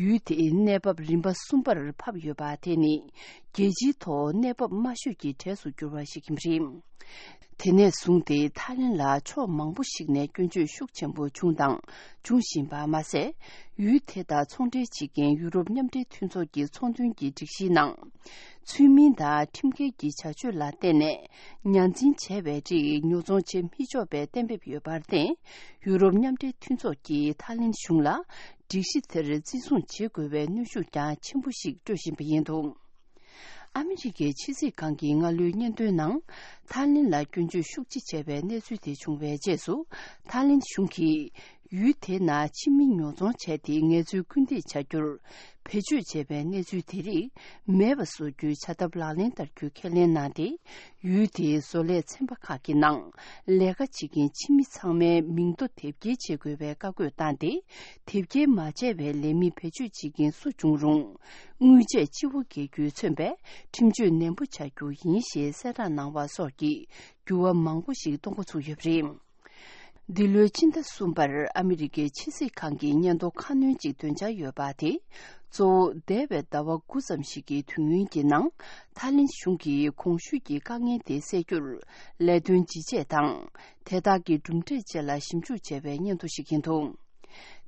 ཡུལ་དེའི་གནས་བབ་རིམ་པ་གསུམ་པར་ཕབ་ཡོད་པ་དེ་ནི་རྒྱལ་སྤྱིའི་ཐོག་གནས་བབ་དམའ་ཤོས་ཀྱི་གྲས་སུ་གྱུར་བ་ཞིག་ཡིན་པ་རེད། དེ་ནས་བཟུང་སྟེ་ཐའི་ལེན་ལ་ཕྱོགས་མང་པོ་ཞིག་ནས་སྐྱོན་བརྗོད་ཤུགས་ཆེན་པོ་བྱུང་དང་ འབྱུང་བཞིན་པ་མ་ཟད། ཡུལ་དེ་དང་ཚོང་འབྲེལ་བྱེད་མཁན་ཡུ་རོབ་མཉམ་འབྲེལ་མཐུན་ཚོགས་ཀྱི་ཚོང་དོན་གྱི་སྒྲིག་གཞིའི་ནང་། ཚུལ་མིན་དང་ཁྲིམས་འགལ་གྱི་བྱ་སྤྱོད་ལ་བརྟེན་ནས་ཉར་འཛིན་བྱས་པའི་རིགས་ཉོ་ཚོང་བྱེད་མི་ཆོག་པའི་གཏན་འབེབས་ཡོད་པར་བརྟེན། ཡུ་རོབ་མཉམ་འབྲེལ་མཐུན་ཚོགས་ཀྱིས་ཐའི་ལེན་གཞུང་ལ་སྒྲིག་གཞི་དེར་བརྩི་སྲུང་བྱེད་དགོས་པའི་གནོན་ཤུགས་ཀྱང་ཆེན་པོ་ཞིག་སྤྲོད་བཞིན་པ་ཡིན་འདུག་ཨ་མི་རི་ཀའི་ཕྱི་སྲིད་ཁང་གི་སྔ་ལོའི་སྙན་ཐོའི་ནང་། ཐའི་ལེན་ལ་སྐྱོན་བརྗོད་ཤུགས་ཆེ་བྱས་པའི་གནས་ཚུལ་དེ་བྱུང་བའི་རྗེས་སུ། ཐའི་ལེན་གཞུང་གིས་ཡུལ་དེའི་ནང་ཕྱི་མི་ཉོ་ཚོང་བྱས་ཏེ་ངལ་རྩོལ་སྐུལ་འདེད་བྱ་རྒྱུར་བེད་སྤྱོད་བྱས་པའི་གནས་ཚུལ་དེ་རིགས་མེད་པ་བཟོ་རྒྱུའི་བྱ་ཐབས་ལག་ལེན་བསྟར་རྒྱུའི་ཁས་ལེན་གནང་སྟེ། ཡུལ་དེའི་བཟོ་ལས་ཚན་པ་ཁག་གི་ནང་ལས་ཀ་བྱེད་མཁན་ཕྱི་མི་ཚང་མའི་མིང་ཐོ་དེབ་སྐྱེལ་བྱེད་དགོས་པའི་བཀའ་བཀོད་བཏང་སྟེ། དེབ་སྐྱེལ་མ་བྱས་པའི་ལས་མི་བེད་སྤྱོད་བྱེད་མཁན་སུ་བྱུང་རུང་། དངུལ་ཆད་སྤྱི་བོ་འགེལ་རྒྱུས་མཚོན་པའི་ཁྲིམས་གཅོད་ནན་པོ་བྱ་རྒྱུ་ཡིན་ཞེས་གསལ་བསྒྲགས་གནང་བ་སོགས་ཀྱི་འགྱུར་བ་མང་པོ་ཞིག་གཏོང་འགོ་ཚུགས་ཡོད་པ་རེད། འདི་ལོའི་ཕྱི་ཟླ་གསུམ་པར་ཨ་མི་རི་ཀའི་ཕྱི་སྲིད་ཁང་གིས་སྙན་ཐོ་ཁ་སྣོན་གཅིག་འདོན་འཆར་ཡོད་པ་དེ། གཙོ་བོ་འདས་པའི་ཟླ་བ་དགུ་ཙམ་ཞིག་གི་དུས་ཡུན་གྱི་ནང་། ཐའི་ལེན་གཞུང་གིས་གོང་ཞུས་ཀྱི་དཀའ་ངལ་དེ་སེལ་རྒྱུར་ལས་དོན་ཇི་བྱས་དང་། དེ་དག་གི་གྲུབ་འབྲས་བཅས་ལ་ཞིབ་འཇུག་བྱས་པའི་སྙན་ཐོ་ཞིག་ཡིན་འདུག་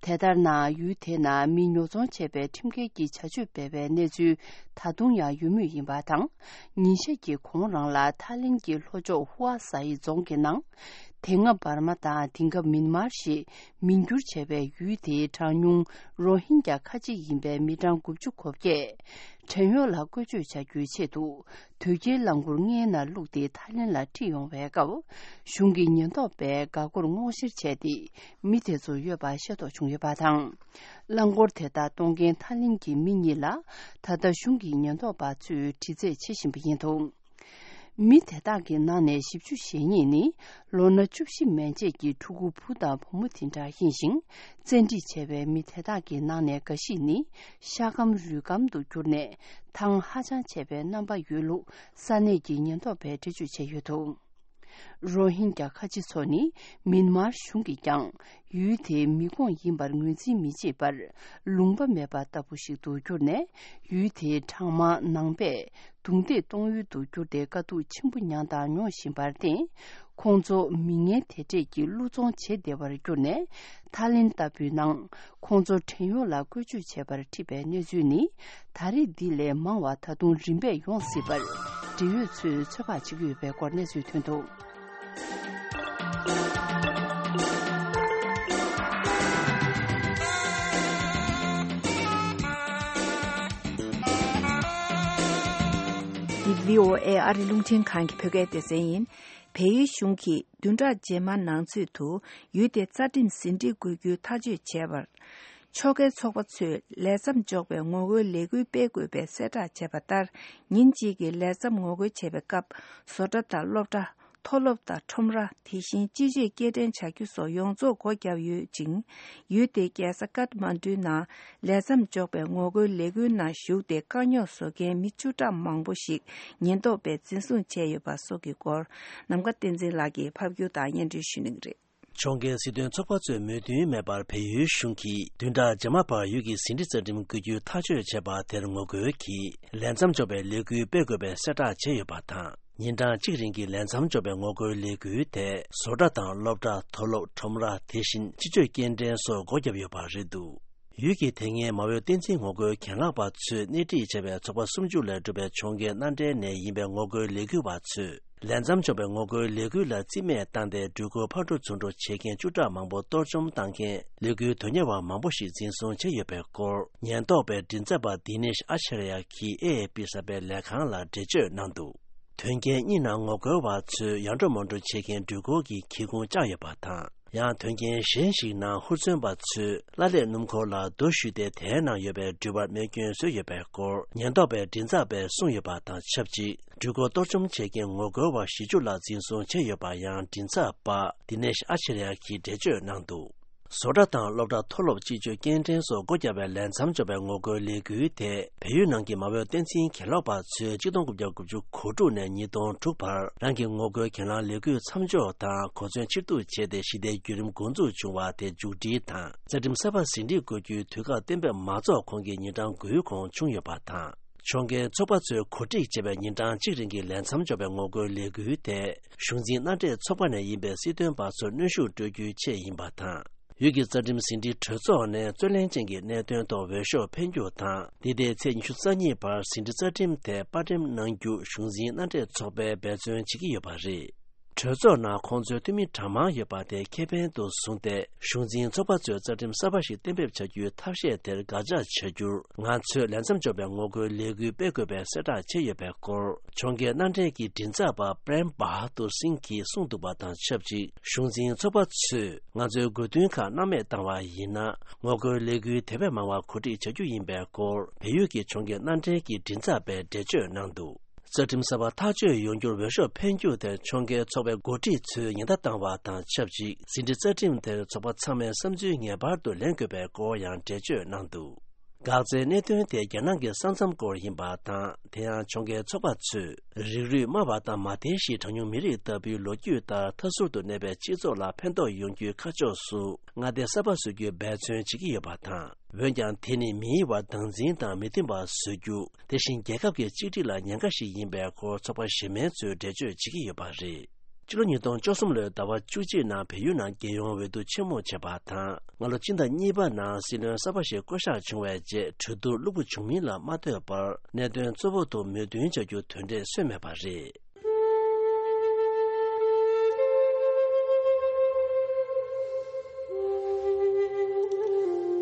དེ་ལྟར་ན། ཡུལ་དེའི་ནང་མི་ཉོ་ཚོང་བྱས་པའི་ཁྲིམས་འགལ་གྱི་བྱ་སྤྱོད་སྤེལ་བའི་གནས་ཚུལ་ད་དུང་ཡང་ཡོད་མུས་ཡིན་པ་དང་། ཉིན་ཤས་ཀྱི་གོང་རང་ལ་ཐའི་ལེན་གྱི་ལྷོ་ཕྱོགས་ཧུ་ཨ་ས་ཡི་རྫོང་གི་ནང་། དེ་སྔ་འབར་མ་དང་དེང་སྐབས་མིན་མར་ཞེས་མིང་བསྒྱུར་བྱས་པའི་ཡུལ་དེའི་གྲངས་ཉུང་རོ་ཧིན་རྒྱ་ཁ་ཆེ་ཡིན་པའི་མི་གྲངས་དགུ་བཅུ་གོ་བརྒྱད། བྲན་གཡོག་ལ་བཀོལ་སྤྱོད་བྱ་རྒྱུའི་ཆེད་དུ། དོས་སྐྱེལ་རླངས་འཁོར་ལྔའི་ནང་བླུགས་ཏེ་ཐའི་ལེན་ལ་ཁྲིད་ཡོང་བའི་སྐབས། གཞུང་གི་ཉེན་རྟོག་པས་འགག་སྒོར་སྔོག་བཤེར་བྱས་ཏེ། མི་དེ་ཚོ་ཡོད་པ་ཤེས་རྟོགས་བྱུང་ཡོད་པ་དང་། རླངས་འཁོར་དེ་དག་གཏོང་མཁན་ཐའི་ལེན་གྱི་མི་གཉིས་ལ། ད་ལྟ་གཞུང་གི་ཉེན་རྟོག་པ་ཚོས་དྲི་རྩད་བྱེད་བཞིན་པ་ཡིན་འདུག་མི་དེ་དག་གི་ནང་ནས་བཞི་བཅུ་ཞེ་གཉིས་ནི། ལོ་ན་བཅུ་བཞི་མན་ཆད་ཀྱི་ཕྲུ་གུ་བུ་དང་བུ་མོ་དེ་འདྲ་ཡིན་ཞིང་། བཙན་ཁྲིད་བྱས་པའི་མི་དེ་དག་གི་ནང་ནས་འགའ་ཞིག་ནི། ཤ་སྐམ་རུས་སྐམ་དུ་གྱུར་ནས། ཐང་ཧ་ཅང་ཆད་པའི་རྣམ་པ་ཡོད་ལུགས། ས་གནས་ཀྱི་ཉེན་རྟོག་པས་འགྲེལ་བརྗོད་བྱས་ཡོད་འདུག་རོ་ཧིན་རྒྱ་ཁ་ཆེ་ཚོ་ནི། མིན་མར་གཞུང་གིས་ཀྱང་། ཡུལ་དེའི་མི་ཁོངས་ཡིན་པར་ངོས་འཛིན་མི་བྱེད་པར། ལུང་པ་མེད་པ་ལྟ་བུ་ཞིག་ཏུ་གྱུར་ནས། ཡུལ་དེའི་གྲངས་མང་ནང་པས། རྡུང་རྡེག་གཏོང་ཡུལ་དུ་གྱུར་ཏེ། དཀའ་སྡུག་ཆེན་པོ་མྱངས་དང་མྱོང་བཞིན་པར་བརྟེན། ཁོང་ཚོ་མི་ངན་དེ་འདྲས་ཀྱི་བློ་བཙོང་བྱེད་བདེ་བར་གྱུར་ནས། ཐའི་ལེན་ལྟ་བུའི་ནང་། ཁོང་ཚོ་བྲན་གཡོག་ལ་བཀོལ་སྤྱོད་བྱས་པར་ཁྲིད་པའི་གནས་ཚུལ་ནི། ད་རེས་འདི་ལས་མང་བ་ད་དུང་རིམ་པས་ཡོང་སྲིད་པར། འབྲེལ་ཡོད་ཚོས་ཚོད་དཔག་བྱེད་ཀྱི་ཡོད་པའི་སྐོར་གནས་ཚུལ་ཐོན་འདུག་འདི་བྷི་ཨོ་ཨེ་ཨ་རི་རླུང་འཕྲིན་ཁང་གི་བོད་སྐད་སྡེ་ཚན་ཡིན། བལ་ཡུལ་གཞུང་གིས་བདུན་ཕྲག་རྗེས་མ་ནང་ཚུད་དུ་ཡུལ་དེ་རྩ་ཁྲིམས་ཟིན་བྲིས་དགོས་རྒྱུའི་ཐག་གཅོད་བྱས་པར། ཕྱོགས་འགལ་ཚོགས་པ་ཚོས་ལས་མཚམས་འཇོག་པའི་ངོ་རྒོལ་ལས་འགུལ་སྤེལ་དགོས་པའི་གསལ་བསྒྲགས་བྱས་པ་ལྟར། ཉིན་གཅིག་གི་ལས་མཚམས་ངོ་རྒོལ་བྱེད་པའི་སྐབས། བཟོ་གྲྭ་དང་སློབ་གྲྭ། མཐོ་སློབ་དང་ཁྲོམ་ར། དེ་བཞིན་སྤྱི་སྤྱོད་སྐྱེལ་འདྲེན་བྱ་རྒྱུ་སོགས་ཡོངས་རྫོགས་སྒོ་བརྒྱབ་ཡོད་ཅིང་། ཡུལ་དེའི་རྒྱལ་ས་ཀཏ་མན་ཌུའི་ནང་ལས་མཚམས་འཇོག་པའི་ངོ་རྒོལ་ལས་འགུལ་ནང་ཞུགས་ཏེ་དཀའ་རྙོག་བཟོ་མཁན་མི་བཅུ་ཕྲག་མང་པོ་ཞིག་ཉེན་རྟོག་པས་འཛིན་བཟུང་བྱས་ཡོད་པ་སོགས་ཀྱི་སྐོར། ནམ་མཁའ་བསྟན་འཛིན་ལགས་ཀྱིས་ཕབ་སྒྱུར་དང་སྙན་སྒྲོན་ཞུ་གནང་གི་རེད། ཕྱོགས་འགལ་སྲིད་དོན་ཚོགས་པ་ཚོས་མོས་མཐུན་མེད་པར་བལ་ཡུལ་གཞུང་གིས་བདུན་ཕྲག་རྗེས་མ་བར་ཡུལ་གྱི་ཟིན་བྲིས་རྩ་ཁྲིམས་བཀོད་རྒྱུའི་ཐག་གཅོད་བྱས་པ་དེར་ངོ་རྒོལ་གྱིས་ལས་མཚམས་འཇོག་པའི་ལས་འགུལ་སྤེལ་དགོས་པའི་གསལ་བསྒྲགས་བྱས་ཡོད་པ་དང་། ཉིན་གྲངས་གཅིག་རིང་གི་ལས་མཚམས་འཇོག་པའི་ངོ་རྒོལ་ལས་འགུལ་དེ་བཟོ་གྲྭ་དང་སློབ་གྲྭ། མཐོ་སློབ། ཁྲོམ་ར། དེ་བཞིན་སྤྱི་སྤྱོད་སྐྱེལ་འདྲེན་སོགས་སྒོ་བརྒྱབ་ཡོད་པ་རེད་འདུག་ཡུལ་གྱི་དེ་སྔའི་མ་འོས་བསྟན་འཛིན་ངོ་རྒོལ་གྱེན་ལངས་པ་ཚོས་སྣེ་ཁྲིད་བྱས་པའི་ཚོགས་པ་སུམ་ཅུ་ལས་གྲུབ་པའི་ཕྱོགས་འགལ་མནའ་འབྲེལ་ནས་ཡིན་པའི་ངོ་རྒོལ་ལས་འགུལ་བ་ཚོས། ལས་མཚམས་འཇོག་པའི་ངོ་རྒོལ་ལས་འགུལ་ལ་རྩིས་མེད་བཏང་སྟེ། འགྲུལ་འཁོར་ཕར་འགྲོ་ཚུར་འགྲོ་བྱེད་མཁན་བཅུ་ཕྲག་མང་པོ་གཏོར་བཅོམ་བཏང་མཁན་ལས་འགུལ་དོན་གཉེར་བ་མང་པོ་ཞིག་འཛིན་བཟུང་བྱས་ཡོད་པའི་སྐོར། ཉེན་རྟོག་པའི་མགྲིན་ཚབ་པ་དི་ནེཤ་ཨ་ཆེ་ར་ཡ་གིས་ཨེ་ཨེ་པི་གསར་པའི་ལས་ཁང་ལ་འགྲེལ་བརྗོད་གནང་འདུག་དོན་རྐྱེན་གཉིས་ནང་ངོ་རྒོལ་བ་ཚོས་ཡར་འགྲོ་མར་འགྲོ་བྱེད་མཁན་འགྲུལ་འཁོར་གྱི་ཁྱི་ཁུང་བཅག་ཡོད་པ་དང་། ཡང་དོན་རྐྱེན་གཞན་ཞིག་ནང་ཧུར་བརྩོན་པ་ཚོས་བླ་ལྷས་སྣུམ་འཁོར་ལ་རྡོ་གཞུས་ཏེ། དེའི་ནང་ཡོད་པའི་འགྲུལ་པར་རྨས་སྐྱོན་བཟོས་ཡོད་པའི་སྐོར། ཉེན་རྟོག་པའི་མགྲིན་ཚབ་པས་གསུངས་ཡོད་པ་དང་ཆབས་ཅིག་འགྲུལ་འཁོར་གཏོར་བཅོམ་བྱེད་མཁན་ངོ་རྒོལ་བ་བཞི་བཅུ་ལྷག་འཛིན་བཟུང་བྱས་ཡོད་པ་ཡང་མགྲིན་ཚབ་པ་དི་ནེཤ་ཨ་ཆེ་ར་ཡ་གིས་འགྲེལ་བརྗོད་གནང་འདུག་བཟོ་གྲྭ་དང་སློབ་གྲྭ། མཐོ་སློབ། སྤྱི་སྤྱོད་སྐྱེལ་འདྲེན་སོགས་སྒོ་བརྒྱབ་པའི་ལས་མཚམས་འཇོག་པའི་ངོ་རྒོལ་ལས་འགུལ་དེ། བལ་ཡུལ་ནང་གི་མ་འོས་བསྟན་འཛིན་གྱེན་ལོག་པ་ཚོས་གཅིག་སྟོང་དགུ་བརྒྱ་དགུ་བཅུ་གོ་དྲུག་ནས་ཉིས་སྟོང་དྲུག་བར་རང་གི་ངོ་རྒོལ་གྱེན་ལངས་ལས་འགུལ་མཚམས་འཇོག་དང་གོ་མཚོན་ཕྱིར་བསྡུ་བྱས་ཏེ། ཞི་བདེའི་བརྒྱུད་རིམ་འགོ་འཛུགས་བྱུང་བ་དེ་མཇུག་སྒྲིལ་དང་། རྩ་ཁྲིམས་གསར་པ་ཟིན་བྲིས་དགོས་རྒྱུའི་དུས་བཀག་གཏན་འབེབས་མ་རྫོགས་གོང་གི་ཉིན་གྲངས་དགུའི་གོང་བྱུང་ཡོད་པ་དང་། ཕྱོགས་འགལ་ཚོགས་པ་ཚོས་གོ་སྒྲིག་བྱས་པའི་ཉིན་གྲངས་གཅིག་རིང་གི་ལས་མཚམས་འཇོག་པའི་ངོ་རྒོལ་ལས་འགུལ་དེ། གཞུང་འཛིན་མནའ་འབྲེལ་ཚོགས་པ་ནས་ཡིན་པའི་སྲིད་དོན་པ་ཚོར་གནོན་ཤུགས་སྤྲོད་རྒྱུའི་ཆེད་ཡིན་པ་དང་། ཡུལ་གྱི་རྩ་ཁྲིམས་ཟིན་བྲིས་གྲོས་ཚོགས་ནས་རྩོད་ལེན་ཅན་གྱི་གནད་དོན་ཐོག་འོས་ཤོག་འཕེན་རྒྱུ་དང་། འདི་ཟླའི་ཚེས་ཉི་ཤུ་རྩ་གཉིས་བར་ཟིན་བྲིས་རྩ་ཁྲིམས་དེ་པར་འགྲེམས་གནང་རྒྱུ་གཞུང་འཛིན་མནའ་འབྲེལ་ཚོགས་པས་འབད་བརྩོན་བྱེད་ཀྱི་ཡོད་པ་རེད། གྲོས་ཚོགས་ནང་ཁོང་ཚོའི་འཐུས་མི་གྲངས་མང་ཡོད་པ་དེ་ཁེ་ཕན་དུ་བཟུང་སྟེ། གཞུང་འཛིན་ཚོགས་པ་ཚོས་རྩ་ཁྲིམས་གསར་པ་ཞིག་གཏན་འབེབས་བྱ་རྒྱུའི་ཐབས་ཤེས་དེར་དགག་བྱ་བྱ་རྒྱུར། ང་ཚོས་ལས་མཚམས་འཇོག་པའི་ངོ་རྒོལ་ལས་འགུལ་སྤེལ་དགོས་པའི་གསལ་བསྒྲགས་བྱས་ཡོད་པའི་སྐོར། ཕྱོགས་འགལ་མནའ་འབྲེལ་གྱི་མགྲིན་ཚབ་པ་པྲེམ་བྷ་ཧ་དུར་སིང་གིས་གསུངས་འདུག་པ་དང་ཆབས་ཅིག་གཞུང་འཛིན་ཚོགས་པ་ཚོས། ང་ཚོའི་དགོས་འདུན་ཁག་སྣང་མེད་བཏང་བ་ཡིན་ན། ངོ་རྒོལ་ལས་འགུལ་དེ་བས་མང་བ་གོ་སྒྲིག་བྱ་རྒྱུ་ཡིན་པའི་སྐོར། བལ་ཡུལ་གྱི་ཕྱོགས་འགལ་མནའ་འབྲེལ་གྱི་མགྲིན་ཚབ་པས་འགྲེལ་བརྗོད་གནང་འདུག་རྩ་ཁྲིམས་གསར་པ་ཐག་གཅོད་ཡོང་རྒྱུར་འོས་ཤོག་འཕེན་རྒྱུ་དེར་ཕྱོགས་འགལ་ཚོགས་པའི་འགོ་ཁྲིད་ཚོས་ཉེན་བརྡ་བཏང་བ་དང་ཆབས་ཅིག་ཟིན་བྲིས་རྩ་ཁྲིམས་དེར་ཚོགས་པ་ཚང་མའི་བསམ་ཚུལ་ངེས་པར་དུ་ལེན་དགོས་པའི་སྐོར་ཡང་འགྲེལ་བརྗོད་གནང་འདུག་འགག་རྩའི་གནད་དོན་དེ་རྒྱ་ནག་གི་ས་མཚམས་སྐོར་ཡིན་པ་དང་། དེ་ཡང་ཕྱོགས་འགལ་ཚོགས་པ་ཚོས། རིགས་རུས་དམའ་བ་དང་མ་མཐའི་གཞིས་གྲངས་ཉུང་མི་རིགས་ལྟ་བུའི་ལོ་རྒྱུས་ལྟར་མཐའ་ཟུར་དུ་གནས་པའི་སྤྱི་ཚོགས་ལ་ཕན་ཐོགས་ཡོང་རྒྱུའི་ཁ་ཕྱོགས་སུ། མངའ་སྡེ་གསར་པ་བཟོ་རྒྱུའི་འབད་བརྩོན་བྱེད་ཀྱི་ཡོད་པ་དང་། འོན་ཀྱང་། དེ་ནི་མིའི་བར་སྡང་འཛིན་དང་མི་མཐུན་པ་བཟོ་རྒྱུ། དེ་བཞིན་རྒྱལ་ཁབ་ཀྱི་གཅིག་སྒྲིལ་ལ་ཉེན་ཁ་ཞིག་ཡིན་པའི་སྐོར་ཚོགས་པ་གཞན་མའི་ཚོས་འགྲེལ་བརྗོད་བྱེད་ཀྱི་ཡོད་པ་རེད། ཕྱི་ལོ་ཉིས་སྟོང་བཅུ་གསུམ་ལོའི་ཟླ་བ་བཅུ་གཅིག་ནང་བལ་ཡུལ་ནང་རྒྱལ་ཡོངས་འོས་བསྡུ་ཆེན་མོ་བྱས་པ་དང་། སྔ་ལོ་སྤྱི་ཟླ་གཉིས་པ་ནང་སྲིད་བློན་གསར་པ་ཞིག་བསྐོ་གཞག་བྱུང་བའི་རྗེས། གྲོས་བསྡུར་བློ་འགྱོད་བྱུང་མིན་ལ་མ་ལྟོས་པར། གནད་དོན་གཙོ་བོ་དུ་མོས་མཐུན་བྱ་རྒྱུ་དོན་འབྲས་སོན་མེད་པ་རེད།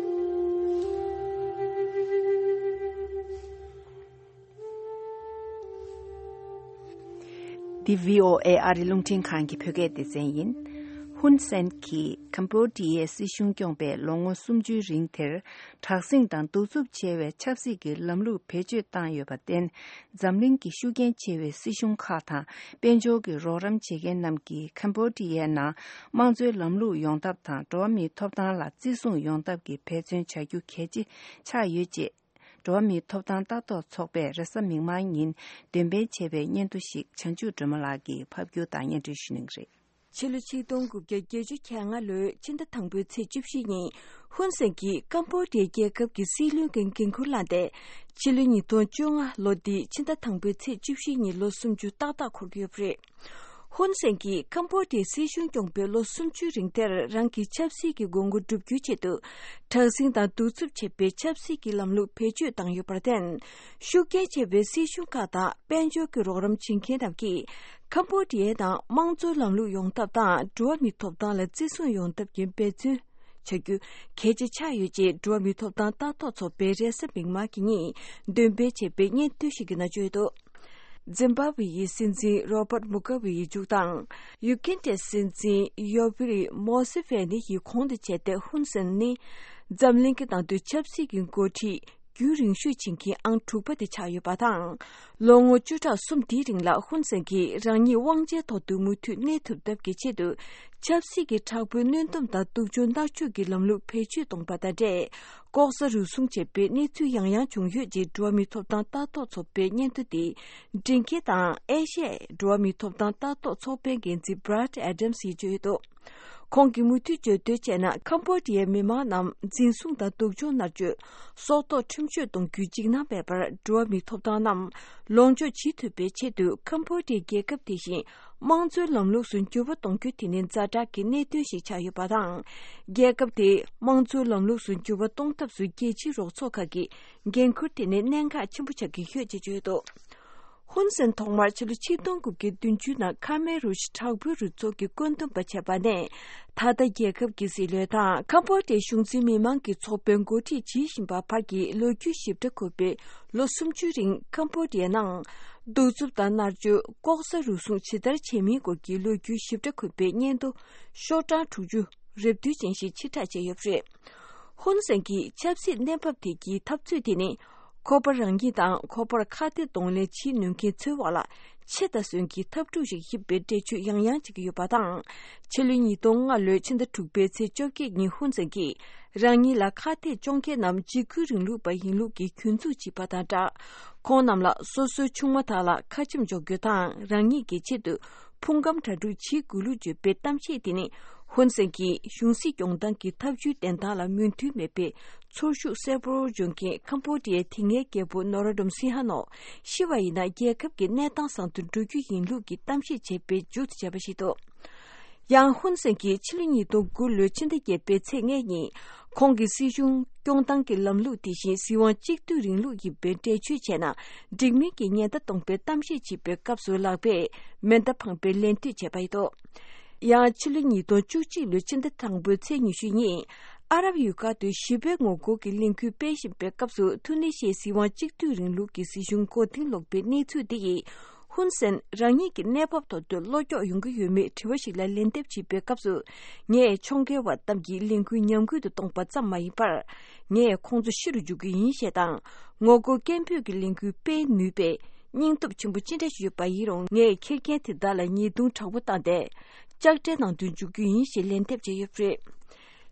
འདི་བྷི་ཨོ་ཨེ་ཨ་རི་རླུང་འཕྲིན་ཁང་གི་བོད་སྐད་སྡེ་ཚན་ཡིན། ཧུན་སེན་གྱིས་ཀམ་བོ་ཌི་ཡའི་སྲིད་གཞུང་སྐྱོང་པའི་ལོ་ངོ་སུམ་ཅུའི་རིང་དེར། དྲག་ཟིང་དང་གདུག་རྩུབ་ཆེ་བའི་ཆབ་སྲིད་ཀྱི་ལམ་ལུགས་བེད་སྤྱོད་བཏང་ཡོད་པར་བརྟེན། འཛམ་གླིང་གི་ཤུགས་རྐྱེན་ཆེ་བའི་སྲིད་གཞུང་ཁག་དང་། དཔལ་འབྱོར་གྱི་རོགས་རམ་བྱེད་མཁན་རྣམས་ཀྱིས་ཀམ་བོ་ཌི་ཡའི་ནང་དམངས་གཙོའི་ལམ་ལུགས་ཡོང་ཐབས་དང་། འགྲོ་བ་མིའི་ཐོབ་ཐང་ལ་བརྩི་སྲུང་ཡོང་ཐབས་ཀྱི་འབད་བརྩོན་བྱ་རྒྱུ་གལ་ཆེ་ཆགས་ཡོད་ཅེས། འགྲོ་བ་མིའི་ཐོབ་ཐང་ལྟ་རྟོག་ཚོགས་པས་རེས་གཟའ་མིག་དམར་ཉིན་འདོན་སྤེལ་བྱས་པའི་སྙན་ཐོ་ཞིག་བྱང་ཆུབ་སྒྲོལ་མ་ལགས་ཀྱིས་ཕབ་སྒྱུར་དང་སྙན་སྒྲོན་ཞུ་གནང་གི་རེད། ཕྱི་ལོ་ཆིག་སྟོང་དགུ་བརྒྱ་བརྒྱད་ཅུ་གྱ་ལྔ་ལོའི་ཕྱི་ཟླ་དང་པོའི་ཚེས་བཅུ་བཞི་ཉིན། ཧུན་སེན་གྱིས་ཀམ་བོ་ཌི་ཡའི་རྒྱལ་ཁབ་ཀྱི་སྲིད་བློན་གྱི་འགན་འཁུར་བླངས་ཏེ། ཕྱི་ལོ་ཉིས་སྟོང་བཅོ་ལྔ་ལོ་འདིའི་ཕྱི་ཟླ་དང་པོའི་ཚེས་བཅུ་བཞི་ཉིན་ལོ་སུམ་ཅུ་ཏག་ཏག་འཁོར་གྱི་ཡོད་པ་རེད། ཧུན་སེན་གྱིས་ཀམ་བོ་ཌི་ཡའི་སྲིད་གཞུང་སྐྱོང་པའི་ལོ་སུམ་ཅུའི་རིང་དེར། རང་གི་ཆབ་སྲིད་ཀྱི་དགོས་མཁོ་བསྒྲུབ་རྒྱུའི་ཆེད་དུ། དྲག་ཟིང་དང་གདུག་རྩུབ་ཆེ་བའི་ཆབ་སྲིད་ཀྱི་ལམ་ལུགས་བེད་སྤྱོད་བཏང་ཡོད་པར་བརྟེན། ཤུགས་རྐྱེན་ཆེ་བའི་སྲིད་གཞུང་ཁག་དང་། དཔལ་འབྱོར་གྱི་རོགས་རམ་བྱེད་མཁན་རྣམས་ཀྱིས། ཀམ་བོ་ཌི་ཡའི་ནང་དམངས་གཙོའི་ལམ་ལུགས་ཡོང་ཐབས་དང་། འགྲོ་བ་མིའི་ཐོབ་ཐང་ལ་བརྩི་སྲུང་ཡོང་ཐབས་ཀྱི་འབད་བརྩོན་བྱ་རྒྱུ་གལ་ཆེ་ཆགས་ཡོད་ཅེས། འགྲོ་བ་མིའི་ཐོབ་ཐང་ལྟ་རྟོག་ཚོགས་པས་རེས་གཟའ་མིག་དམར་གྱི་ཉིན་འདོན་སྤེལ་བྱས་པའི་སྙན་ཐོ་ཞིག་གི་ནང་བརྗོད་འདུག་འཛིམ་བྷ་ཝེ་ཡི་སྲིད་འཛིན་རོ་བྷར་མུ་ག་ཝེ་ཡི་མཇུག་དང་། ཡུ་གན་ཌའི་སྲིད་འཛིན་ཡོ་བྷི་རི་མོ་སི་ཝེ་ནི་ཡི་གོང་དུ་བྱས་ཏེ། ཧུན་སེན་ནི་འཛམ་གླིང་གི་ནང་དུ་ཆབ་སྲིད་ཀྱི་འགོ་ཁྲིད་རྒྱུན་རིང་ཤོས་བྱེད་མཁན་ཨང་དྲུག་པ་དེ་ཆགས་ཡོད་པ་དང་། ལོ་ངོ་བཅུ་ཕྲག་གསུམ་དེའི་རིང་ལ་ཧུན་སེན་གྱིས་རང་ཉིད་དབང་ཆའི་ཐོག་ཏུ་མུ་མཐུད་གནས་ཐུབ་ཐབས་ཀྱི་ཆེད་དུ། ཆབ་སྲིད་ཀྱི་དྲག་པོའི་གནོན་སྡོམ་དང་སྡུག་སྦྱོང་མནར་གཅོད་ཀྱི་ལམ་ལུགས་བེད་སྤྱོད་གཏོང་པ་དང་འབྲེལ། ལྐོག་ཟ་རུལ་སུངས་བྱས་པའི་གནས་ཚུལ་ཡང་ཡང་བྱུང་ཡོད་ཅེས། འགྲོ་བ་མིའི་ཐོབ་ཐང་ལྟ་རྟོག་ཚོགས་པའི་སྙན་ཐོ་དེ་འབྲི་མཁན་དང་ཨེ་ཤ་ཡའི་འགྲོ་བ་མིའི་ཐོབ་ཐང་ལྟ་རྟོག་ཚོགས་པའི་འགན་འཛིན་Brad Adams་ཡིས་བརྗོད་ཡོད་འདུག་ཁོང་གིས་མུ་མཐུད་བརྗོད་དོན་བྱས་ན། ཀམ་བོ་ཌི་ཡའི་མི་མང་རྣམས་འཛིན་བཟུང་དང་སྡུག་སྦྱོང་མནར་གཅོད། སྲོག་ཐོག་ཁྲིམས་གཅོད་གཏོང་རྒྱུའི་འཇིགས་སྣང་མེད་པར། འགྲོ་བ་མིའི་ཐོབ་ཐང་རྣམས་ལོངས་སྤྱོད་བྱེད་ཐུབ་པའི་ཆེད་དུ། ཀམ་བོ་ཌི་ཡའི་རྒྱལ་ཁབ་དེ་བཞིན། དམངས་གཙོའི་ལམ་ལུགས་སུ་འགྱུར་བ་གཏོང་རྒྱུ་དེ་ནི་ཛ་དྲག་གི་གནད་དོན་ཞིག་ཆགས་ཡོད་པ་དང་། རྒྱལ་ཁབ་དེ་དམངས་གཙོའི་ལམ་ལུགས་སུ་འགྱུར་བ་གཏོང་ཐབས་སུ་རྒྱལ་སྤྱིའི་རོགས་ཚོགས་ཁག་གི་འགན་ཁུར་དེ་ནི་གནད་འགག་ཆེན་པོ་ཆགས་ཀྱི་ཡོད་ཅེས་བརྗོད་འདུག་ཧུན་སེན་ཐོག་མར་ཕྱི་ལོ་ཆིག་སྟོང་དགུ་བརྒྱ་བདུན་ཅུ་ནང་ཁ་མེ་རུ་ཤི་དྲག་པོའི་རུ་ཚོགས་ཀྱི་བཀོད་འདོམས་པ་བྱས་པ་ནས། ད་ལྟ་རྒྱལ་ཁབ་ཀྱི་སྲིད་བློན་དང་ཀམ་བོ་ཌི་ཡའི་གཞུང་འཛིན་མི་མང་གི་ཚོགས་པའི་འགོ་ཁྲིད་བྱེད་བཞིན་པ་བར་གྱི་ལོ་རྒྱུས་ཞིབ་ཕྲ་འཁོད་པའི་ལོ་སུམ་ཅུའི་རིང་ཀམ་བོ་ཌི་ཡའི་ནང་གདུག་རྩུབ་དང་མནར་གཅོད། ལྐོག་ཟ་རུལ་སུངས་ཇི་ལྟར་བྱས་མིན་སྐོར་གྱི་ལོ་རྒྱུས་ཞིབ་ཕྲ་འཁོད་པའི་སྙན་ཐོ་ཤོག་གྲངས་དྲུག་ཅུ་རེ་བདུན་ཅན་ཞིག་ཕྱིར་བསྒྲགས་བྱས་ཡོད་པ་རེད། ཧུན་སེན་གྱིས་ཆབ་སྲིད་གནས་བབ་དེ་གའི་འཐབ་རྩོད་དེ་ནི། ཁོ་པ་རང་ཉིད་དང་ཁོ་པར་ཁ་གཏད་གདོང་ལེན་བྱེད་ནུས་མཁན་ཚོའི་འོག་ལ་ཆེ་དང་གསོན་གྱི་འཐབ་འཁྲུག་ཞིག་ཡིན་པའི་འགྲེལ་བརྗོད་ཡང་ཡང་བྱེད་ཀྱི་ཡོད་པ་དང་། ཕྱི་ལོ་ཉིས་སྟོང་ལྔ་ལོའི་ཕྱི་ཟླ་དྲུག་པའི་ཚེས་བཅོ་བརྒྱད་ཉིན་ཧུན་སེན་གྱིས་རང་ཉིད་ལ་ཁ་གཏད་གཅོག་མཁན་རྣམས་འཇིགས་སྐུལ་རིང་ལུགས་པ་ཡིན་ལུགས་ཀྱི་སྐྱོན་འཛུགས་བྱས་པ་དང་སྦྲགས། ཁོང་རྣམས་ལ་སོ་སོའི་ཆུང་མ་དག་ལ་ཁ་ཆེམས་འཇོག་རྒྱུ་དང་། རང་ཉིད་ཀྱི་ཆེད་དུ་ཕུང་ཁམས་གྲ་སྒྲིག་བྱེད་དགོས་ལུགས་བརྗོད་པའི་གཏམ་བཤད་དེ་ནི། ཧུན་སེན་གྱིས་གཞུང་སྲིད་སྐྱོང་སྟངས་ཀྱི་ཐབས་ཇུས་བདེན་སྟངས་ལ་མོས་མཐུན་མེད་པའི་ཚོར་ཤུགས་གསལ་པོར་འཇོག་མཁན་ཁམ་བྷོ་ཌི་ཡའི་དེ་སྔའི་རྒྱལ་པོ་ནོ་རོ་ཏུམ་སིན་ཧ་ནོ་ཤི་བ་ཡིན་ན། རྒྱལ་ཁབ་ཀྱི་གནས་སྟངས་བཟང་དུ་འགྲོ་རྒྱུ་ཡིན་ལུགས་ཀྱི་གཏམ་བཤད་བྱས་པའི་མཇུག་ཏུ་བྱས་པ་ཞིག་འདུག་ཡང་ཧུན་སེན་གྱིས་ཕྱི་ལོ་ཉིས་སྟོང་དགུ་ལོའི་ཕྱི་ཟླ་བརྒྱད་པའི་ཚེས་ལྔ་ཉིན། ཁོང་གི་སྲིད་གཞུང་སྐྱོང་སྟངས་ཀྱི་ལམ་ལུགས་དེ་བཞིན་སྲིད་དབང་གཅིག་སྡུད་རིང་ལུགས་ཡིན་པའི་འགྲེལ་བརྗོད་བྱས་ན། འགྲིག་མིན་གྱི་ཉེན་བརྡ་གཏོང་པའི་གཏམ་བཤད་བྱེད་པའི་སྐབས་སུ་ལག་པས་མེ་མདའ་འཕངས་པའི་ལན་ཐུག་བྱས་པ་ཡིན་འདུག་ཡང་ཕྱི་ལོ་ཉིས་སྟོང་བཅུ་གཅིག་ལོའི་ཕྱི་ཟླ་དང་པོའི་ཚེས་ཉི་ཤུ་ཉིན། ཨ་རབ་ཡུལ་ཁག་ཏུ་ཞི་བའི་ངོ་རྒོལ་གྱི་ལས་འགུལ་སྤེལ་བཞིན་པའི་སྐབས་སུ། ཐུ་ནི་ཤིའི་སྲིད་དབང་གཅིག་སྡུད་རིང་ལུགས་ཀྱི་སྲིད་གཞུང་མགོ་རྟིང་སློག་པའི་གནས་ཚུལ་འདི་ཡིས། ཧུན་སེན་རང་ཉིད་ཀྱི་གནས་བབ་ཐོག་ཏུ་བློ་འཁྱོག་ཡོང་གི་ཡོད་མེད་དྲི་བ་ཞིག་ལ་ལན་འདེབས་བྱེད་པའི་སྐབས་སུ། ངས་ཕྱོགས་འགལ་བ་རྣམས་ཀྱི་ལས་འགུལ་ཉམས་རྒུད་དུ་གཏོང་པ་ཙམ་མ་ཡིན་པར། ངས་ཁོང་ཚོ་ཤི་རུ་འཇུག་གི་ཡིན་ཞེས་དང་། ངོ་རྒོལ་སྐད་འབོད་ཀྱི་ལས་འགུལ་སྤེལ་ནུས་པའི་སྙིང་སྟོབས་ཆེན་པོ་ཅི་འདྲ་ཞིག་ཡོད་པ་ཡིན་རུང་། ངས་འཁྱེར་མཁན་དེ་དག་ལ་ཉེས་རྡུང་དྲག་པོ་བཏང་སྟེ། ལྕགས་སྤྲད་ནང་དུ་འཇུག་རྒྱུ་ཡིན་ཞེས་ལན་འདེབས་བྱས་ཡོད་པ་རེད།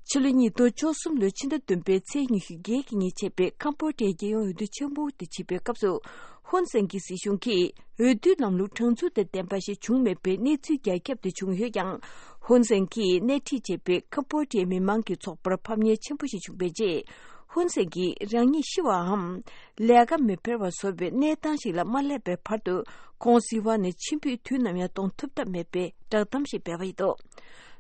ཕྱི་ལོ་ཉིས་སྟོང་བཅུ་གསུམ་ལོའི་ཕྱི་ཟླ་བདུན་པའི་ཚེས་ཉི་ཤུ་བརྒྱད་ཀྱི་ཉིན་བྱས་པའི་ཁམ་བྷོ་ཌིའི་རྒྱལ་ཡོངས་འོས་བསྡུ་ཆེན་པོ་དེ་བྱེད་པའི་སྐབས་སུ། ཧུན་སེན་གྱི་སྲིད་གཞུང་གིས་འོས་བསྡུའི་ལམ་ལུགས་དྲང་ཚུགས་དང་ལྡན་པ་ཞིག་བྱུང་མེད་པའི་གནས་ཚུལ་རྒྱ་ཁྱབ་ཏུ་བྱུང་ཡོད་ཀྱང་། ཧུན་སེན་གྱིས་སྣེ་ཁྲིད་བྱས་པའི་ཁམ་བྷོ་ཌིའི་མི་མང་གི་ཚོགས་པར་ཕམ་ཉེས་ཆེན་པོ་ཞིག་བྱུང་བའི་རྗེས། ཧུན་སེན་གྱིས་རང་ཉིད་ཤི་བའམ། ལས་ཀ་མི་འཕེར་བ་བཟོ་བའི་གནས་སྟངས་ཤིག་ལ་མ་སླེབས་པའི་བར་དུ། ཁོང་སྲིད་དབང་ནས་ཕྱིར་འབུད་དུས་ནམ་ཡང་གཏོང་ཐུབ་ཐབས་མེད་པའི་བསྒྲགས་གཏམ་ཞིག་སྤེལ་བ་ཡིན་འདུག་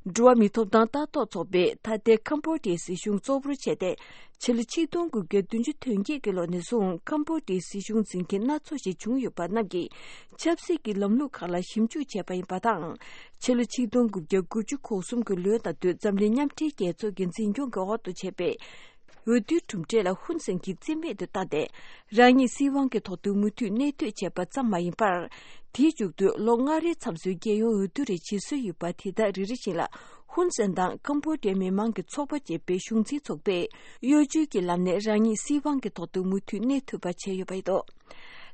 འགྲོ་བ་མིའི་ཐོབ་ཐང་ལྟ་རྟོག་ཚོགས་པས་ད་ལྟའི་ཁམ་བྷོ་ཌིའི་སྲིད་གཞུང་གཙོ་བོར་བྱས་ཏེ། ཕྱི་ལོ་ཆིག་སྟོང་དགུ་བརྒྱ་བདུན་ཅུ་དོན་བརྒྱད་ཀྱི་ལོ་ནས་བཟུང་ཁམ་བྷོ་ཌིའི་སྲིད་གཞུང་འཛིན་མཁན་སྣ་ཚོགས་ཤིག་བྱུང་ཡོད་པ་རྣམས་ཀྱིས་ཆབ་སྲིད་ཀྱི་ལམ་ལུགས་ཁག་ལ་ཞིབ་འཇུག་བྱས་པ་ཡིན་པ་དང་། ཕྱི་ལོ་ཆིག་སྟོང་དགུ་བརྒྱ་དགུ་བཅུ་གོ་གསུམ་གྱི་ལོའི་ཟླ་དུས་འཛམ་གླིང་མཉམ་འབྲེལ་རྒྱལ་ཚོགས་ཀྱི་འཛིན་སྐྱོང་གི་འོག་ཏུ་བྱས་པའི་འོས་བསྡུའི་གྲུབ་འབྲས་ལ་ཧུན་སེན་གྱིས་རྩིས་མེད་དུ་བཏང་སྟེ། རང་ཉིད་སྲིད་དབང་གི་ཐོག་ཏུ་མུ་མཐུད་གནས་སྡོད་བྱས་པ་ཙམ་མ་ཡིན་པར། དེའི་མཇུག་ཏུ་ལོ་ལྔ་རེའི་མཚམས་སུ་རྒྱལ་ཡོངས་འོས་བསྡུ་རེ་བྱེད་སྲོལ་ཡོད་པ་དེ་དག་རེ་རེ་བཞིན་ལ། ཧུན་སེན་དང་ཁམ་བྷོ་ཌིའི་མི་མང་གི་ཚོགས་པ་ཅེས་པའི་གཞུང་འཛིན་ཚོགས་པས་གཡོ་ཇུས་ཀྱི་ལམ་ནས་རང་ཉིད་སྲིད་དབང་གི་ཐོག་ཏུ་མུ་མཐུད་གནས་ཐུབ་པ་བྱས་ཡོད་པ་ཡིན་འདུག་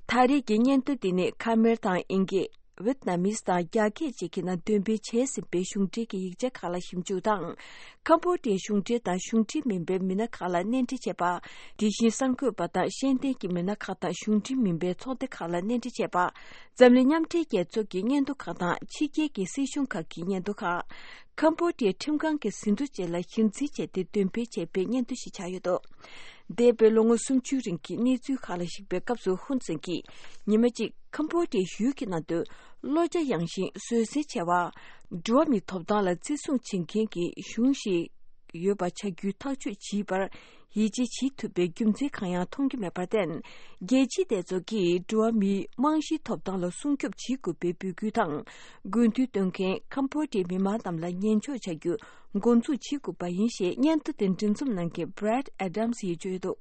ད་རེས་ཀྱི་སྙན་ཐོ་འདི་ནི་ཁ་མེར་དང་དབྱིན་སྐད། ཝེད་ནམ་མིས་དང་རྒྱ་སྐད་བཅས་ཀྱི་ནང་འདོན་སྤེལ་བྱས་ཟིན་པའི་གཞུང་འབྲེལ་གྱི་ཡིག་ཆ་ཁག་ལ་ཞིབ་འཇུག་དང་། ཁམ་བྷོ་ཌིའི་གཞུང་འབྲེལ་དང་གཞུང་འབྲེལ་མིན་པའི་མི་སྣ་ཁག་ལ་གནས་འདྲི་བྱས་པ། དེ་བཞིན་གསར་འགོད་པ་དང་ཤེས་ལྡན་གྱི་མི་སྣ་ཁག་དང་གཞུང་འབྲེལ་མིན་པའི་ཚོགས་སྡེ་ཁག་ལ་གནས་འདྲི་བྱས་པ། འཛམ་གླིང་མཉམ་འབྲེལ་རྒྱལ་ཚོགས་ཀྱི་སྙན་ཐོ་ཁག་དང་ཕྱི་རྒྱལ་གྱི་སྲིད་གཞུང་ཁག་གི་སྙན་ཐོ་ཁག་ཁམ་བྷོ་ཌིའི་ཁྲིམས་ཁང་གི་ཟིན་ཐོ་བཅས་ལ་གཞིར་འཛིན་བྱས་ཏེ་འདོན་སྤེལ་བྱས་པའི་སྙན་ཐོ་ཞིག་ཆགས་ཡོད་འདུག་འདས་པའི་ལོ་ངོ་སུམ་ཅུའི་རིང་གི་གནས་ཚུལ་ཁག་ལ་གཞིགས་པའི་སྐབས་སུ་ཧུན་སེན་གྱིས་ཉི་མ་གཅིག་ཁམ་བྷོ་ཌིའི་ཡུལ་གྱི་ནང་དུ་བློ་རྒྱ་ཡངས་ཤིང་བཟོད་བསྲན་ཆེ་བ། འགྲོ་བ་མིའི་ཐོབ་ཐང་ལ་བརྩི་སྲུང་བྱེད་མཁན་གྱི་གཞུང་ཞིག་ཡོད་པ་ཆགས་རྒྱུའི་ཐག་གཅོད་བྱས་པར་ཡིད་ཆེས་བྱེད་ཐུབ་པའི་རྒྱུ་མཚན་གང་ཡང་མཐོང་རྒྱུ་མེད་པར་བརྟེན། རྒྱལ་སྤྱིའི་སྡེ་ཚོགས་ཀྱིས་འགྲོ་བ་མིའི་རྨང་གཞིའི་ཐོབ་ཐང་ལ་སྲུང་སྐྱོབ་བྱེད་དགོས་པའི་འབོད་སྐུལ་དང་། དགོས་འདུན་བཏོན་མཁན་ཁམ་བྷོ་ཌིའི་མི་མང་རྣམས་ལ་ཉན་འཇོག་བྱ་རྒྱུ་འགོ་འཛུགས་བྱེད་དགོས་པ་ཡིན་ཞེས་སྙན་ཐོ་དེ་འབྲི་འཛོམས་གནང་མཁན་Brad Adams་ཡིས་བརྗོད་ཡོད་འདུག་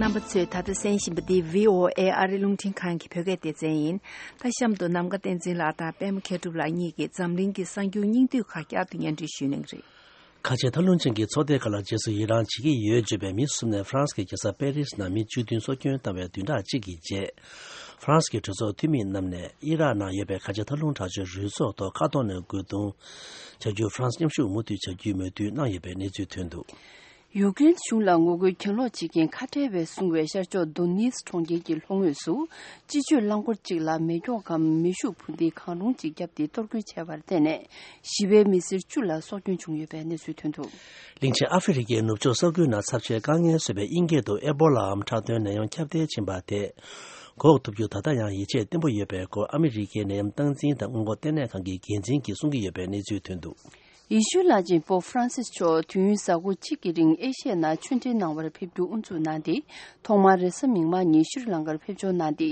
རྣམ་པ་ཚོས་ད་ལྟ་གསན་བཞིན་པ་འདི་V O A་ཨ་རི་རླུང་འཕྲིན་ཁང་གི་བོད་སྐད་སྡེ་ཚན་ཡིན། ད་གཤམ་དུ་ནམ་མཁའ་བསྟན་འཛིན་ལགས་དང་པད་མ་མཁས་གྲུབ་ལགས་གཉིས་ཀྱིས་འཛམ་གླིང་གི་གསར་འགྱུར་སྙིང་བསྡུས་ཁག་བསྐྱར་དུ་སྙན་སྒྲོན་ཞུ་གནང་གི་རེད། ཁ་ཆེ་མཐོ་ལྷོང་ཅན་གྱི་ཚོགས་སྡེ་ཁག་ལ་རྗེས་སུ་ཡི་རང་བྱེད་ཀྱི་ཡོད་བརྗོད་པའི་མི་གསུམ་ནས་ཧྥ་རན་སི་གི་རྒྱལ་ས་པེ་རི་སི་ནང་མི་བཅུ་བདུན་སྲོག་སྐྱོན་བཏང་བའི་བདུན་ཕྲག་གཅིག་གི་རྗེས། ཧྥ་རན་སི་གི་གྲོས་ཚོགས་འཐུས་མི་རྣམས་ནས་ཨི་རག་ནང་ཡོད་པའི་ཁ་ཆེ་མཐོ་ལྷོང་དྲག་སྤྱོད་རུས་ཚོགས་ཐོག་མཁའ་ཐོག་ནས་རྒོལ་རྡུང་བྱ་རྒྱུར་ཧྥ་རན་སི་མཉམ་ཞུགས་མུ་མཐུད་བྱ་རྒྱུའི་མོས་མཐུན་གནང་ཡོད་པའི་གནས་ཚུལ་ཐོན་འདུག་ཡུཀ་རེན་གཞུང་ལ་ངོ་རྒོལ་གྱེན་ལོག་བྱེད་མཁན་ཁ་བྲལ་བའི་སྲུང་བའི་ཤར་ཕྱོགས་དོ་ནེ་སི་གྲོང་ཁྱེར་གྱི་ལྷོ་ངོས་སུ། སྤྱི་སྤྱོད་རླངས་འཁོར་གཅིག་ལ་མེ་སྒྱོགས་གམ་མེ་ཤུགས་འཕུར་མདེལ་གང་རུང་གཅིག་བརྒྱབ་སྟེ་གཏོར་རྒོལ་བྱས་པར་བརྟེན་ནས། ཞི་བའི་མི་སེར་བཅུ་ལ་སྲོག་སྐྱོན་བྱུང་ཡོད་པའི་གནས་ཚུལ་ཐོན་འདུག་གླིང་ཆེན་ཨ་ཧྥེ་རི་ཁའི་ནུབ་ཕྱོགས་ས་ཁུལ་ནང་ཚབས་ཆེའི་དཀའ་ངལ་བཟོས་པའི་དབྱིན་སྐད་དུ་ཨེ་བོ་ལའམ་ཁྲག་འདོན་ནད་ཡམས་ཁྱབ་གདལ་ཕྱིན་པ་དེ་འགོག་ཐུབ་རྒྱུ་ད་ལྟ་ཡང་ཡིད་ཆེས་བརྟན་པོ་ཡོད་པའི་སྐོར་ཨ་མི་རི་ཀའི་ནད་ཡམས་སྟངས་འཛིན་དང་སྔོན་འགོག་ལྟེ་གནས་ཁང་གི་འགན་འཛིན་གྱིས་གསུང་གི་ཡོད་པའི་གནས་ཚུལ་ཐོན་འདུག་ཡེ་ཤུའི་བླ་ཆེན་པོབ་ཧྥ་རན་སིས་མཆོག་དུས་ཡུན་གཟའ་འཁོར་གཅིག་གི་རིང་ཨེ་ཤི་ཡའི་ནང་ཆོས་འབྲེལ་གནང་བར་ཕེབས་རྒྱུ་དབུ་འཛུགས་གནང་སྟེ། ཐོག་མར་རེས་གཟའ་མིག་དམར་ཉིན་ཤྲི་ལང་ཀར་ཕེབས་འབྱོར་གནང་སྟེ།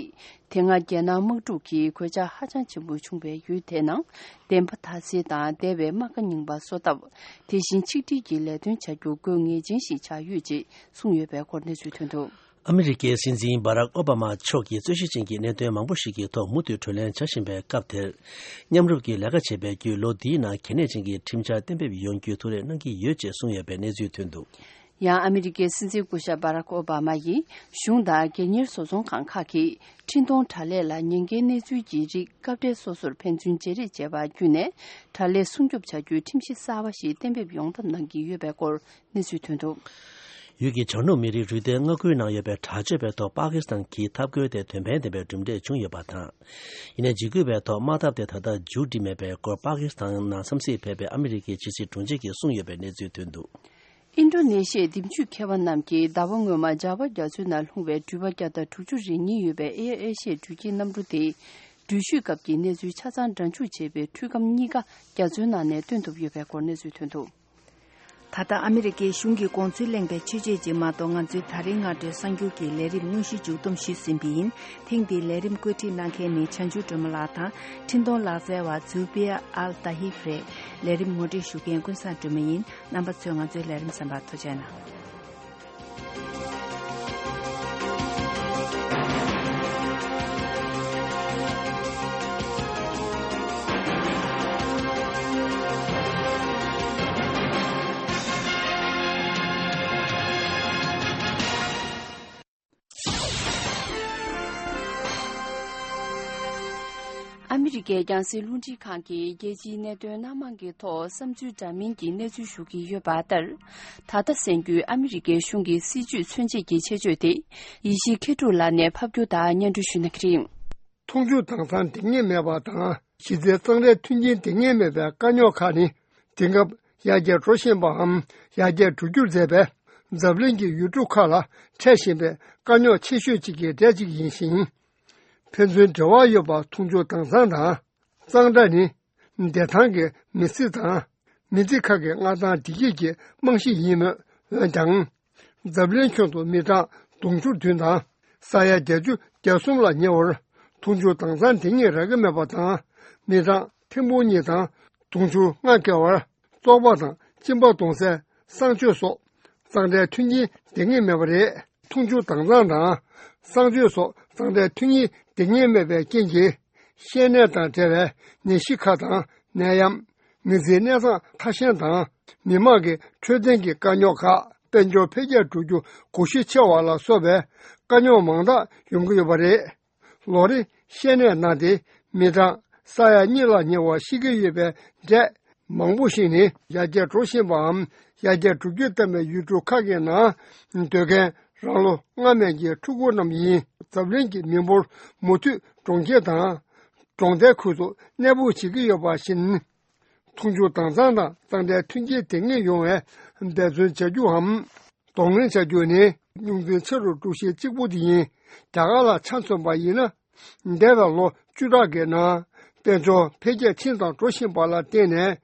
དེ་སྔ་རྒྱལ་ནང་དམག་འཁྲུག་གིས་གོད་ཆག་ཧ་ཅང་ཆེན་པོ་བྱུང་བའི་ཡུལ་དེའི་ནང་བདེན་པ་དག་སེལ་དང་འདས་པའི་རྨ་ཁ་རྙིང་པ་གསོ་ཐབས། དེ་བཞིན་ཆིག་སྒྲིལ་གྱི་ལས་དོན་བྱ་རྒྱུ་དགོས་ངེས་ཅན་ཞིག་ཆགས་ཡོད་ཅེས་གསུངས་ཡོད་པའི་སྐོར་གནས་ཚུལ་ཐོན་འདུག་ཨ་མི་རི་ཀའི་སྲིད་འཛིན་སྦ་རག་ཨོ་བྷ་མ་མཆོག་གིས་རྩོད་གཞི་ཅན་གྱི་གནད་དོན་མང་པོ་ཞིག་གི་ཐོག་མུ་མཐུད་གྲོས་གླེང་བྱ་བཞིན་པའི་སྐབས་དེར། མཉམ་རུབ་ཀྱིས་ལས་ཀ་བྱེད་པའི་བརྒྱུད་ལོ་འདིའི་ནང་གལ་གནད་ཅན་གྱི་ཁྲིམས་འཆར་གཏན་འབེབས་ཡོང་རྒྱུའི་ཐུགས་རེ་གནང་གི་ཡོད་ཅེས་གསུངས་ཡོད་པའི་གནས་ཚུལ་ཐོན་འདུག་ཡང་ཨ་མི་རི་ཀའི་སྲིད་འཛིན་སྐུ་ཞབས་སྦ་རག་ཨོ་བྷ་མ་ཡིས་གཞུང་དང་སྒེར་གཉེར་བཟོ་ཚོང་ཁང་ཁག་གིས་འཕྲིན་གཏོང་དྲ་ལས་ལ་ཉེན་ཁའི་གནས་ཚུལ་གྱི་རིགས་སྐབས་འབྲེལ་སོ་སོར་ཕན་ཚུན་བརྗེ་རེས་བྱས་པ་བརྒྱུད་ནས་དྲ་ལས་སྲུང་སྐྱོབ་བྱ་རྒྱུའི་ཁྲིམས་གཞི་གསར་བ་ཞིག་གཏན་འབེབས་ཡོང་ཐབས་གནང་གི་ཡོད་པའི་སྐོར་གནས་ཚུལ་ཐོན་འདུག་ཡུལ་གྱི་བྱང་ནུབ་མི་རིགས་རུས་སྡེ་མངའ་ཁུལ་ནང་ཡོད་པའི་དྲག་སྤྱོད་པའི་ཐོག་པ་ཀི་སི་ཐན་གྱིས་འཐབ་རྒོལ་དེ་དོན་ཕན་ལྡན་པའི་གྲུབ་འབྲས་བྱུང་ཡོད་པ་དང་། ཡིན་ནའི་འཇིགས་སྐུལ་བའི་ཐོག་དམག་འཐབ་དེ་ད་ལྟ་མཇུག་སྒྲིལ་མེད་པའི་སྐོར་པ་ཀི་སི་ཐན་ནང་འཚམས་གཟིགས་ཕེབས་པའི་ཨ་མི་རི་ཀའི་ཕྱི་སྲིད་དྲུང་ཆེ་གིས་གསུངས་ཡོད་པའི་གནས་ཚུལ་ཐོན་འདུག་ཨིན་ཌོ་ནེ་ཤི་ཡའི་འདེམས་ཇུས་མཁས་པ་རྣམས་ཀྱིས་ཟླ་བ་སྔོན་མ་ཇཱ་བ་རྒྱ་མཚོའི་ནང་ལྷུང་བའི་འགྲུལ་པ་བརྒྱ་དང་དྲུག་ཅུ་རེ་གཉིས་ཡོད་པའི་ཨེར་ཨེ་ཤི་ཡའི་འགྲུལ་སྐྱེལ་གནམ་གྲུ་དེ། འགྲུལ་བཞུད་སྐབས་ཀྱི་གནས་ཚུལ་ཆ་ཚང་འདྲ་འཇུག་བྱས་པའི་འཕྲུལ་ཁམས་གཉིས་ཀ་རྒྱ་མཚོའི་ནང་ནས་བཏོན་ཐུབ་ཡོད་པའི་སྐོར་གནས་ཚུལ་ཐོན་འདུག། ད་ལྟ་ཨ་མི་རི་ཀའི་གཞུང་གིས་དགོངས་ཚུལ་གླེང་བའི་ཆོས་བརྒྱུད་ཅིག་མ་གཏོགས་ང་ཚོའི་ད་རེས་སྔ་དྲོའི་གསར་འགྱུར་གྱི་ལས་རིམ་དངོས་གཞི་མཇུག་བསྡོམས་ཞུས་ཟིན་པ་ཡིན། ཐེངས་འདིའི་ལས་རིམ་བཀོད་སྒྲིག་གནང་མཁན་ནི་བྱང་ཆུབ་སྒྲོལ་མ་ལགས་དང་། འཕྲིན་གཏོང་ལག་རྩལ་བ་ཛུ་བི་ཡ་ཨལ་ཏཱ་ཧིབ་རེད། ལས་རིམ་ངོ་སྤྲོད་ཞུ་མཁན་ཀུན་བཟང་སྒྲོལ་མ་ཡིན། རྣམ་པ་ཚོས་ང་ཚོའི་ལས་རིམ་གསན་པར་ཐུགས་རྗེ་གནང་། ཨ་མི་རི་ཀའི་རྒྱང་སྲིང་རླུང་འཕྲིན་ཁང་གིས་རྒྱལ་སྤྱིའི་གནད་དོན་སྣ་མང་གི་ཐོག་བསམ་ཚུལ་འདྲ་མིན་གྱི་གནས་ཚུལ་ཞུ་གི་ཡོད་པ་ལྟར། ད་ལྟ་གསན་རྒྱུའི་ཨ་མི་རི་ཀའི་གཞུང་གི་སྲིད་ཇུས་མཚོན་བྱེད་ཀྱི་ཆེད་བརྗོད་དེ། ཡེ་ཤེས་མཁས་གྲུབ་ལགས་ནས་ཕབ་སྒྱུར་དང་སྙན་སྒྲོན་ཞུ་གནང་གི་རེད། འཐུང་ཆུ་དྭངས་གཙང་འགྲིག་ངེས་མེད་པ་དང་། གཞི་རྩའི་གཙང་སྦྲའི་མཐུན་རྐྱེན་འགྲིག་ངེས་མེད་པའི་དཀའ་རྙོག་ཁག་ནི། དེང་སྐབས་ཡར་རྒྱས་འགྲོ་བཞིན་པའམ་ཡར་རྒྱས་འགྲོ་རྒྱུར་མཛད་པའི་འཛམ་གླིང་གི་ཡུལ་གྲུ་ཁག་ལ་འཕྲད་བཞིན་པའི་དཀའ་རྙོག་ཆེ་ཤོས་གཅིག་གི་གྲས་གཅིག་ཡིན་ཞིང་། ཕན་ཚུན་འབྲེལ་བ་ཡོད་པ་འཐུང་ཆུ་དྭངས་གཙང་དང་། གཙང་སྦྲ་ནི་བདེ་ཐང་གི་མི་ཚེ་དང་མི་ཚེ་ཁག་གི་མངའ་ཐང་བདེ་སྐྱིད་ཀྱི་རྨང་གཞི་ཡིན་མོད། འོན་ཀྱང་། འཛམ་གླིང་ཁྱོན་དུ་མི་གྲངས་དུང་ཕྱུར་བདུན་དང་ས་ཡ་བརྒྱད་ཅུ་གྱ་གསུམ་ལ་ཉེ་བར་འཐུང་ཆུ་དྭངས་གཙང་འགྲིག་ངེས་རག་གི་མེད་པ་དང་། མི་གྲངས་ཐེར་འབུམ་གཉིས་དང་དུང་ཕྱུར་ལྔ་བརྒལ་བར་བཙོག་པ་དང་གཅིན་པ་གཏོང་སའི་གསང་སྤྱོད་སོགས་གཙང་སྦྲའི་མཐུན་རྐྱེན་ལྡན་ངེས་མེད་པ་རེད། འཐུང་ཆུ་དྭངས་གཙང་དང་གསང་སྤྱོད་སོགས་གཙང་སྦྲའི་མཐུན་རྐྱེན་ལྡན་ངེས་མེད་པའི་རྐྱེན་གྱིས། བཤལ་ནད་དང་འབྲེལ་བའི་ནད་གཞི་ཁག་དང་ནད་ཡམས། མི་ཚེའི་གནས་སྟངས་ཐ་ཞན་དང་། མི་དམངས་ཀྱི་འཕྲོད་བསྟེན་གྱི་དཀའ་རྙོག་ཁག་དཔལ་འབྱོར་འཕེལ་རྒྱས་འགྲོ་རྒྱུ་སྒུལ་ཤུགས་ཆེ་བ་ལ་སོགས་པའི་དཀའ་རྙོག་མང་དག་ཡོང་གི་ཡོད་པ་རེད། ལོ་རེ་བཤལ་ནད་ན་སྟེ་མི་གྲངས་ས་ཡ་གཉིས་ལ་ཉེ་བ་ཤི་གི་ཡོད་པའི་གྲས་མང་པོ་ཞིག་ནི་ཡར་རྒྱས་འགྲོ་བཞིན་པའམ་ཡར་རྒྱས་འགྲོ་རྒྱུ་ལྟ་བུའི་ཡུལ་གྲུ་ཁག་གི་ནང་སྡོད་མཁན་རང་ལོ་སྔ་མའི་གི་ཕྲུ་གུ་རྣམས་ཡིན། འཛམ་གླིང་གི་མི་འབོར་མུ་མཐུད་གྲོང་ཁྱེར་དང་གྲོང་རྡལ་ཁུལ་དུ་གནས་སྤོ་བྱེད་ཀྱི་ཡོད་པ་བཞིན། འཐུང་ཆུ་དྭངས་གཙང་དང་གཙང་སྦྲའི་མཐུན་རྐྱེན་ལྡན་ངེས་ཡོང་བའི་འབད་བརྩོན་བྱ་རྒྱུའམ། གདོང་ལེན་བྱ་རྒྱུ་ནི་རྙོག་འཛིང་ཆེ་རུ་འགྲོ་གཞི་གཅིག་པུ་དེ་ཡིན། རྒྱ་གར་ལ་ཆ་མཚོན་པ་ཡིན་ན། འདས་པའི་ལོ་བཅུ་ཕྲག་གི་ནང་དཔལ་འབྱོར་འཕེལ་རྒྱས་ཕྱིན་དང་འགྲོ་བཞིན་པ་ལ་བརྟེན་ནས།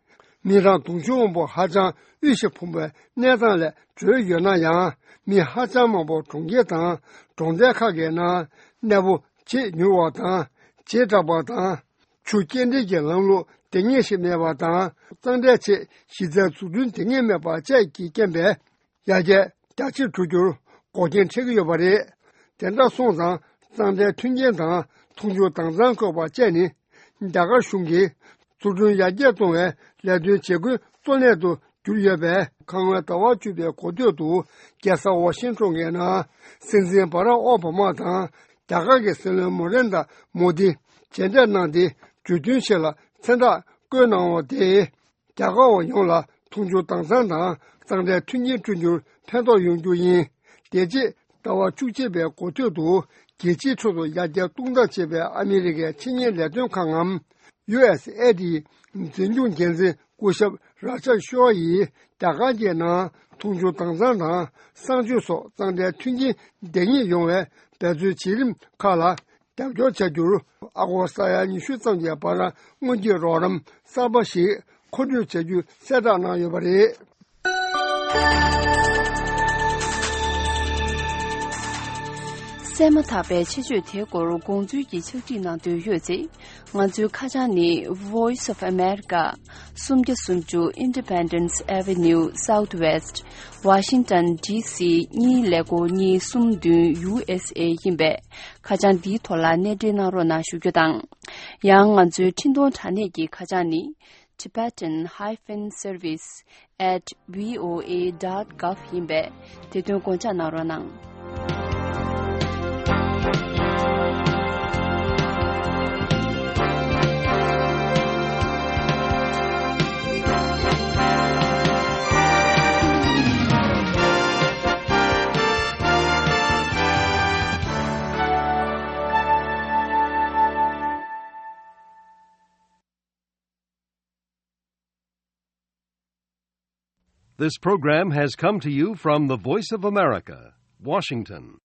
མི་གྲངས་དུང་ཕྱུར་མང་པོ་ཧ་ཅང་དབུལ་ཞིང་ཕོངས་པའི་གནས་སྟངས་ལས་གྲོལ་ཡོད་ན་ཡང་། མི་ཧ་ཅང་མང་པོ་གྲོང་ཁྱེར་དང་གྲོང་རྡལ་ཁག་གི་ནང་གནས་སྤོ་བྱེད་མྱུར་བ་དང་། བྱེ་བྲག་པ་དང་། ཆུ་སྐྱེལ་འདྲེན་གྱི་ལམ་ལུགས་ལྡང་ངེས་ཤིག་མེད་པ་དང་། གཙང་སྦྲའི་ཆེད་གཞི་རྩའི་འཛུགས་སྐྲུན་ལྡང་ངེས་མེད་པ་བཅས་ཀྱི་རྐྱེན་པས། ཡར་རྒྱས་རྒྱ་ཆེར་འགྲོ་རྒྱུར་འགོག་རྐྱེན་འཕྲད་ཀྱི་ཡོད་པ་རེད། དེ་འདྲ་སོང་ཙང་། གཙང་སྦྲའི་མཐུན་རྐྱེན་དང་འཐུང་ཆུ་དྭངས་གཙང་དགོས་པ་བཅས་ནི། རྒྱ་གར་གཞུང་གིས་འཛུགས་སྐྲུན་ཡར་རྒྱས་གཏོང་བའི་ལས་དོན་བྱེད་སྒོའི་གཙོ་གནད་དུ་གྱུར་ཡོད་པས། ཁ་སྔོན་ཟླ་བ་བཅུ་པའི་འགོ་སྟོད་དུ། རྒྱལ་ས་ཝ་ཤིང་ཊོན་གྱི་ནང་སྲིད་འཛིན་བྷ་རག་ཨོ་བྷ་མ་དང་རྒྱ་གར་གྱི་སྲིད་བློན་ནེ་རེན་དྲ་མོ་དི་མཇལ་འཕྲད་གནང་སྟེ། གྲོས་མཐུན་ཞིག་ལ་མཚན་རྟགས་བཀོད་གནང་བ་དེས། རྒྱ་གར་བ་ཡོངས་ལ་འཐུང་ཆུ་དྭངས་གཙང་དང་གཙང་སྦྲའི་མཐུན་རྐྱེན་བསྐྲུན་རྒྱུར་ཕན་ཐོགས་ཡོང་རྒྱུ་ཡིན། དེ་རྗེས་ཟླ་བ་བཅུ་གཅིག་པའི་འགོ་སྟོད་དུ། རྒྱལ་སྤྱིའི་ཁྲོད་དུ་ཡར་རྒྱས་གཏོང་ཐབས་བྱེད་པའི་ཨ་མི་རི་ཀའི་ཆེད་གཉེར་ལས་དོན་ཁང་ངམ། ཡུ་ཨེས་ཨེ་ཌི་ཨེ་འཛིན་སྐྱོང་འགན་འཛིན་སྐུ་ཞབས་ར་ཅབ་ཤོ་ཡིས། རྒྱ་གར་གྱི་ནང་འཐུང་ཆུ་དྭངས་གཙང་དང་གསང་སྤྱོད་སོགས་གཙང་སྦྲའི་མཐུན་རྐྱེན་ལྡན་ངེས་ཡོང་བའི་འབད་རྩོལ་བྱེད་རིམ་ཁག་ལ། རྒྱབ་སྐྱོར་བྱ་རྒྱུར་ཨ་སྒོར་ས་ཡ་ཉི་ཤུ་ཙམ་གྱི་བར་དངུལ་གྱི་རོགས་རམ་གསར་པ་ཞིག་མཁོ་སྤྲོད་བྱ་རྒྱུ་གསལ་བསྒྲགས་གནང་ཡོད་པ་རེད། གསན་མ་ཐག་པའི་ཆེད་བརྗོད་དེའི་སྐོར་དགོངས་ཚུལ་གྱི་ཕྱག་བྲིས་གནང་འདོད་ཡོད་ཚེ། ང་ཚོའི་ཁ་བྱང་ནི། Voice of America། སུམ་བརྒྱ་སུམ་ཅུ་Independence Avenue Southwest། Washington D C གཉིས་ཀླད་ཀོར་གཉིས་གསུམ་བདུན། U S A ཡིན་པས། ཁ་བྱང་འདིའི་ཐོག་ལ་གནས་འབྲེལ་གནང་རོགས་གནང་ཞུ་རྒྱུ་དང་། ཡང་ང་ཚོའི་འཕྲིན་གཏོང་དྲ་གནས་ཀྱི་ཁ་བྱང་ནི། Tibetan hyphen service at V O A dot gov ཡིན་པས། དེ་དོན་དགོངས་འཇགས་གནང་རོགས་གནང་། This program has come to you from the Voice of America, Washington.